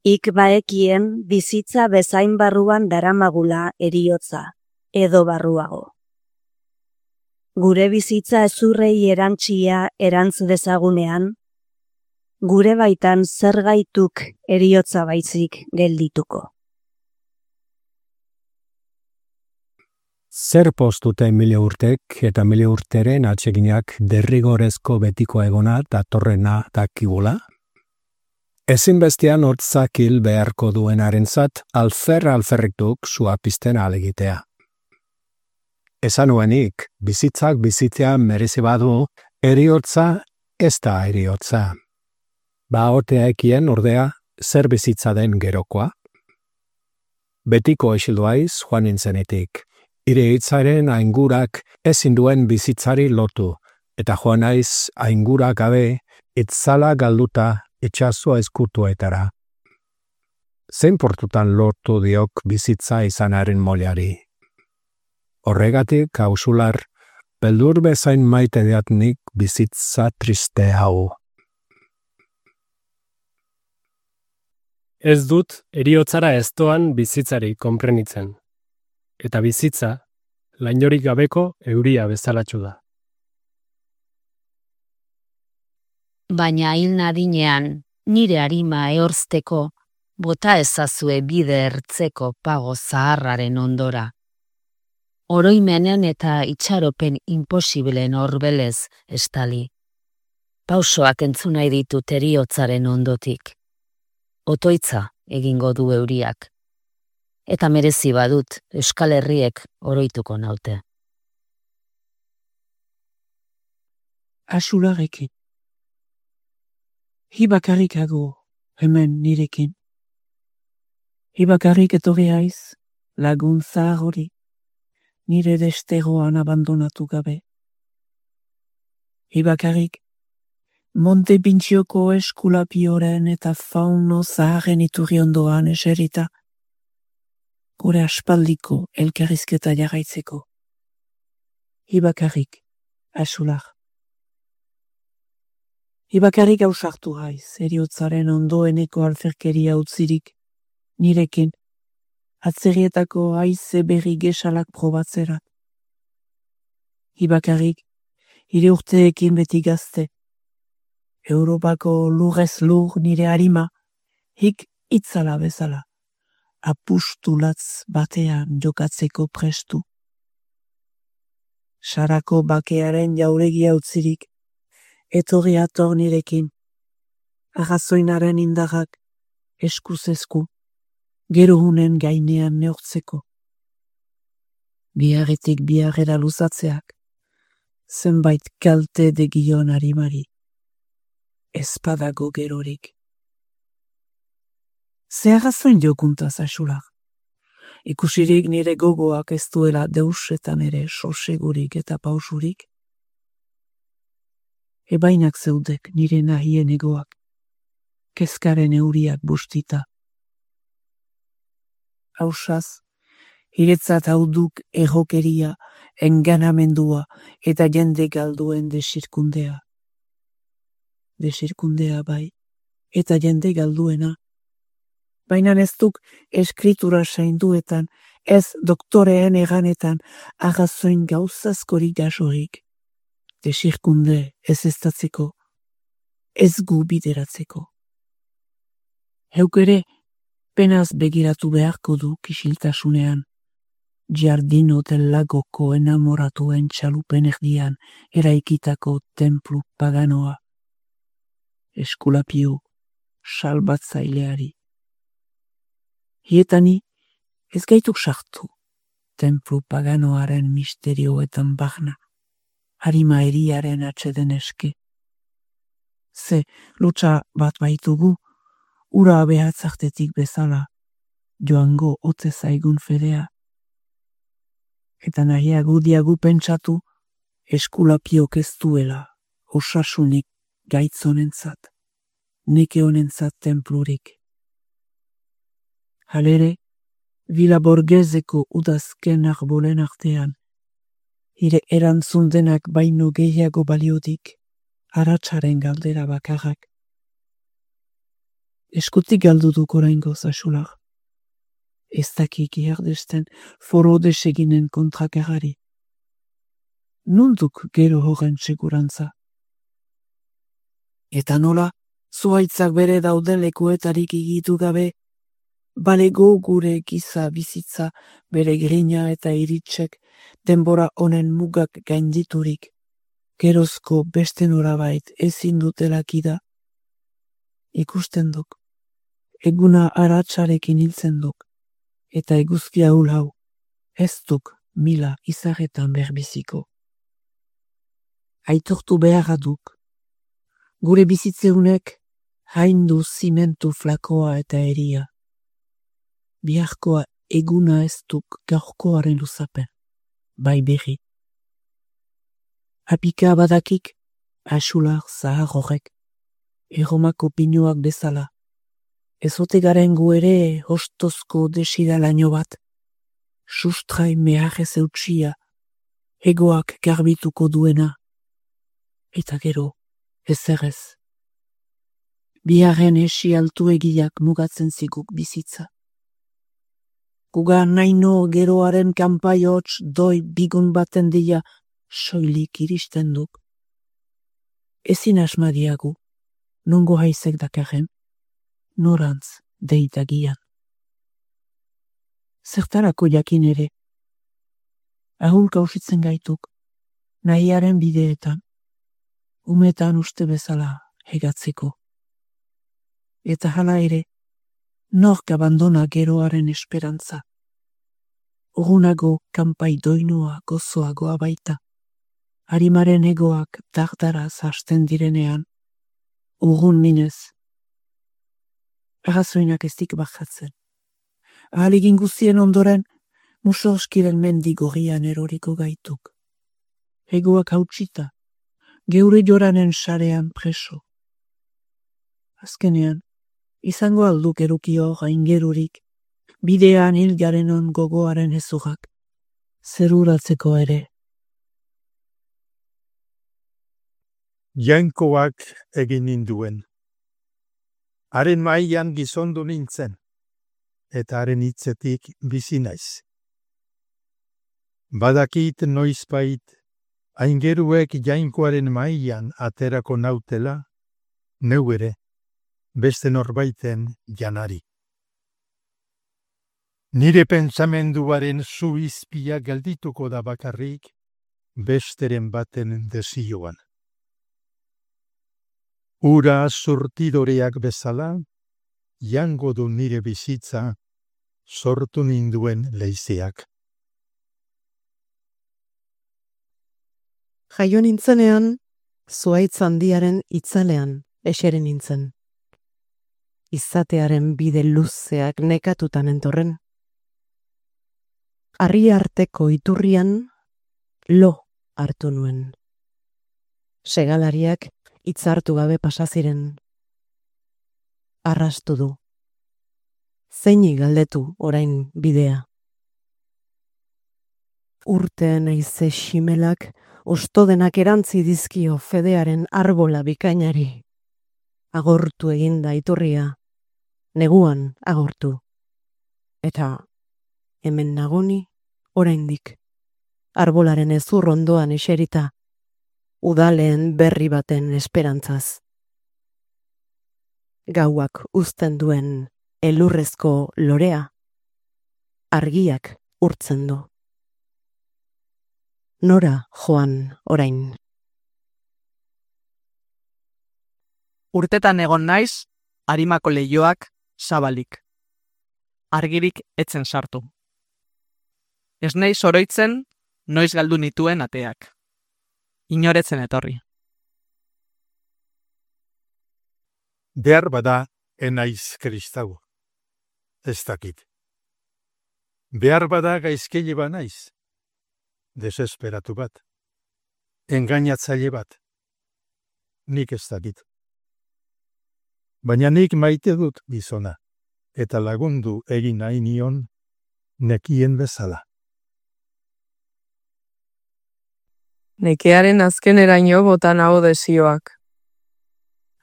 Speaker 19: Ik baekien bizitza bezain barruan daramagula eriotza, edo barruago. Gure bizitza ezurrei erantzia erantz dezagunean, gure baitan zer gaituk eriotza baizik geldituko.
Speaker 8: Zer postute mile urtek eta mile urteren atseginak derrigorezko betiko egona datorrena dakigula? Ezinbestean hortzak hil beharko duenarentzat alferrik duk sua pizten alegitea. Esan nuenik, bizitzak bizitzea merezi badu, eriotza ez da eriotza. Ba otea ekien ordea zer bizitza den gerokoa? Betiko esilduaiz joan nintzenetik. Ire hitzaren aingurak ezin duen bizitzari lotu, eta joan naiz aingura gabe itzala galduta itxasua eskutuetara. Zein portutan lortu diok bizitza izanaren molari. Horregatik, hausular, beldur bezain maite deatnik bizitza triste hau.
Speaker 5: Ez dut eriotzara ez doan bizitzari konprenitzen. Eta bizitza, lainorik gabeko euria bezalatxu da.
Speaker 13: Baina hil nadinean, nire arima ehorzteko, bota ezazue bide ertzeko pago zaharraren ondora. Oroimenen eta itxaropen imposiblen horbelez estali. Pausoak entzunai ditut heriotzaren ondotik. Otoitza egingo du euriak. Eta merezi badut Euskal Herriek oroituko naute.
Speaker 9: Axularekin. Hi bakarrik hago hemen nirekin. Hi bakarrik etorri haiz lagun zahar hori, nire desteroan abandonatu gabe. Hi bakarrik Monte Pintxioko eskulapioren eta fauno zaharren iturri ondoan eserita, gure aspaldiko elkarrizketa jarraitzeko. Hi bakarrik, axular. Hi bakarrik ausartu haiz, heriotzaren ondoeneko alferkeria utzirik, nirekin, atzerrietako haize berri gesalak probatzerat. Hi bakarrik, hire urteekin beti gazte, Europako lurrez lur nire harima, hik itzala bezala, apustulatz batean jokatzeko prestu. Sarako bakearen jauregia utzirik, etorri ator nirekin, arrazoinaren indarrak eskuz-esku, gero hunen gainean neurtzeko. Biarretik biarrera luzatzeak, zenbait kalte degion harimari. Espadago gerorik. Ze arrazoin jokuntaz axular. Ikusirik nire gogoak ez duela deusetan ere sosegurik eta pausurik. Ebainak zeudek nire nahien egoak, kezkaren euriak bustita. Hausaz, hiretzat hauduk errokeria, enganamendua eta jende galduen desirkundea. Desirkundea bai, eta jende galduena. Baina ez duk eskritura sainduetan, ez doktoreen eganetan, arrazoin gauzazkorik gasorik. Desirkunde ez estatzeko, ez gu bideratzeko. Heuk ere, penaz begiratu beharko du kisiltasunean, Giardino del Lagoko enamoratuen txalupen erdian eraikitako templu paganoa. Eskulapio, salbatzaileari. Hietani, ez gaituk sartu, templu paganoaren misterioetan bagna, harima eriaren atxeden eske. Ze, lutsa bat baitugu, ura behatzartetik bezala, joango ote zaigun fedea. Eta nahiagu diagu pentsatu, eskulapiok ez duela, osasunik gaitzonentzat, neke honentzat templurik. Halere, Vila Borgheseko udazken arbolen artean, hire erantzun denak baino gehiago baliodik, aratsaren galdera bakarrak. Eskutik galdu duk oraingoz axular. Ez dakik iardesten foro deseginen kontrakarari. Nunduk gero horren segurantza. Eta nola, zuhaitzak bere dauden lekuetarik igitu gabe, balego gure giza bizitza bere grina eta iritsek denbora honen mugak gainditurik, gerozko beste norabait ezin dutelakida. Ikusten duk, eguna aratsarekin hiltzen duk, eta eguzkia hau, ez duk mila izarretan berbiziko. Aitortu beharra duk, gure bizitzeunek haindu zimentu flakoa eta eria. Biharkoa eguna ez duk gaurkoaren luzapen, bai berri. Apika badakik, axular zahar horrek, erromako pinuak bezala. Ezote garen gu ere hostozko desidalaino bat, sustrai meharrez eutxia, egoak garbituko duena. Eta gero, ezerrez. Biharren esi altu egiak mugatzen ziguk bizitza. Guga naino geroaren kanpai hots doi bigun baten dia soilik iristen duk. Ezin asmadiagu, nongo haizek dakarren. norantz deitagian. Zertarako jakin ere, ahulka usitzen gaituk, nahiaren bideetan, umetan uste bezala hegatzeko. Eta hala ere, nork abandona geroaren esperantza. Urunago kanpai doinua gozoagoa baita. Harimaren egoak dardaraz hasten direnean, urrun minez. Arrazoinak ez dik bajatzen. Ahaligin guztien ondoren, musorskiren mendi gorrian eroriko gaituk. Egoak hautsita, geure joranen sarean preso. Azkenean, izango alduk erukio gaingerurik, bidean hilgarenon gogoaren hezurrak, zeruratzeko ere.
Speaker 10: Jainkoak egin ninduen. Haren mailan gizondu nintzen, eta haren hitzetik bizi naiz. Badakit noizbait, aingeruek jainkoaren mailan aterako nautela, neu ere, beste norbaiten janari. Nire pentsamenduaren zu izpia geldituko da bakarrik, besteren baten desioan. Ura surtidoreak bezala, jango du nire bizitza, sortu ninduen leizeak.
Speaker 19: Jaio nintzenean, zuhaitz handiaren itzalean eseri nintzen. Izatearen bide luzeak nekatutan entorren. Harri arteko iturrian lo hartu nuen. Segalariak hitzartu gabe pasaziren. Arrastu du. Zeini galdetu orain bidea. Urteen aize ximelak ostodenak erantzi dizkio fedearen arbola bikainari. Agortu eginda iturria, neguan agortu. Eta hemen nagoni oraindik, arbolaren ezur ondoan eserita, udaleen berri baten esperantzaz. Gauak uzten duen elurrezko lorea, argiak urtzen du. Nora joan orain.
Speaker 18: Urtetan egon naiz, harimako leihoak zabalik. Argirik etzen sartu. Ez naiz oroitzen, noiz galdu nituen ateak. Inoretzen etorri.
Speaker 10: Behar bada enaiz kristau. Ez dakit. Behar bada gaizkile ba naiz. Desesperatu bat. Engainatzaile bat. Nik ez dakit. Baina nik maite dut gizona, eta lagundu egin nahi nion nekien bezala.
Speaker 17: Nekearen azkeneraino botan hau desioak.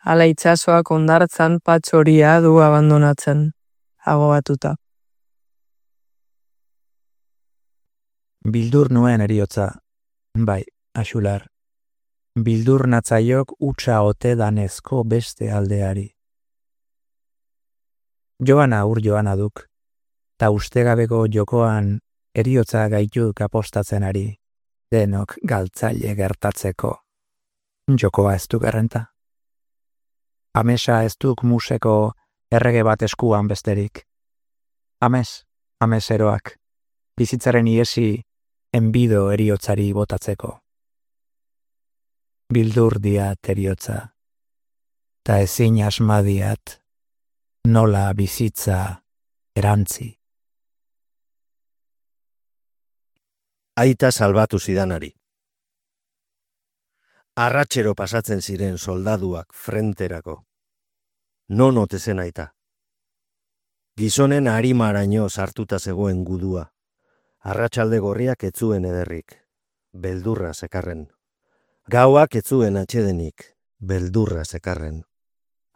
Speaker 17: Hala itsasoak hondartzan patxoria du abandonatzen, agobatuta.
Speaker 11: Bildur nuen eriotza, bai, axular. Bildur natzaiok utxa ote danezko beste aldeari. Joana ur joana duk, ta ustegabeko jokoan eriotza gaituk apostatzen ari, denok galtzaile gertatzeko. Jokoa ez duk errenta. Amesa ez duk museko errege bat eskuan besterik. Ames eroak, bizitzaren iesi enbido eriotzari botatzeko. Bildur diat eriotza, ta ezin asmadiat, nola bizitza erantzi.
Speaker 1: Aita salbatu zidanari. Arratxero pasatzen ziren soldaduak frenterako. Non ote zen aita. Gizonen harimaraino sartuta zegoen gudua. Arratsalde gorriak etzuen ederrik. Beldurra zekarren. Gauak etzuen atxedenik. Beldurra zekarren.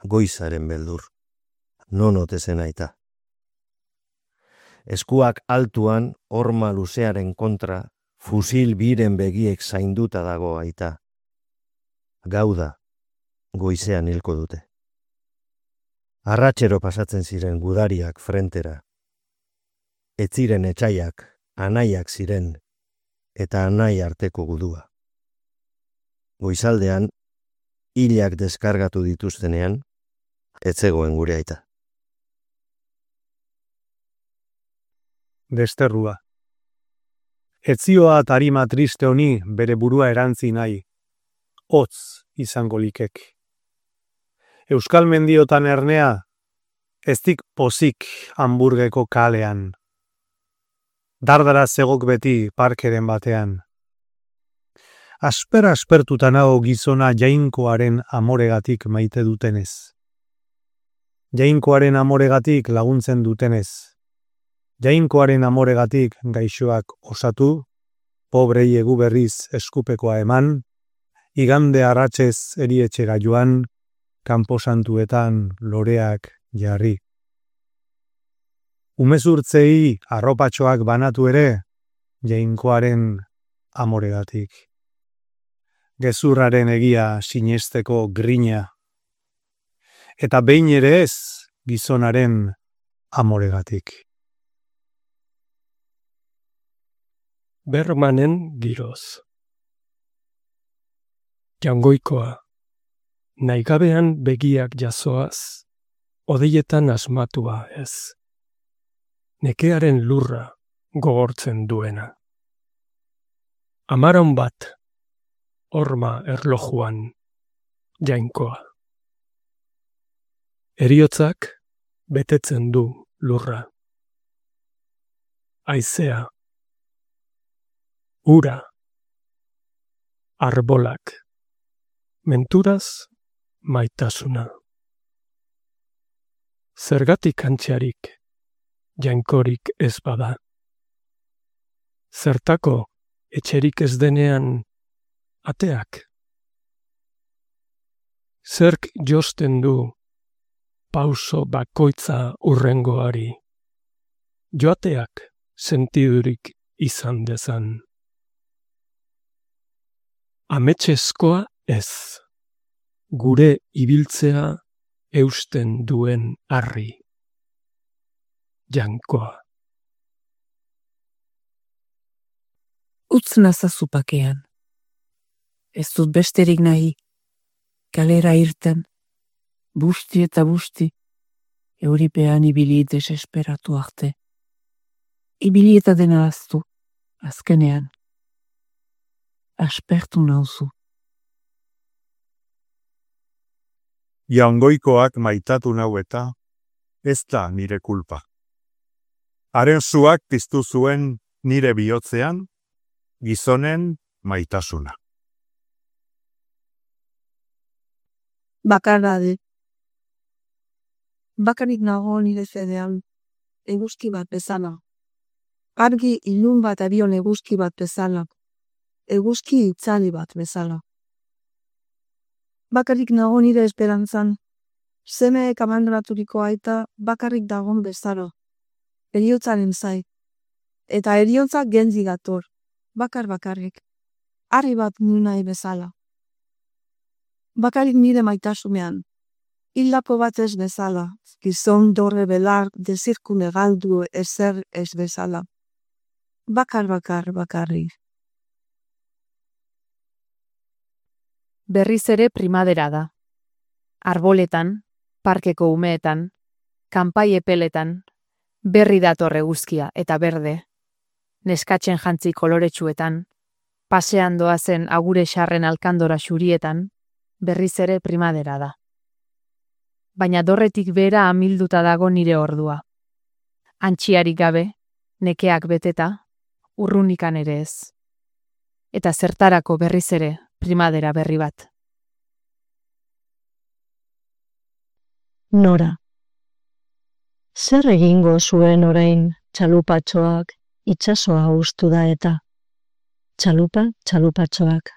Speaker 1: Goizaren beldur. Non ote zen aita. Eskuak altuan, horma luzearen kontra, fusil biren begiek zainduta dago aita. Gauda, goizean hilko dute. Arratxero pasatzen ziren gudariak frentera. Ez ziren etxaiak, anaiak ziren, eta anai arteko gudua. Goizaldean, hilak deskargatu dituztenean, ez zegoen gure aita.
Speaker 8: Desterrua. Etzioa tarima triste honi bere burua erantzi nahi, hotz izango likek. Euskal mendiotan ernea, eztik pozik Hamburgeko kalean. Dardara zegok beti parkeren batean. Aspertuta nago gizona jainkoaren amoregatik maite dutenez. Jainkoaren amoregatik laguntzen dutenez. Jainkoaren amoregatik gaixoak osatu, pobrei egu berriz eskupekoa eman, igande arratsez erietxera joan, kanposantuetan loreak jarri. Umezurtzei arropatxoak banatu ere, jainkoaren amoregatik. Gezurraren egia sinesteko grina. Eta behin ere ez gizonaren amoregatik.
Speaker 5: Bermanen giroz. Jangoikoa. Naigabean begiak jasoaz, odeietan asmatua ez. Nekearen lurra gogortzen duena. Amaron bat, horma erlojuan, jainkoa. Heriotzak betetzen du lurra. Haizea. Ura. Arbolak. Menturaz maitasuna. Zergatik antxarik, jainkorik ez bada. Zertako etxerik ez denean ateak. Zerk josten du pauso bakoitza urrengoari. Joateak sentidurik izan dezan. Ametseskoa ez, gure ibiltzea eusten duen harri. Jainkoa.
Speaker 9: Utz nazazu pakean. Ez dut besterik nahi. Kalera irten. Busti eta busti. Euripean ibili desesperatu arte. Ibili eta dena aztu. Azkenean. Aspertu nauzu.
Speaker 8: Jangoikoak maitatu nau eta ez da nire kulpa. Haren zuak piztu zuen nire bihotzean, gizonen maitasuna.
Speaker 2: Bakarrade. Bakarik nago nire zedean, eguzki bat bezala. Argi ilun bat abion eguzki bat bezala. Eguzki itzali bat bezala. Bakarik nago nire esperantzan, semeek abandonaturiko aita bakarrik dagon bezala. Heriotzaren zai. Eta heriotza genzi gator, bakarrik. Harri bat nahi bezala. Bakarik nire maitasumean. Hildako bat ez bezala, gizon dorre belar dezirkune galdu ezer ez bezala. Bakarrik.
Speaker 20: Berriz ere primadera da. Arboletan, parkeko umeetan, kanpai epeletan, berri dator eguzkia eta berde, neskatzen jantzi koloretsuetan, pasean doazen agure xarren alkandora xurietan, berriz ere primadera da. Baina dorretik bera amilduta dago nire ordua. Antxiarik gabe, nekeak beteta, urrunikan ere ez. Eta zertarako berriz ere primadera berri bat.
Speaker 21: Nora. Zer egingo zuen orain txalupatxoak itsasoa ustu da eta? Txalupatxoak.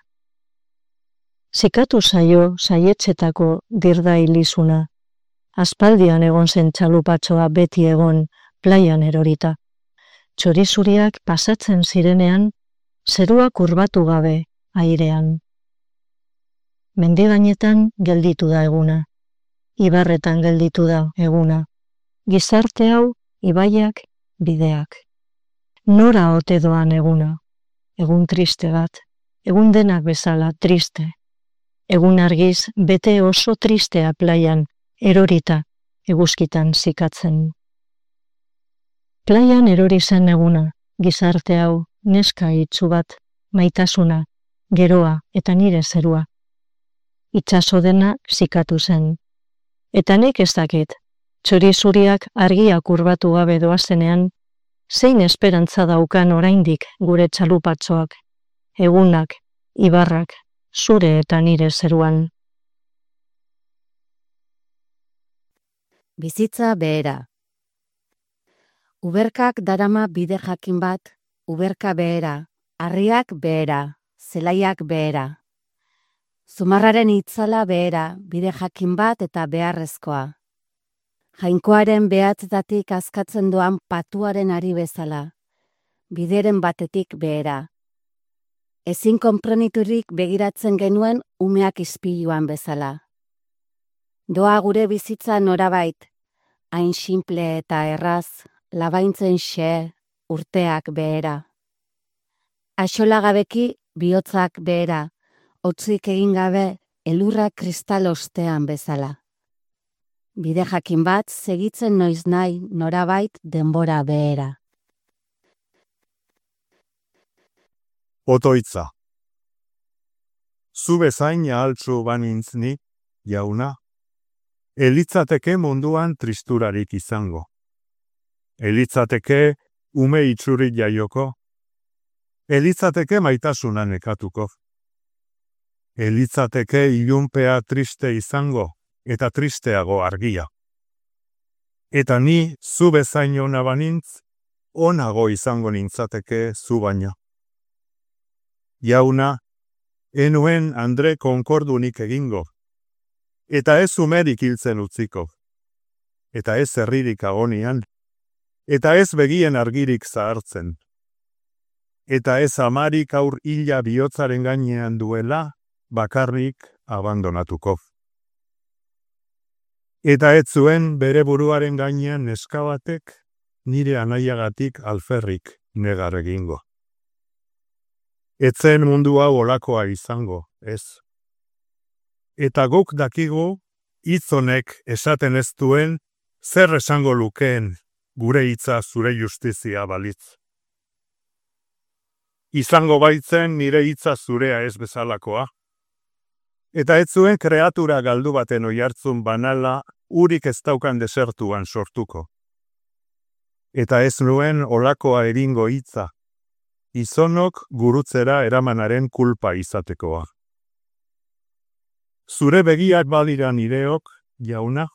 Speaker 21: Zikatu zaio saietxetako dirda ilizuna. Aspaldian egon zen txalupatxoa beti egon plaian erorita. Txorizuriak pasatzen zirenean, zerua kurbatu gabe airean. Mendigainetan gelditu da eguna. ibarretan gelditu da eguna. Gizarte hau, ibaiak, bideak. Nora ote doan eguna? Egun triste bat, egun denak bezala triste. Egun argiz, bete oso tristea plaian, erorita, eguzkitan zikatzen. Plaian erori zen eguna, gizarte hau, neska itsu bat, maitasuna, geroa eta nire zerua. Itsaso dena zikatu zen. Eta nik ez dakit, txori zuriak argiak urbatu gabe doazenean, zein esperantza daukan oraindik gure txalupatxoak, egunak, ibarrak, zure eta nire zeruan.
Speaker 7: Bizitza behera. Uberkak darama bide jakin bat, uberka behera, harriak behera, zelaiak behera. Zumarraren itzala behera, bide jakin bat eta beharrezkoa. Jainkoaren behatzetatik askatzen doan patuaren ari bezala, bideren batetik behera. Ezin konpreniturik begiratzen genuen umeak ispiluan bezala. Doa gure bizitza norabait, hain simple eta erraz, labaintzen xe, urteak behera. Axolagabeki bihotzak behera, hotzik egin gabe elurra kristal ostean bezala. Bide jakin bat segitzen noiz nahi norabait denbora behera.
Speaker 4: Otoitza. Zu bezain altzu banintznik, jauna, elitzateke munduan tristurarik izango. Elitzateke ume itxurik jaioko. Elitzateke maitasuna nekatuko. Elitzateke ilunpea triste izango eta tristeago argia. Eta ni zu bezain ona banintz, onago izango nintzateke zu baina. Jauna, enuen Andre konkordunik egingo, eta ez umerik hiltzen utziko, eta ez herririk agonian, eta ez begien argirik zahartzen, eta ez amarik aur hila bihotzaren gainean duela, bakarrik abandonatuko. Eta ez zuen bere buruaren gainean neska batek nire anaiagatik alferrik negar egingo. Etzen mundu hau olakoa izango, ez. Eta guk dakigu, hitz honek esaten ez duen, zer esango lukeen gure hitza zure justizia balitz. Izango baitzen nire hitza zurea ez bezalakoa. Eta ez zuen kreatura galdu baten oihartzun banala urik ez daukan desertuan sortuko. Eta ez nuen olakoa eringo hitza, izonok gurutzera eramanaren kulpa izatekoa. Zure begiak badira nireok, jauna,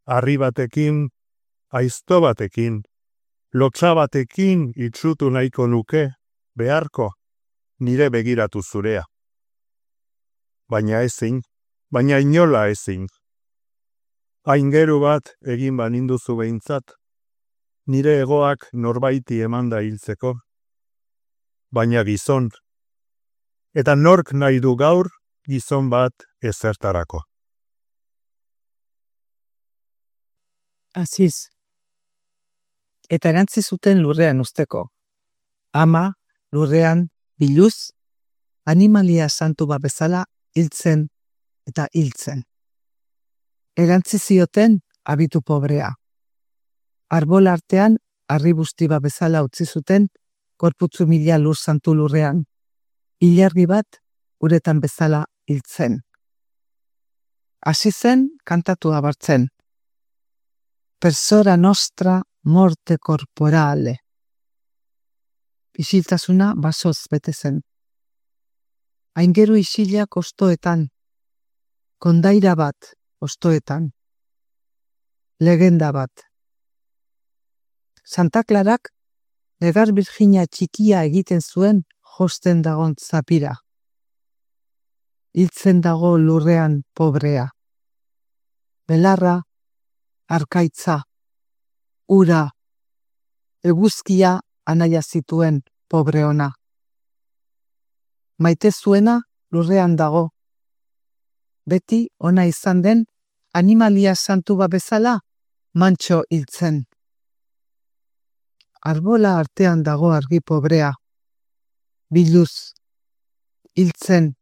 Speaker 4: harri batekin, aizto batekin, lotsa batekin itsutu nahiko nuke, beharko, nire begiratu zurea. Baina ezin, baina inola ezin. Aingeru bat egin baninduzu behintzat, nire egoak norbaiti emanda hiltzeko, baina gizon, eta nork nahi du gaur gizon bat ezertarako.
Speaker 12: Aziz, eta erantzi zuten lurrean usteko. Ama, lurrean, biluz, animalia santu bat bezala hiltzen eta hiltzen. Erantzi zioten abitu pobrea. Arbol artean, harri busti bat bezala utzi zuten, gorputzu mila lur santu lurrean. Ilargi bat, uretan bezala hiltzen. Hasi zen kantatu abartzen. Persona nostra morte corporale. Isiltasuna basoz bete zen. Aingeru isilak ostoetan. Kondaira bat ostoetan. Legenda bat. Santa Clarak negar Virginia txikia egiten zuen josten dagon zapira. Hiltzen dago lurrean pobrea. Belarra, arkaitza, ura, eguzkia anaia zituen pobre ona. Maite zuena lurrean dago. Beti ona izan den animalia santu bat bezala, mantxo hiltzen. Arbola artean dago argi pobrea, biluz hiltzen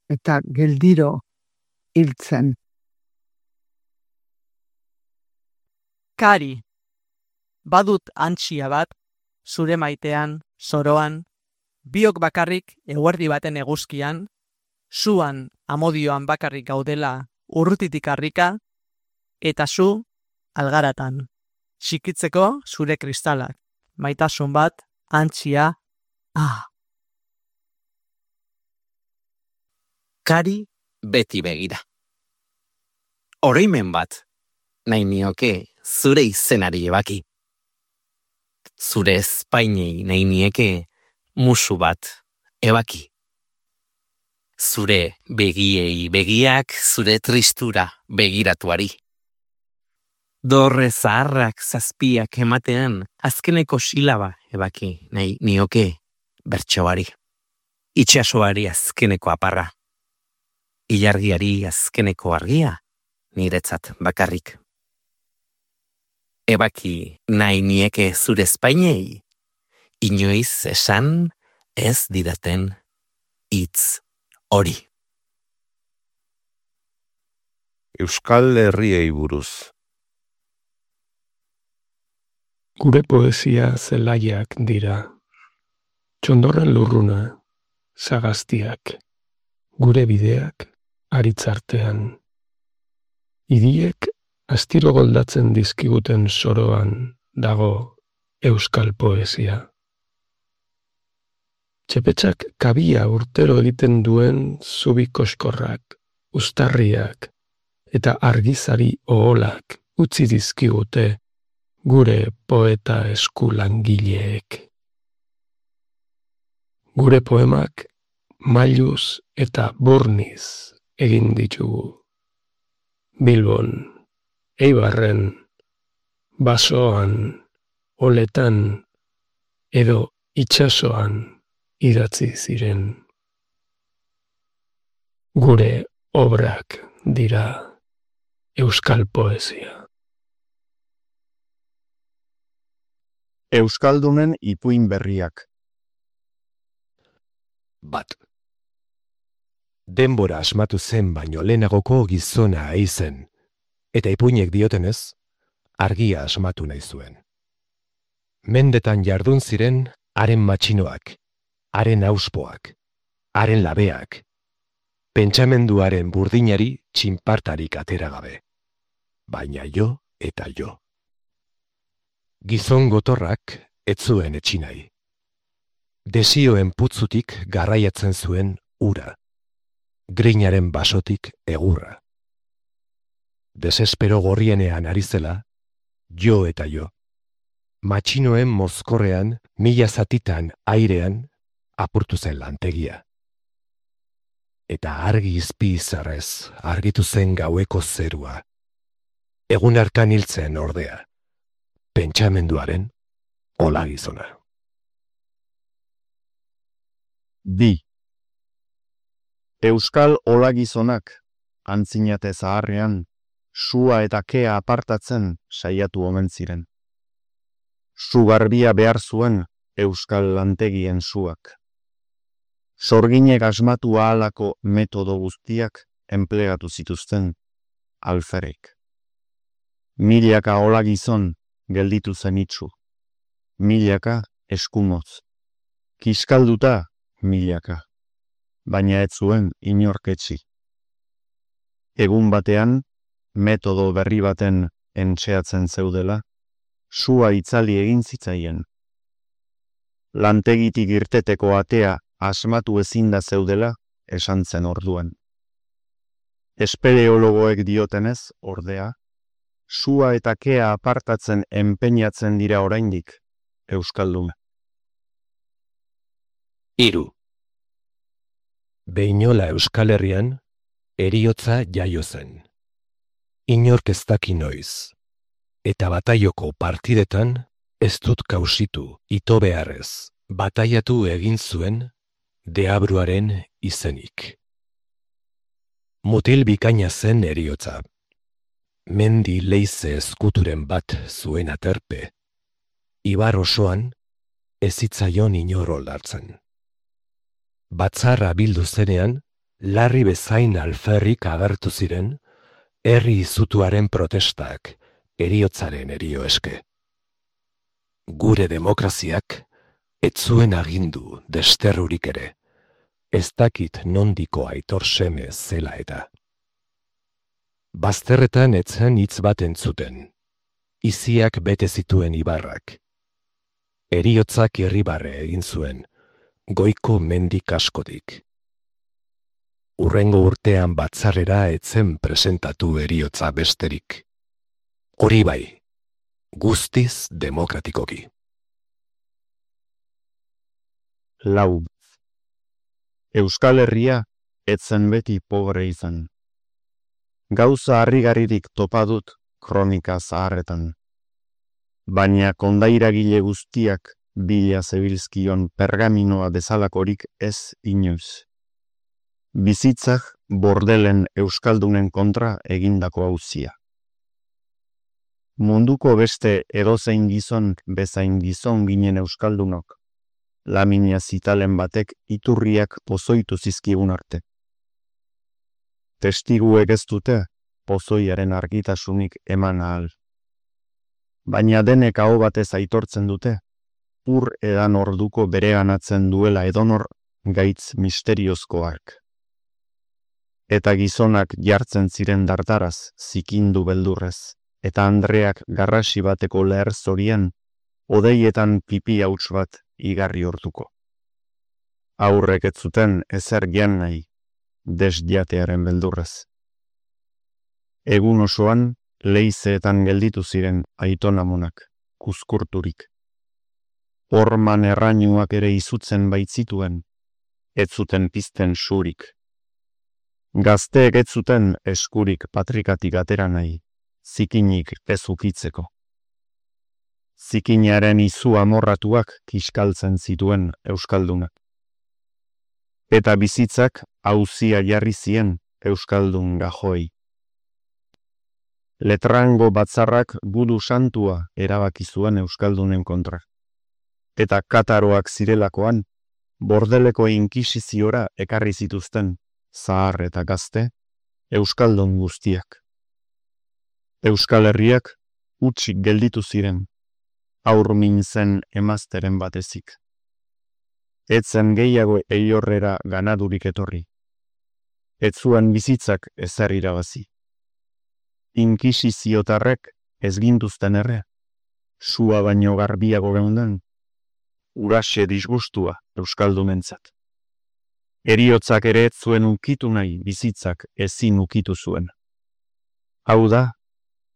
Speaker 12: eta geldiro hiltzen.
Speaker 18: Kari, badut antxia bat, zure maitean, zoroan, biok bakarrik eguerdi baten eguzkian, zuan amodioan bakarrik gaudela urrutitik harrika, eta zu algaratan, txikitzeko zure kristalak, maitasun bat, antxia,
Speaker 14: Kari beti begira. Oroimen bat, nahi nioke zure izenari ebaki. Zure espainei nahi nieke musu bat ebaki. Zure begiei begiak zure tristura begiratuari. Dorre zaharrak zazpiak ematean azkeneko silaba ebaki nahi nioke bertsoari. Itxasoari azkeneko aparra. Ilargiari azkeneko argia niretzat bakarrik. Ebaki nahi nieke zure espainei, inoiz esan ez didaten hitz hori.
Speaker 22: Euskal Herriei buruz.
Speaker 5: Gure poesia zelaiak dira. Txondorren lurruna, sagaztiak, gure bideak aritzartean. Idiek astiro goldatzen dizkiguten soroan dago euskal poesia. Txepetxak kabia urtero egiten duen zubi koskorrak, uztarriak eta argizari oholak utzi dizkigute gure poeta eskulangileek. Gure poemak mailuz eta burniz egin ditugu. Bilbon, Eibarren, Basoan, Oletan edo itsasoan idatzi ziren. Gure obrak dira euskal poesia.
Speaker 15: Euskaldunen ipuin berriak.
Speaker 16: Bat. Denbora asmatu zen baino lehenagoko gizona aizen, eta ipuinek diotenez, argia asmatu nahi zuen. Mendetan jardun ziren haren matxinoak, haren auspoak, haren labeak, pentsamenduaren burdinari txinpartarik atera gabe. Baina jo eta jo. Gizon gotorrak ez zuen etxinai. Desioen putzutik garraiatzen zuen ura. Grinaren basotik egurra. Desespero gorrienean ari zela, jo eta jo. Matxinoen mozkorrean, mila zatitan airean, apurtu zen lantegia. Eta argi izpi izarrez argitu zen gaueko zerua. Egun hartan hiltzen ordea. Pentsamenduaren olagizona.
Speaker 15: Bi. Euskal olagizonak, antzinate zaharrean, sua eta kea apartatzen saiatu omen ziren. Su garbia behar zuen euskal lantegien suak. Sorginek asmatu ahalako metodo guztiak enplegatu zituzten alferek. Milaka olagizon gelditu zen itxu. Milaka eskumoz. Kiskalduta milaka. Baina ez zuen inorketsi. Egun batean, metodo berri baten entxeatzen zeudela, sua itzali egin zitzaien. Lantegitik irteteko atea asmatu ezinda zeudela esan zen orduan. Espeleologoek diotenez, ordea, sua eta kea apartatzen enpeinatzen dira oraindik, euskaldun.
Speaker 16: 3. Behinola Euskal Herrian, heriotza jaio zen. Inork ez daki noiz, eta bataioko partidetan ez dut kausitu ito beharrez, bataiatu egin zuen deabruaren izenik. Mutil bikaina zen heriotza, mendi leize eskuturen bat zuen aterpe, ibar osoan ez zitzaion inor oldartzen. Batzarra bildu zenean, larri bezain alferrik agertu ziren, herri izutuaren protestak heriotzaren herio eske. Gure demokraziak ez zuen agindu desterrurik ere, ez dakit nondiko aitor seme zela eta. Bazterretan etzen hitz bat entzuten, iziak bete zituen ibarrak. Heriotzak irribarre egin zuen, goiko mendik askotik. Urrengo urtean batzarrera etzen presentatu heriotza besterik. Hori bai, guztiz demokratikoki.
Speaker 15: Lau. Euskal Herria etzen beti pobre izan. Gauza harrigarririk topa dut kronika zaharretan. Baina kondairagile guztiak bila zebilzkion pergaminoa bezalakorik ez inoiz. Bizitzak bordelen euskaldunen kontra egindako auzia. Munduko beste edozein gizon bezain gizon ginen euskaldunok, lamina zitalen batek iturriak pozoitu zizkigun arte. Testiguek ez dute pozoiaren argitasunik eman ahal. Baina denek aho batez aitortzen dute, ur edan orduko bereganatzen duela edonor gaitz misteriozkoak. Eta gizonak jartzen ziren dardaraz zikindu beldurrez, eta Andreak garrasi bateko leher zorien, odeietan pipi hauts bat igarri hortuko. Aurrek ez zuten ezer gian nahi, desjatearen beldurrez. Egun osoan, leizeetan gelditu ziren aitonamonak, kuzkurturik. Horman errainuak ere izutzen baitzituen, ez zuten pizten surik. Gazteek ez zuten eskurik patrikatik atera nahi, zikinik ez ukitzeko. Zikinaren izu amorratuak kiskaltzen zituen euskaldunak. Eta bizitzak auzia jarri zien euskaldun gajoi. Letrango batzarrak budu santua erabaki zuen euskaldunen kontra. Eta kataroak zirelakoan, bordeleko inkisiziora ekarri zituzten, zahar eta gazte, euskaldun guztiak. Euskal Herriak utzik gelditu ziren, aurmin zen emazteren batezik. Etzen gehiago eiorrera ganadurik etorri. Ez zuen bizitzak ezer irabazi. Inkisiziotarrek ez gintuzten erre, sua baino garbiago geunden, uraxe disgustua euskaldunentzat. Heriotzak ere ez zuen ukitu nahi bizitzak ezin ukitu zuen. Hau da,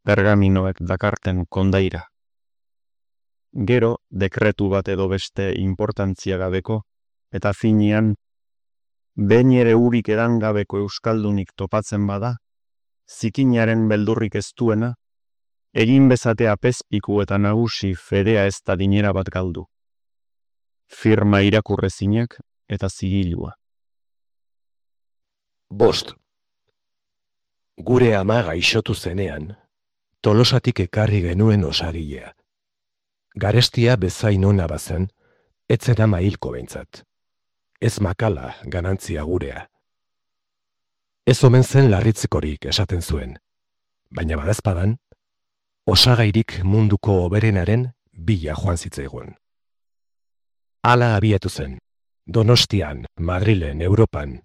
Speaker 15: pergaminoek dakarten kondaira. Gero, dekretu bat edo beste importantzia gabeko, eta finean, behin ere urik edan gabeko euskaldunik topatzen bada, zikinaren beldurrik ez duena, egin bezatea pezpiku eta nagusi fedea ez da dinera bat galdu. Firma irakurrezinak eta zigilua.
Speaker 16: 5. Gure ama gaixotu zenean, Tolosatik ekarri genuen osagilea. Garestia bezain ona bazen, etzen ama hilko behintzat. Ez makala ganantzia gurea. Ez omen zen larritzekorik esaten zuen, baina badazpadan, osagairik munduko hoberenaren bila joan zitzaigun. Hala abiatu zen, Donostian, Madrilen, Europan,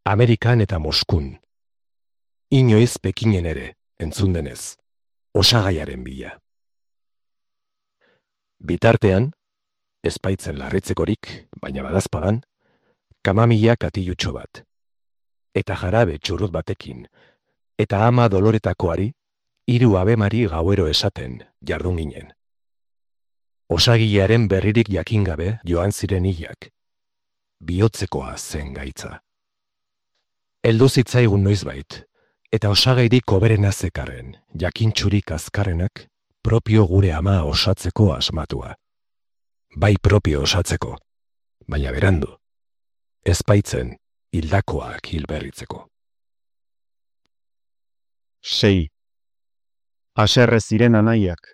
Speaker 16: Amerikan eta Moskun. Inoiz Pekinen ere, entzun denez, osagaiaren bila. Bitartean, ezpaitzen larritzekorik, baina badazpadan, kamamila katilutxo bat, eta jarabe txurrut batekin, eta ama doloretakoari, 3 abemari gauero esaten jardun ginen. Osagilearen berririk jakingabe joan ziren hilak, bihotzekoa zen gaitza. Heldu zitzaigun noizbait, eta osagairik hoberena zekarren, jakintxurik azkarrenak, propio gure ama osatzeko asmatua. Bai propio osatzeko, baina berandu, ezpaitzen hildakoak hilberritzeko.
Speaker 15: 6. Haserre ziren anaiak,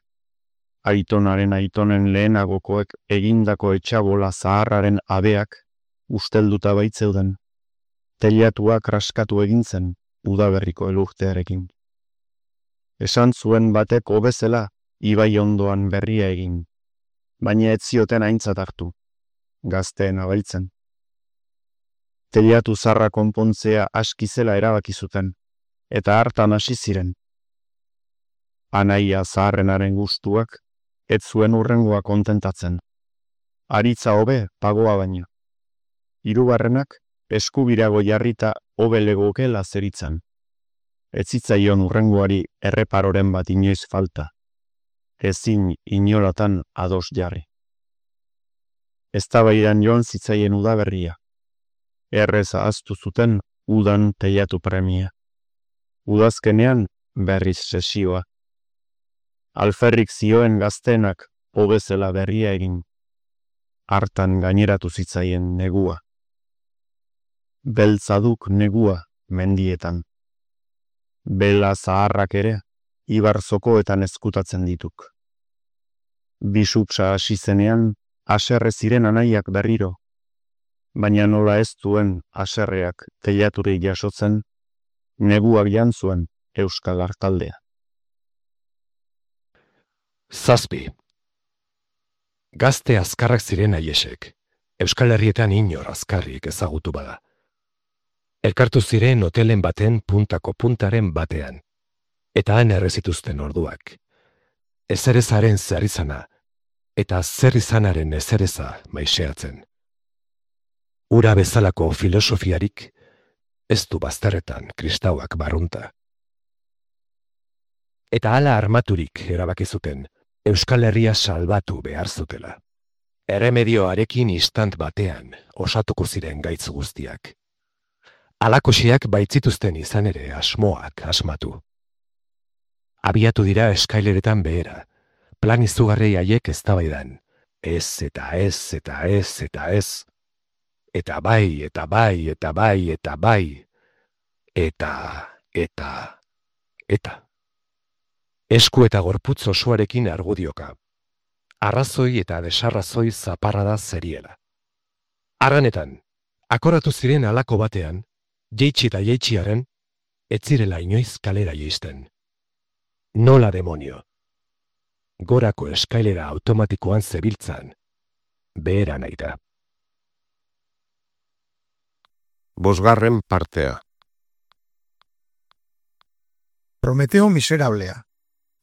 Speaker 15: aitonaren aitonen lehenagokoek egindako etxabola zaharraren abeak ustelduta baitzeuden. Teilatuak raskatu egin zen udaberriko elurtearekin. Esan zuen batek hobezela ibai ondoan berria egin, baina ez zioten aintzat hartu, gazteen abailtzen. Teilatu zarra konpontzea aski zela erabaki zuten, eta hartan hasi ziren. Anaia zaharrenaren gustuak ez zuen hurrengoa kontentatzen. Aritza hobe pagoa baino. Hirugarrenak eskubirago jarrita hobe legokela zeritzan. Ez zitzaion hurrengoari erreparoren bat inoiz falta. Ezin inolatan ados jarri. Eztabaidan joan zitzaien udaberria. Errez ahaztu zuten udan teilatu premia. Udazkenean berriz sesioa. Alferrik zioen gaztenak hobezela berria egin. Hartan gaineratu zitzaien negua. Beltzaduk negua mendietan. Bela zaharrak ere, ibarzokoetan ezkutatzen dituk. Bisupsa hasi zenean, haserre ziren anaiak berriro, baina nola ez duen haserreak teilaturik jasotzen, neguak jantzuen Euskal Artaldea.
Speaker 16: 7. Gazte azkarrak ziren aiesek, Euskal Herrietan inor azkarrik ezagutu bada. Elkartu ziren hotelen baten puntako puntaren batean, eta han errezituzten orduak. Ezerezaren zerrizana, eta zerrizanaren ezereza maiseatzen. Ura bezalako filosofiarik, ez du bazterretan kristauak barrunta. Eta hala armaturik erabaki zuten, Euskal Herria salbatu behar zutela. Erremedioarekin istant batean osatuko ziren gaitz guztiak. Alakosiak baitzituzten izan ere asmoak asmatu. Abiatu dira eskaileretan behera, plan izugarri haiek eztabaidan. Ez eta ez eta ez eta ez. Eta bai, eta bai, eta bai, eta bai. Eta. Esku eta gorputz osoarekin argudioka. Arrazoi eta desarrazoi zaparrada zeriela. Arranetan, akoratu ziren halako batean, jeitsi eta jeitxiaren, ez zirela inoiz kalera jeisten. Nola demonio. Gorako eskailera automatikoan zebiltzan, behera nahi da.
Speaker 22: 5. partea.
Speaker 3: Prometeo miserablea,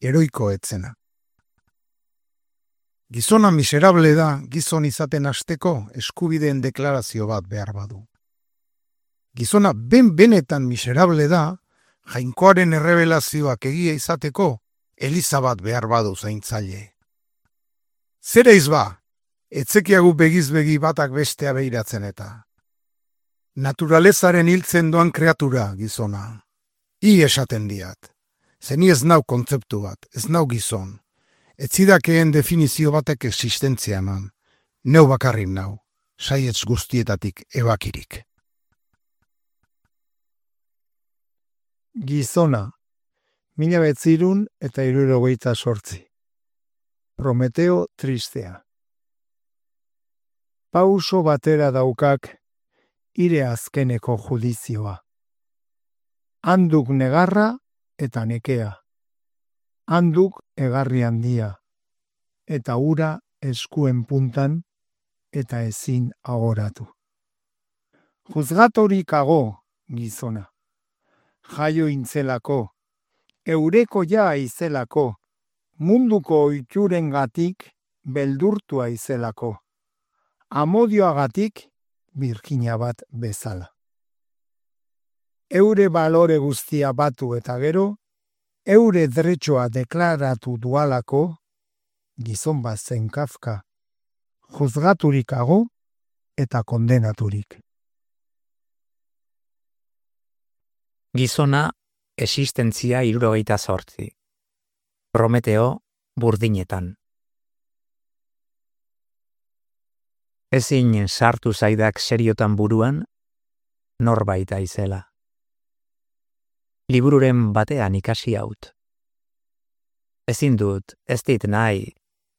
Speaker 3: heroiko etzena. Gizona miserable da gizon izaten hasteko eskubideen deklarazio bat behar badu. Gizona benetan miserable da, jainkoaren errebelazioak egia izateko, eliza bat behar badu zaintzaile. Zere izba, etzekiagu begizbegi batak bestea behiratzen eta. Naturalezaren hiltzen doan kreatura gizona. I esaten diat. Zeni ez nau kontzeptu bat, ez nau gizon. Ez zidakeen definizio batek existentzia eman. Neu bakarrik nau, saietz guztietatik ebakirik.
Speaker 10: Gizona, 1968. Prometeo tristea. Pauso batera daukak, ire azkeneko judizioa. Handuk negarra eta nekea. Handuk egarri handia, eta ura eskuen puntan, eta ezin agoratu. Juzgatorik ago, gizona. Jaio intzelako, eureko ja izelako, munduko oiturengatik beldurtua izelako, amodioagatik Virginia bat bezala. Eure balore guztia batu eta gero, eure dretxoa deklaratu dualako, gizon bat zen Kafka, juzgaturik ago eta kondenaturik.
Speaker 6: Gizona, existentzia 78. Prometeo, burdinetan. Ezin sartu zaidak seriotan buruan, norbait aizela. Libururen batean ikasi haut. Ezin dut, ez dit nahi,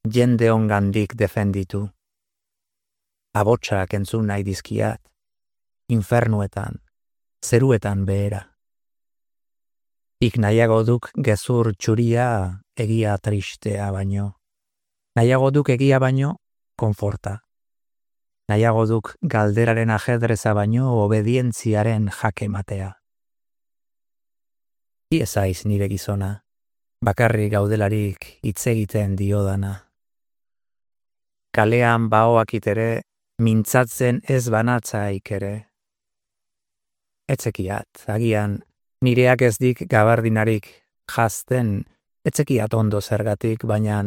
Speaker 6: jende ongandik defenditu. Abotsak entzun nahi dizkiat, infernuetan, zeruetan behera. Ik nahiago duk gezur txuria egia tristea baino. Nahiago duk egia baino, konforta. Nahiago duk galderaren ajedreza baino obedientziaren jake matea. Iezaiz nire gizona, bakarrik gaudelarik hitz egiten diodana. Kalean baoakit ere, mintzatzen ez banatzaik ere. Etzekiat, agian, nireak ez dik gabardinarik jazten, etzekiat ondo zergatik, baina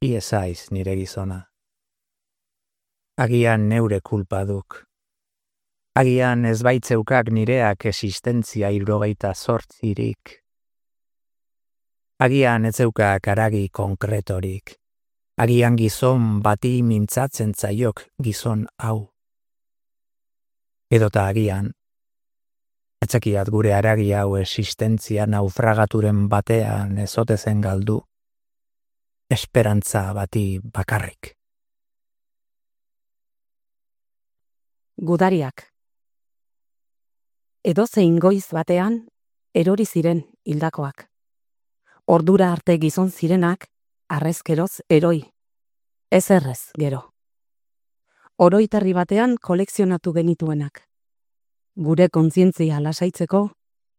Speaker 6: iezaiz nire gizona. Agian neure kulpa duk. Agian ez baitzeukak nireak existentzia 78. Agian ez zeukak aragi konkretorik. Agian gizon bati mintzatzen zaiok gizon hau. Edota agian, etzekiat gure aragi hau existentzia naufragaturen batean ezotezen galdu, esperantza bati bakarrik.
Speaker 13: Gudariak. Edozein goiz batean, erori ziren hildakoak. Ordura arte gizon zirenak, arrezkeroz eroi. Ez errez, gero. Oroitarri batean kolekzionatu genituenak. Gure kontzientzia lasaitzeko,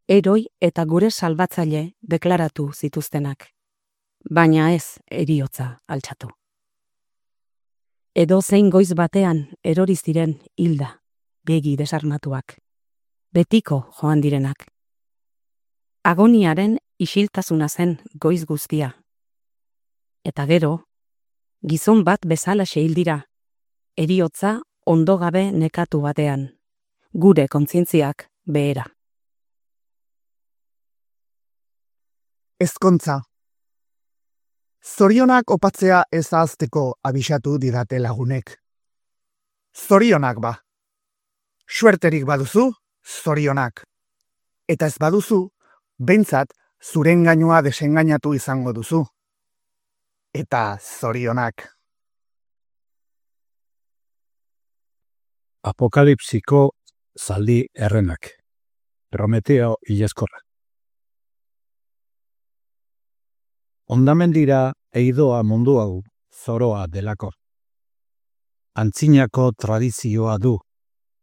Speaker 13: eroi eta gure salbatzaile deklaratu zituztenak. Baina ez heriotza altxatu. Edozein goiz batean erori ziren hilda, begi desarmatuak. Betiko joan direnak. Agoniaren isiltasuna zen goiz guztia. Eta gero, gizon bat bezala hildira, heriotza ondo gabe nekatu batean, gure kontzientziak behera.
Speaker 19: Ezkontza. Zorionak opatzea ez ahazteko abisatu didate lagunek. Zorionak ba. Suerterik baduzu, zorionak. Eta ez baduzu, behintzat zuren gainua desengainatu izango duzu. Eta zorionak.
Speaker 8: Apokalipsiko zaldi errenak. Prometeo ileskorra. Ondamendira eidoa mundu hau zoroa delako. Antzinako tradizioa du,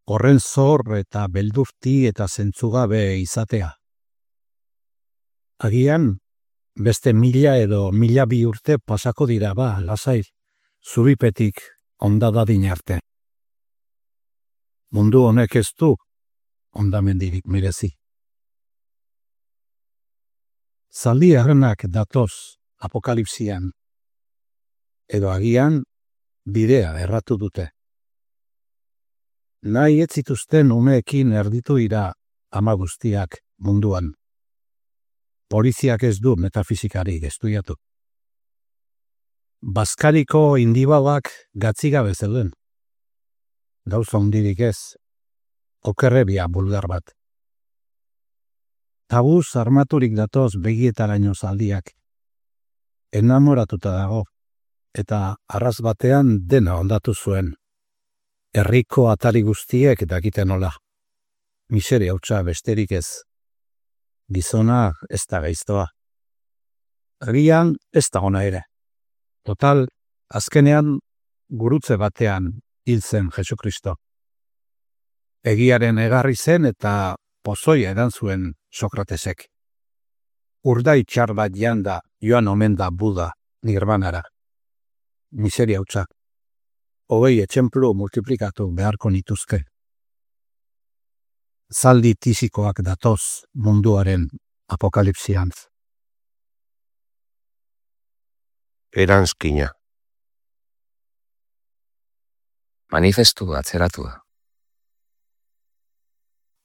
Speaker 8: horren zor eta beldurti eta zentzugabe izatea. Agian, beste 1000 edo 1002 urte pasako dira ba, lasai, zuripetik ondadadin arte. Mundu honek ez du ondamendirik merezi. Zaldi errenak datoz apokalipsian, edo agian bidea erratu dute. Nahi ez zituzten umeekin erditu dira ama guztiak munduan. Poliziak ez du metafizikari estudiatu. Baskariko indibalak gatzigabe zeuden. Gauza hundirik ez, okerrebia bulgar bat. Tabuz armaturik datoz begietaraino zaldiak. Enamoratuta dago, eta arras batean dena ondatu zuen. Herriko atari guztiek dakiten nola. Miseria hutsa besterik ez. Gizona ez da gaiztoa. Agian ez da ona ere. Total, azkenean gurutze batean hil zen Jesukristo. Egiaren egarri zen eta pozoia edan zuen Sokratesek. Urdai txar bat janda joan omen da Buda nirvanara. Miseria hutsa. 20 etxemplu multiplikatu beharko nituzke. Zaldi tisikoak datoz munduaren apokalipsian.
Speaker 22: Eranskina.
Speaker 23: Manifestu atzeratua.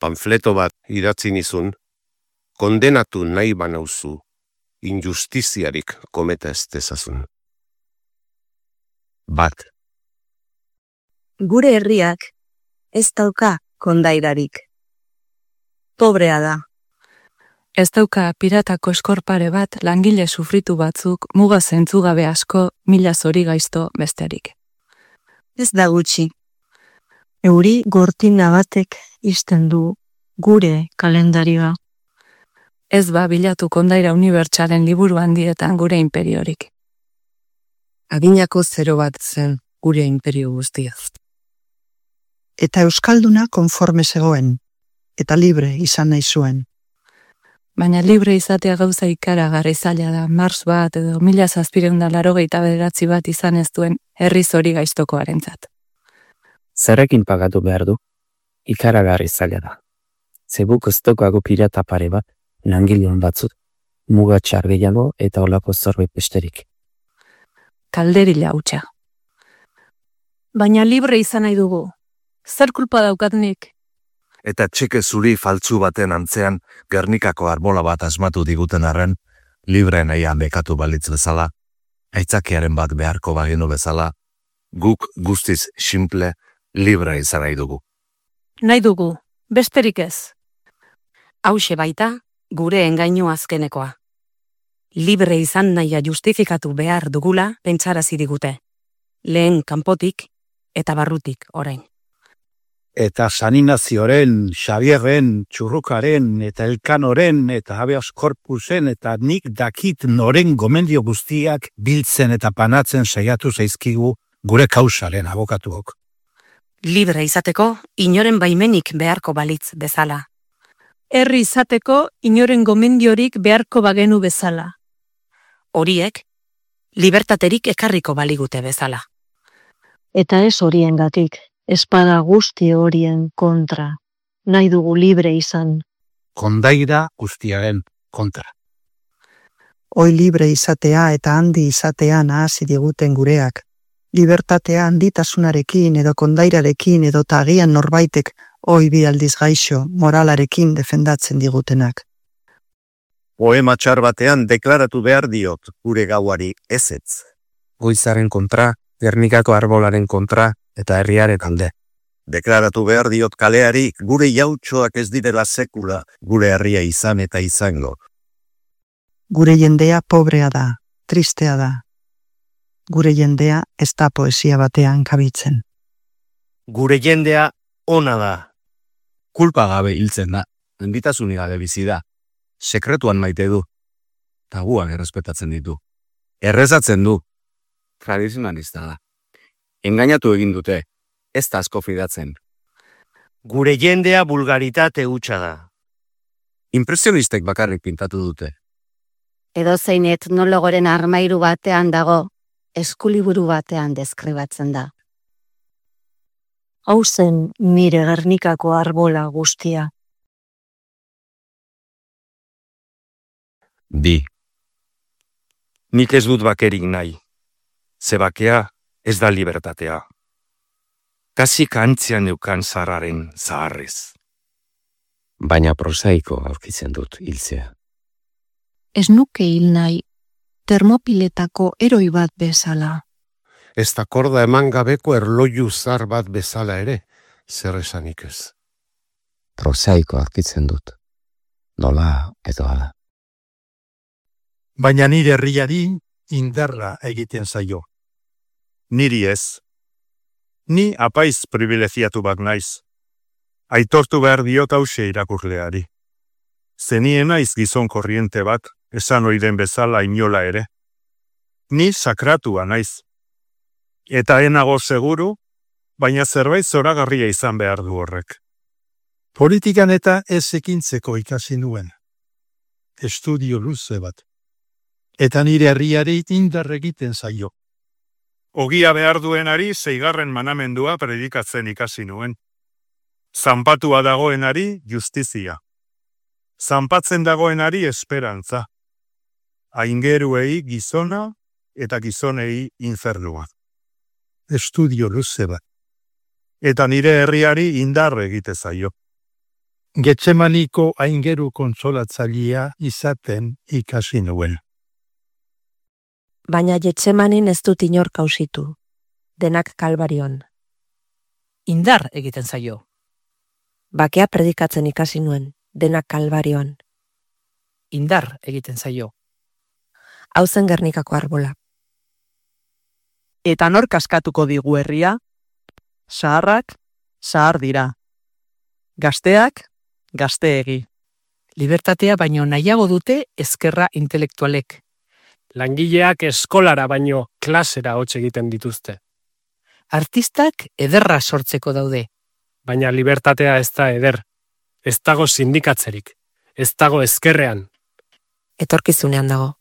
Speaker 22: Panfleto bat idatzi nizun, kondenatu nahi banauzu, injustiziarik kometa ez dezazun.
Speaker 23: Bat.
Speaker 24: Gure herriak ez dauka kondairarik. Pobrea da.
Speaker 1: Ez dauka piratako eskorpare bat langile sufritu batzuk muga zentzugabe asko mila zori gaizto besterik.
Speaker 21: Ez da gutxi. Euri gortina batek isten du gure kalendarioa.
Speaker 1: Ez ba bilatu kondaira unibertsalen liburu handietan gure imperiorik.
Speaker 9: Adinako 0 bat zen gure imperio guztiaz.
Speaker 12: Eta euskalduna konforme zegoen, eta libre izan nahi zuen.
Speaker 1: Baina libre izatea gauza ikaragarri zaila da, Mars bat edo 1789 bat izan ez duen herri zori gaiztokoarentzat.
Speaker 11: Zerrekin pagatu behar du? Ikaragarri zaila da. Zebuk oztokoago pirata pare bat, langilean batzut, muga txar gehiago eta olako zorbait besterik.
Speaker 1: Kalderila hutsa.
Speaker 20: Baina libre izan nahi dugu. Zer kulpa daukat nik?
Speaker 17: Eta txeke zuri faltzu baten antzean Gernikako arbola bat asmatu diguten arren, libre nahian bekatu balitz bezala, aitzakiaren bat beharko bagenu bezala, guk guztiz simple, libre izan nahi dugu.
Speaker 20: Nahi dugu, besterik ez.
Speaker 13: Hauxe baita, gure engainu azkenekoa. Libre izan nahia justifikatu behar dugula pentsarazi digute. Lehen kanpotik eta barrutik orain.
Speaker 25: Eta San Ignazioren, Xabierren, Txurrukaren, eta Elkanoren, eta Habeas Corpusen, eta nik dakit noren gomendio guztiak biltzen eta panatzen saiatu zaizkigu gure kausaren abokatuok.
Speaker 13: Libre izateko, inoren baimenik beharko balitz bezala.
Speaker 20: Herri izateko, inoren gomendiorik beharko bagenu bezala.
Speaker 13: Horiek, libertaterik ekarriko baligute bezala.
Speaker 21: Eta ez horiengatik. Espada guzti horien kontra. Nahi dugu libre izan.
Speaker 25: Kondaira guztiaren kontra.
Speaker 12: Hoi libre izatea eta handi izatea nahasi diguten gureak. Libertatea handitasunarekin edo kondairarekin edo tagian norbaitek hoi bi aldiz gaixo moralarekin defendatzen digutenak.
Speaker 17: Poema txar batean deklaratu behar diot gure gauari ezetz.
Speaker 11: Goizaren kontra, Gernikako arbolaren kontra, eta herriaren alde.
Speaker 17: Deklaratu behar diot kaleari gure jautxoak ez direla sekula gure herria izan eta izango.
Speaker 12: Gure jendea pobrea da, tristea da. Gure jendea ez da poesia batean kabitzen.
Speaker 26: Gure jendea ona da. Kulpa gabe hiltzen da, enbitasunik gabe bizi da. Sekretuan maite du. Tabuak errespetatzen ditu. Errezatzen du.
Speaker 11: Tradizionalista da. Engainatu egin dute, ez da asko fidatzen.
Speaker 26: Gure jendea bulgaritate hutsa da.
Speaker 11: Impresionistek bakarrik pintatu dute.
Speaker 7: Edozein etnologoren armairu batean dago, eskuliburu batean deskribatzen da.
Speaker 21: Hau zen nire Gernikako arbola guztia.
Speaker 26: Bi. Nik ez dut bakerik nahi. Ze bakea ez da libertatea. Kasik antzian eukan zarraren zaharrez.
Speaker 11: Baina prosaiko aurkitzen dut hiltzea.
Speaker 2: Ez nuke hil nahi, termopiletako eroi bat bezala.
Speaker 22: Ez da korda eman gabeko erloju zar bat bezala ere, zer esanik ez.
Speaker 11: Prosaiko aurkitzen dut. Nola edo ala.
Speaker 25: Baina nire herriari indarra egiten zaio.
Speaker 17: Niri ez. Ni apaiz privilegiatu bat naiz. Aitortu behar diot hause irakurleari. Zenien naiz gizon korriente bat, esan oiden bezala inola ere. Ni sakratua naiz. Eta enago seguru, baina zerbait zoragarria izan behar du horrek.
Speaker 10: Politikan eta ez ekintzeko ikasi nuen. Estudio luze bat. Eta nire herriari indar egiten zaio.
Speaker 17: Ogia behar duenari 6. manamendua predikatzen ikasi nuen. Zanpatua dagoenari justizia. Zanpatzen dagoenari esperantza. Aingeruei gizona eta gizonei infernua.
Speaker 10: Estudio luze bat.
Speaker 17: Eta nire herriari indar egite zaio.
Speaker 10: Getsemaniko aingeru konsolatzailea izaten ikasi nuen.
Speaker 27: Baina Getsemanin ez dut inor kausitu. Denak Kalbarion.
Speaker 13: Indar egiten zaio.
Speaker 27: Bakea predikatzen ikasi nuen. Denak Kalbarion.
Speaker 3: indar egiten zaio.
Speaker 27: Hau zen Gernikako arbola.
Speaker 4: Eta nor kaskatuko digu herria? Zaharrak, zahar dira. Gazteak, gazteegi.
Speaker 3: Libertatea baino nahiago dute ezkerra intelektualek.
Speaker 5: Langileak eskolara baino klasera hots egiten dituzte.
Speaker 3: Artistak ederra sortzeko daude.
Speaker 5: Baina libertatea ez da eder. Ez dago sindikatzerik. Ez dago ezkerrean.
Speaker 27: Etorkizunean dago.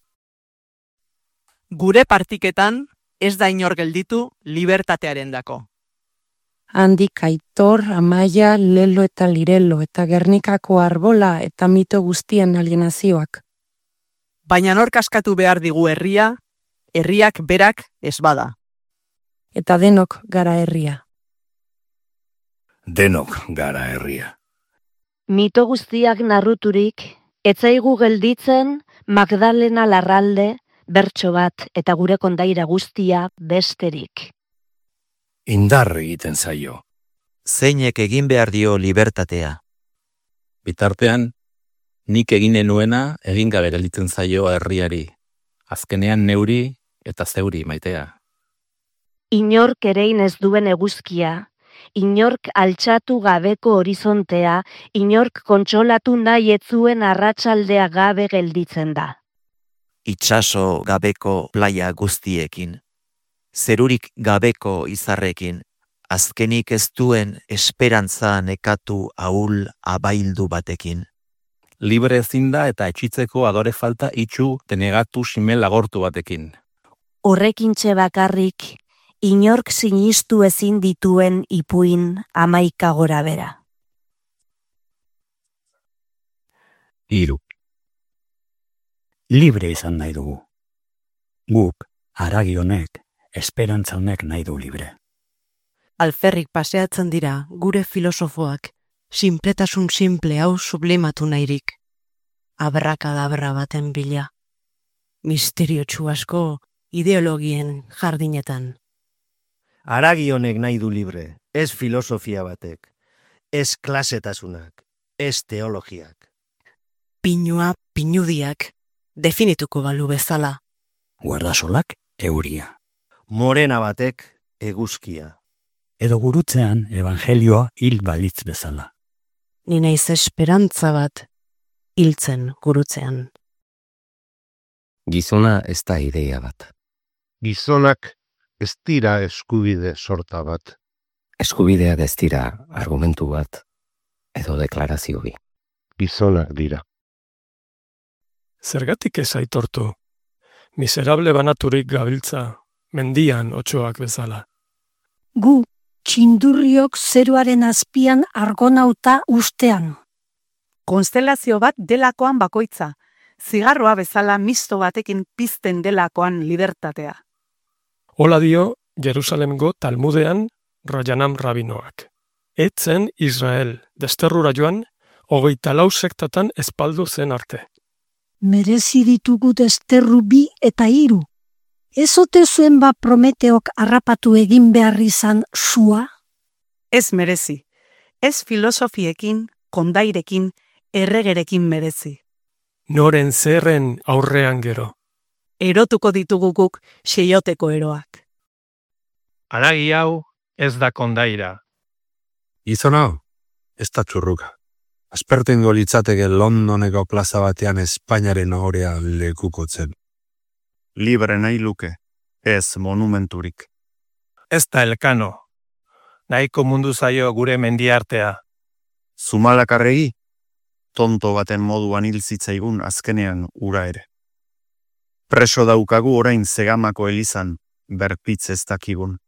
Speaker 4: Gure partiketan ez da inor gelditu libertatearen dako.
Speaker 1: Handik Aitor, Amaia, Lelo eta Lirelo eta Gernikako arbola eta mito guztien alienazioak.
Speaker 4: Baina nor kaskatu behar digu herria, herriak berak ez bada.
Speaker 1: Eta denok gara herria.
Speaker 14: Denok gara herria.
Speaker 7: Mito guztiak narruturik, etzaigu gelditzen Magdalena Larralde, bertso bat eta gure kondaira guztia besterik.
Speaker 14: Indar egiten zaio.
Speaker 15: Zeinek egin behar dio libertatea.
Speaker 11: Bitartean, nik eginen nuena egin gabe gelditzen zaio herriari. Azkenean neuri eta zeuri maitea.
Speaker 7: Inork erein ez duen eguzkia, inork altxatu gabeko horizontea, inork kontsolatu nahi etzuen arratsaldea gabe gelditzen da.
Speaker 15: Itsaso gabeko playa guztiekin, zerurik gabeko izarrekin, azkenik ez duen esperantza nekatu ahul abaildu batekin.
Speaker 11: Libre ezin da eta etxitzeko adore falta itxu denegatu simel agortu batekin.
Speaker 7: Horrekintxe bakarrik, inork sinistu ezin dituen ipuin 11 gora bera.
Speaker 16: 3. Libre izan nahi dugu. Guk, haragi honek, esperantza honek nahi du libre.
Speaker 18: Alferrik paseatzen dira gure filosofoak, sinpletasun simple hau sublimatu nahirik. Abrakadabra baten bila. Misteriotsu asko ideologien jardinetan.
Speaker 28: Haragi honek nahi du libre, ez filosofia batek, ez klasetasunak, ez teologiak.
Speaker 18: Pinua pinudiak, definituko balu bezala.
Speaker 16: Guardasolak euria.
Speaker 28: Morena batek eguzkia.
Speaker 16: Edo gurutzean evangelioa hil balitz bezala.
Speaker 18: Ni naiz esperantza bat, hiltzen gurutzean.
Speaker 23: Gizona ez da ideia bat.
Speaker 22: Gizonak ez dira eskubide sorta bat.
Speaker 23: Eskubidea ez dira argumentu bat edo deklarazio bi.
Speaker 22: Gizonak dira.
Speaker 5: Zergatik ez aitortu? Miserable banaturik gabiltza, mendian otsoak bezala.
Speaker 29: Gu, txindurriok zeruaren azpian argonauta ustean.
Speaker 4: Konstelazio bat delakoan bakoitza, zigarroa bezala misto batekin pizten delakoan libertatea.
Speaker 5: Hola dio Jerusalemgo Talmudean Rajanam rabinoak. Etzen Israel, desterrura joan, 24 sektatan espaldu zen arte.
Speaker 29: Merezi ditugu desterru 2 eta 3. Ez ote zuen ba Prometeok harrapatu egin behar izan sua?
Speaker 4: Ez merezi, ez filosofiekin, kondairekin, erregerekin merezi.
Speaker 5: Noren zerren aurrean gero.
Speaker 4: Erotuko ditugu guk seioteko eroak.
Speaker 5: Haragi hau ez da kondaira.
Speaker 22: Gizon hau, ez da txurruka. Aspertengo litzateke Londoneko plaza batean Espainiaren ohorea lekukotzen.
Speaker 17: Libre nahi luke, ez monumenturik.
Speaker 5: Ez da elkano. Nahiko mundu zaio gure mendiartea.
Speaker 17: Zumalakarregi, tonto baten moduan hil zitzaigun azkenean ura ere. Preso daukagu orain Zegamako elizan, berpitz ez dakigun.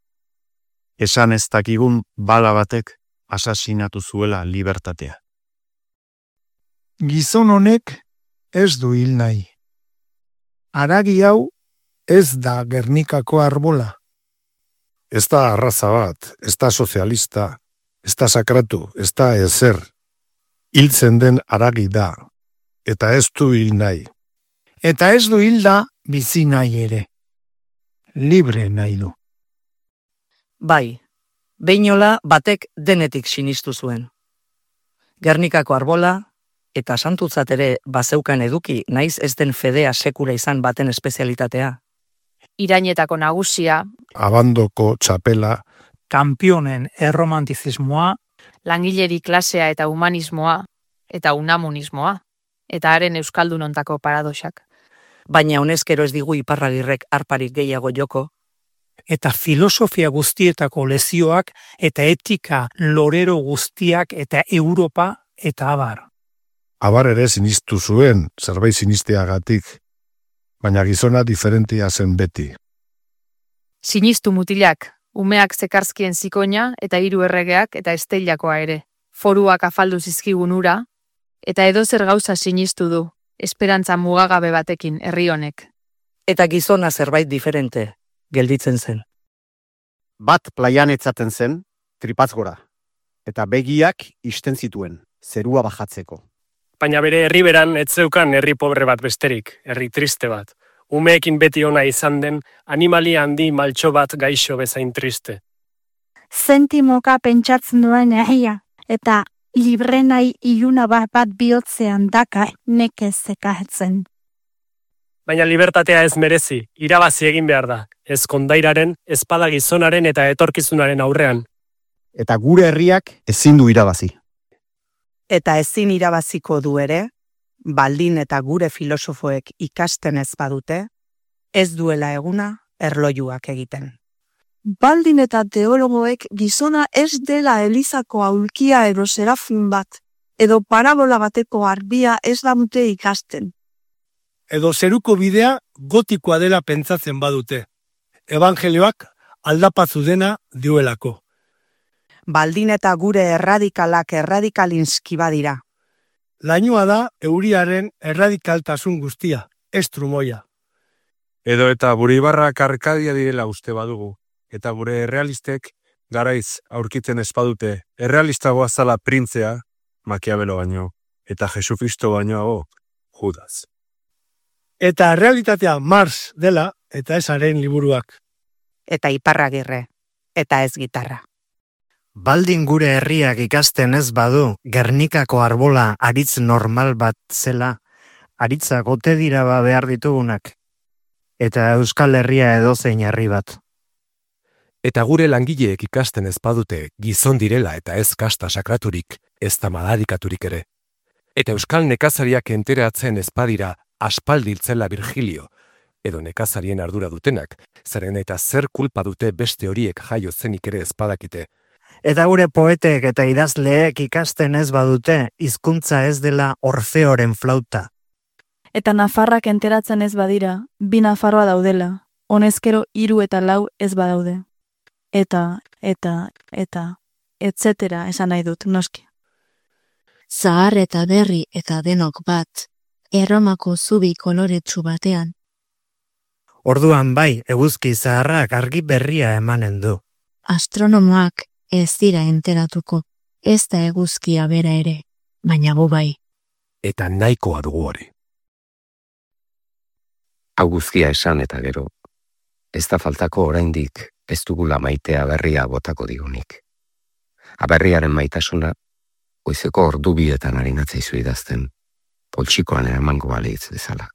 Speaker 17: Esan ez dakigun bala batek asasinatu zuela libertatea.
Speaker 10: Gizon honek ez du hil nahi. Haragi hau ez da Gernikako arbola.
Speaker 22: Ez da arraza bat, ez da sozialista, ez da sakratu, ez da ezer. Hiltzen den haragi da, eta ez du hil nahi.
Speaker 10: Eta ez du hilda bizi nahi ere. Libre nahi du.
Speaker 30: Bai, behinola batek denetik sinistu zuen. Gernikako arbola, Eta santutzat ere bazeukan eduki, naiz ez den fedea sekula izan baten espezialitatea.
Speaker 2: Irainetako nagusia,
Speaker 22: Abandoko txapela,
Speaker 3: Kanpionen erromantizismoa,
Speaker 2: langileri klasea eta humanismoa, eta unamunismoa, eta haren euskaldunontako paradoxak.
Speaker 30: Baina honezkero ez digu Iparragirrek arparik gehiago joko,
Speaker 3: eta filosofia guztietako lezioak eta etika lorero guztiak eta Europa eta abar.
Speaker 22: abar ere sinistu zuen, zerbait sinisteagatik, baina gizona diferentia zen beti.
Speaker 2: Sinistu mutilak, umeak zekarzkien zikoina eta 3 erregeak eta esteilakoa ere. Foruak afaldu zizkigun ura, eta edozer gauza sinistu du, esperantza mugagabe batekin herri honek.
Speaker 30: eta gizona zerbait diferente gelditzen zen.
Speaker 6: Bat plaian etzaten zen, tripatz gora, eta begiak isten zituen, zerua bajatzeko.
Speaker 5: Baina bere herriberan ez zeukan herri pobre bat besterik, herri triste bat. Umeekin beti ona izan den, animalia handi maltxo bat gaixo bezain triste.
Speaker 29: Zentimoka pentsatzen duen herria, eta librenai iluna bat bihotzean daka nekez zekahetzen.
Speaker 5: Baina libertatea ez merezi, irabazi egin behar da, ez kondairaren, ezpada gizonaren eta etorkizunaren aurrean.
Speaker 6: Eta gure herriak ezin du irabazi.
Speaker 13: Eta ezin irabaziko du ere, baldin eta gure filosofoek ikasten ez badute, ez duela eguna erlojuak egiten.
Speaker 29: Baldin eta teologoek gizona ez dela elizako aulkia edo serafin bat, edo parabola bateko arbia ez dute ikasten.
Speaker 10: Edo zeruko bidea gotikoa dela pentsatzen badute. Evangelioak aldapatzu dena dioelako.
Speaker 13: Baldin eta gure erradikalak erradikalinski badira.
Speaker 10: Lainoa da euriaren erradikaltasun guztia, ez trumoia.
Speaker 17: Edo eta Buribarrak Arkadia direla uste badugu, eta gure errealistek garaiz aurkitzen ez badute, errealistagoa zala printzea, Makiabelo baino, eta Jesucristo bainoago, Judas.
Speaker 10: Eta realitatea Mars dela, eta ez haren liburuak.
Speaker 13: Eta Iparragirre, eta ez gitarra.
Speaker 28: Baldin gure herriak ikasten ez badu, Gernikako arbola aritz normal bat zela, aritzak ote dira behar ditugunak. Eta Euskal Herria edozein herri bat.
Speaker 8: Eta gure langileek ikasten ez badute gizon direla eta ez kasta sakraturik, ez da madarikaturik ere. Eta Euskal nekazariak enteratzen ez badira aspaldiltzela Virgilio, edo nekazarien ardura dutenak, zeren eta zer kulpa dute beste horiek jaio zenik ere ez badakite.
Speaker 28: Eta gure poetek eta idazleek ikasten ez badute, hizkuntza ez dela Orfeoren flauta.
Speaker 9: Eta Nafarrak enteratzen ez badira, 2 Nafarroa daudela, honezkero 3 eta 4 ez badaude. Eta, etcetera esan nahi dut, noski.
Speaker 12: Zahar eta berri eta denok bat, Erromako zubi koloretsu batean.
Speaker 28: Orduan bai, eguzki zaharrak argi berria emanen du.
Speaker 12: Astronomoak ez dira enteratuko, ez da eguzkia bera ere, baina gu bai.
Speaker 8: Eta nahikoa dugu hori.
Speaker 23: Hau guztia esan eta gero, ez da faltako oraindik ez dugula maitea berria botako digunik. Aberriaren maitasuna, goizeko ordu bietan harinatzaizu idazten, poltsikoan eramango balitz bezala.